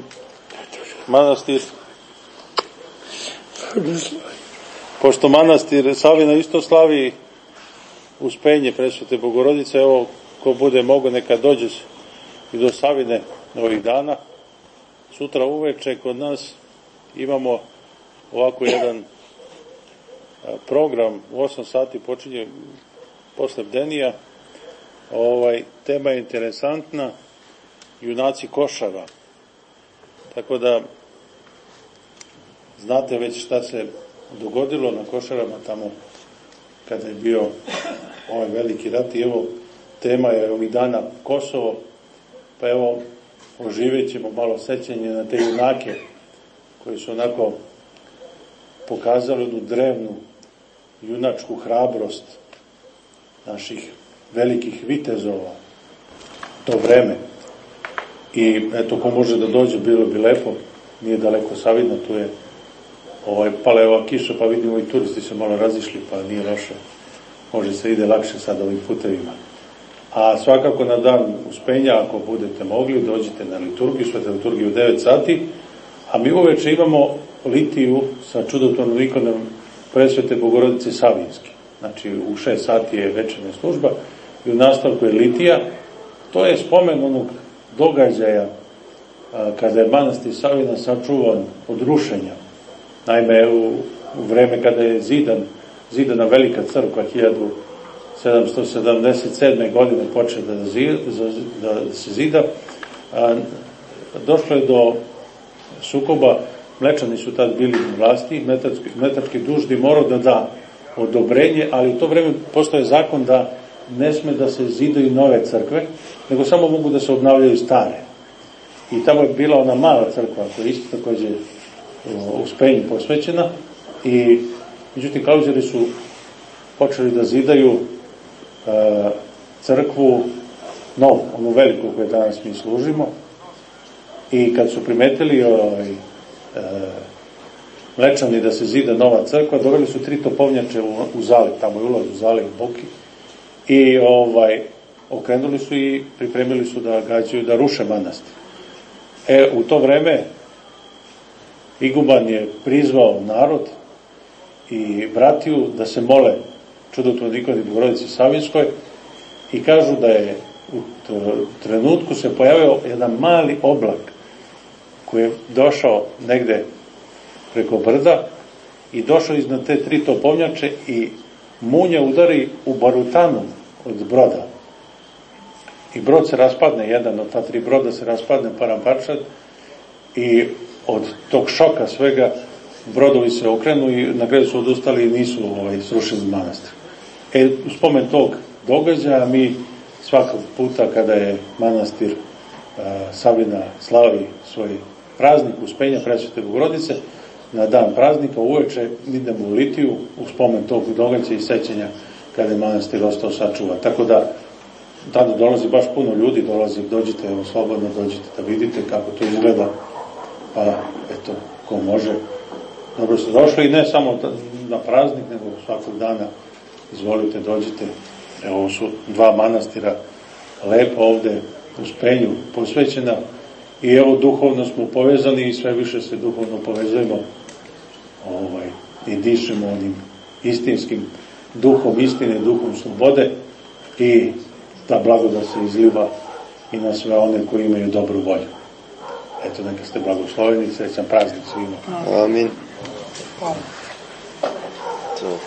manastir Savina isto slavi uspenje Presvete Bogorodice. Evo, ko bude mogo, neka dođe i do Savine ovih dana. Sutra uveče kod nas imamo ovako jedan program, u 8 sati počinje posle bdenija. Tema je interesantna, junaci Košara. Tako da znate već šta se dogodilo na Košarama tamo kada je bio ovaj veliki rat. I evo, tema je ovih dana Kosovo, pa evo, oživjet ćemo malo sećanje na te junake koji su onako pokazali jednu drevnu junačku hrabrost naših velikih vitezova to vreme. I eto, ko može da dođe, bilo bi lepo, nije daleko Savidna, tu je pala je ova kiša, pa vidimo i turisti se malo razišli, pa nije loše, može se ide lakše sad ovim putevima. A svakako na dan uspenja, ako budete mogli, dođite na liturgiju, sveta liturgiju u 9 sati, a mi uveče imamo litiju sa čudotvornom ikonom Presvete Bogorodice Savinske. Znači, u 6 sati je večernja služba i u nastavku je litija. To je spomen onog događaja kada je manastir Savina sačuvan od rušenja. Naime, u vreme kada je zidana velika crkva 1777. godine počeo da se zida, došlo je do sukoba. Mlečani su tad bili u vlasti, Metarski duždi morao da da odobrenje, ali u to vreme postoje zakon da ne sme da se zidaju nove crkve, nego samo mogu da se obnavljaju stare. I tamo je bila ona mala crkva koja je isto takođe u Spenju posvećena, i međutim Klauzeri su počeli da zidaju crkvu novu, onu veliku koju danas mi služimo, i kad su primetili Mlečani da se zida nova crkva, doveli su 3 topovnjače u zaliv, tamo je ulaz u zaliv u Boki, i okrenuli su i pripremili su da gađaju, da ruše manastir. U to vreme iguman je prizvao narod i bratiju da se mole čudotvornoj ikoni Bogorodici Savinskoj, i kažu da je u trenutku se pojavio jedan mali oblak koji je došao negde preko brda i došao iznad te 3 topovnjače i munja udari u barutanu od broda. I brod se raspadne, jedan od ta 3 broda se raspadne paramparčad, i od tog šoka svega brodovi se okrenu i na kraju su odustali i nisu srušili manastir. U spomen tog događaja mi svakog puta kada je manastir Savina slavi svoj praznik Uspenja Presvete Bogorodice, na dan praznika uveče idemo u litiju u spomen tog događaja i sećanja kada je manastir ostao sačuvan. Tako da tada dolazi baš puno ljudi, dođite, slobodno dođite da vidite kako to izgleda, pa eto, ko može, dobro ste došli, i ne samo na praznik, nego svakog dana izvolite, dođite. Ovo su 2 manastira lepo ovde u Spenju posvećena, i evo duhovno smo povezani i sve više se duhovno povezujemo i dišemo onim istinskim duhom istine, duhom slobode, i ta blagodat se izliva i na sve one koji imaju dobru volju. Eto, neka ste blagosloveni, srećan praznik svima. Amin. Hvala. To.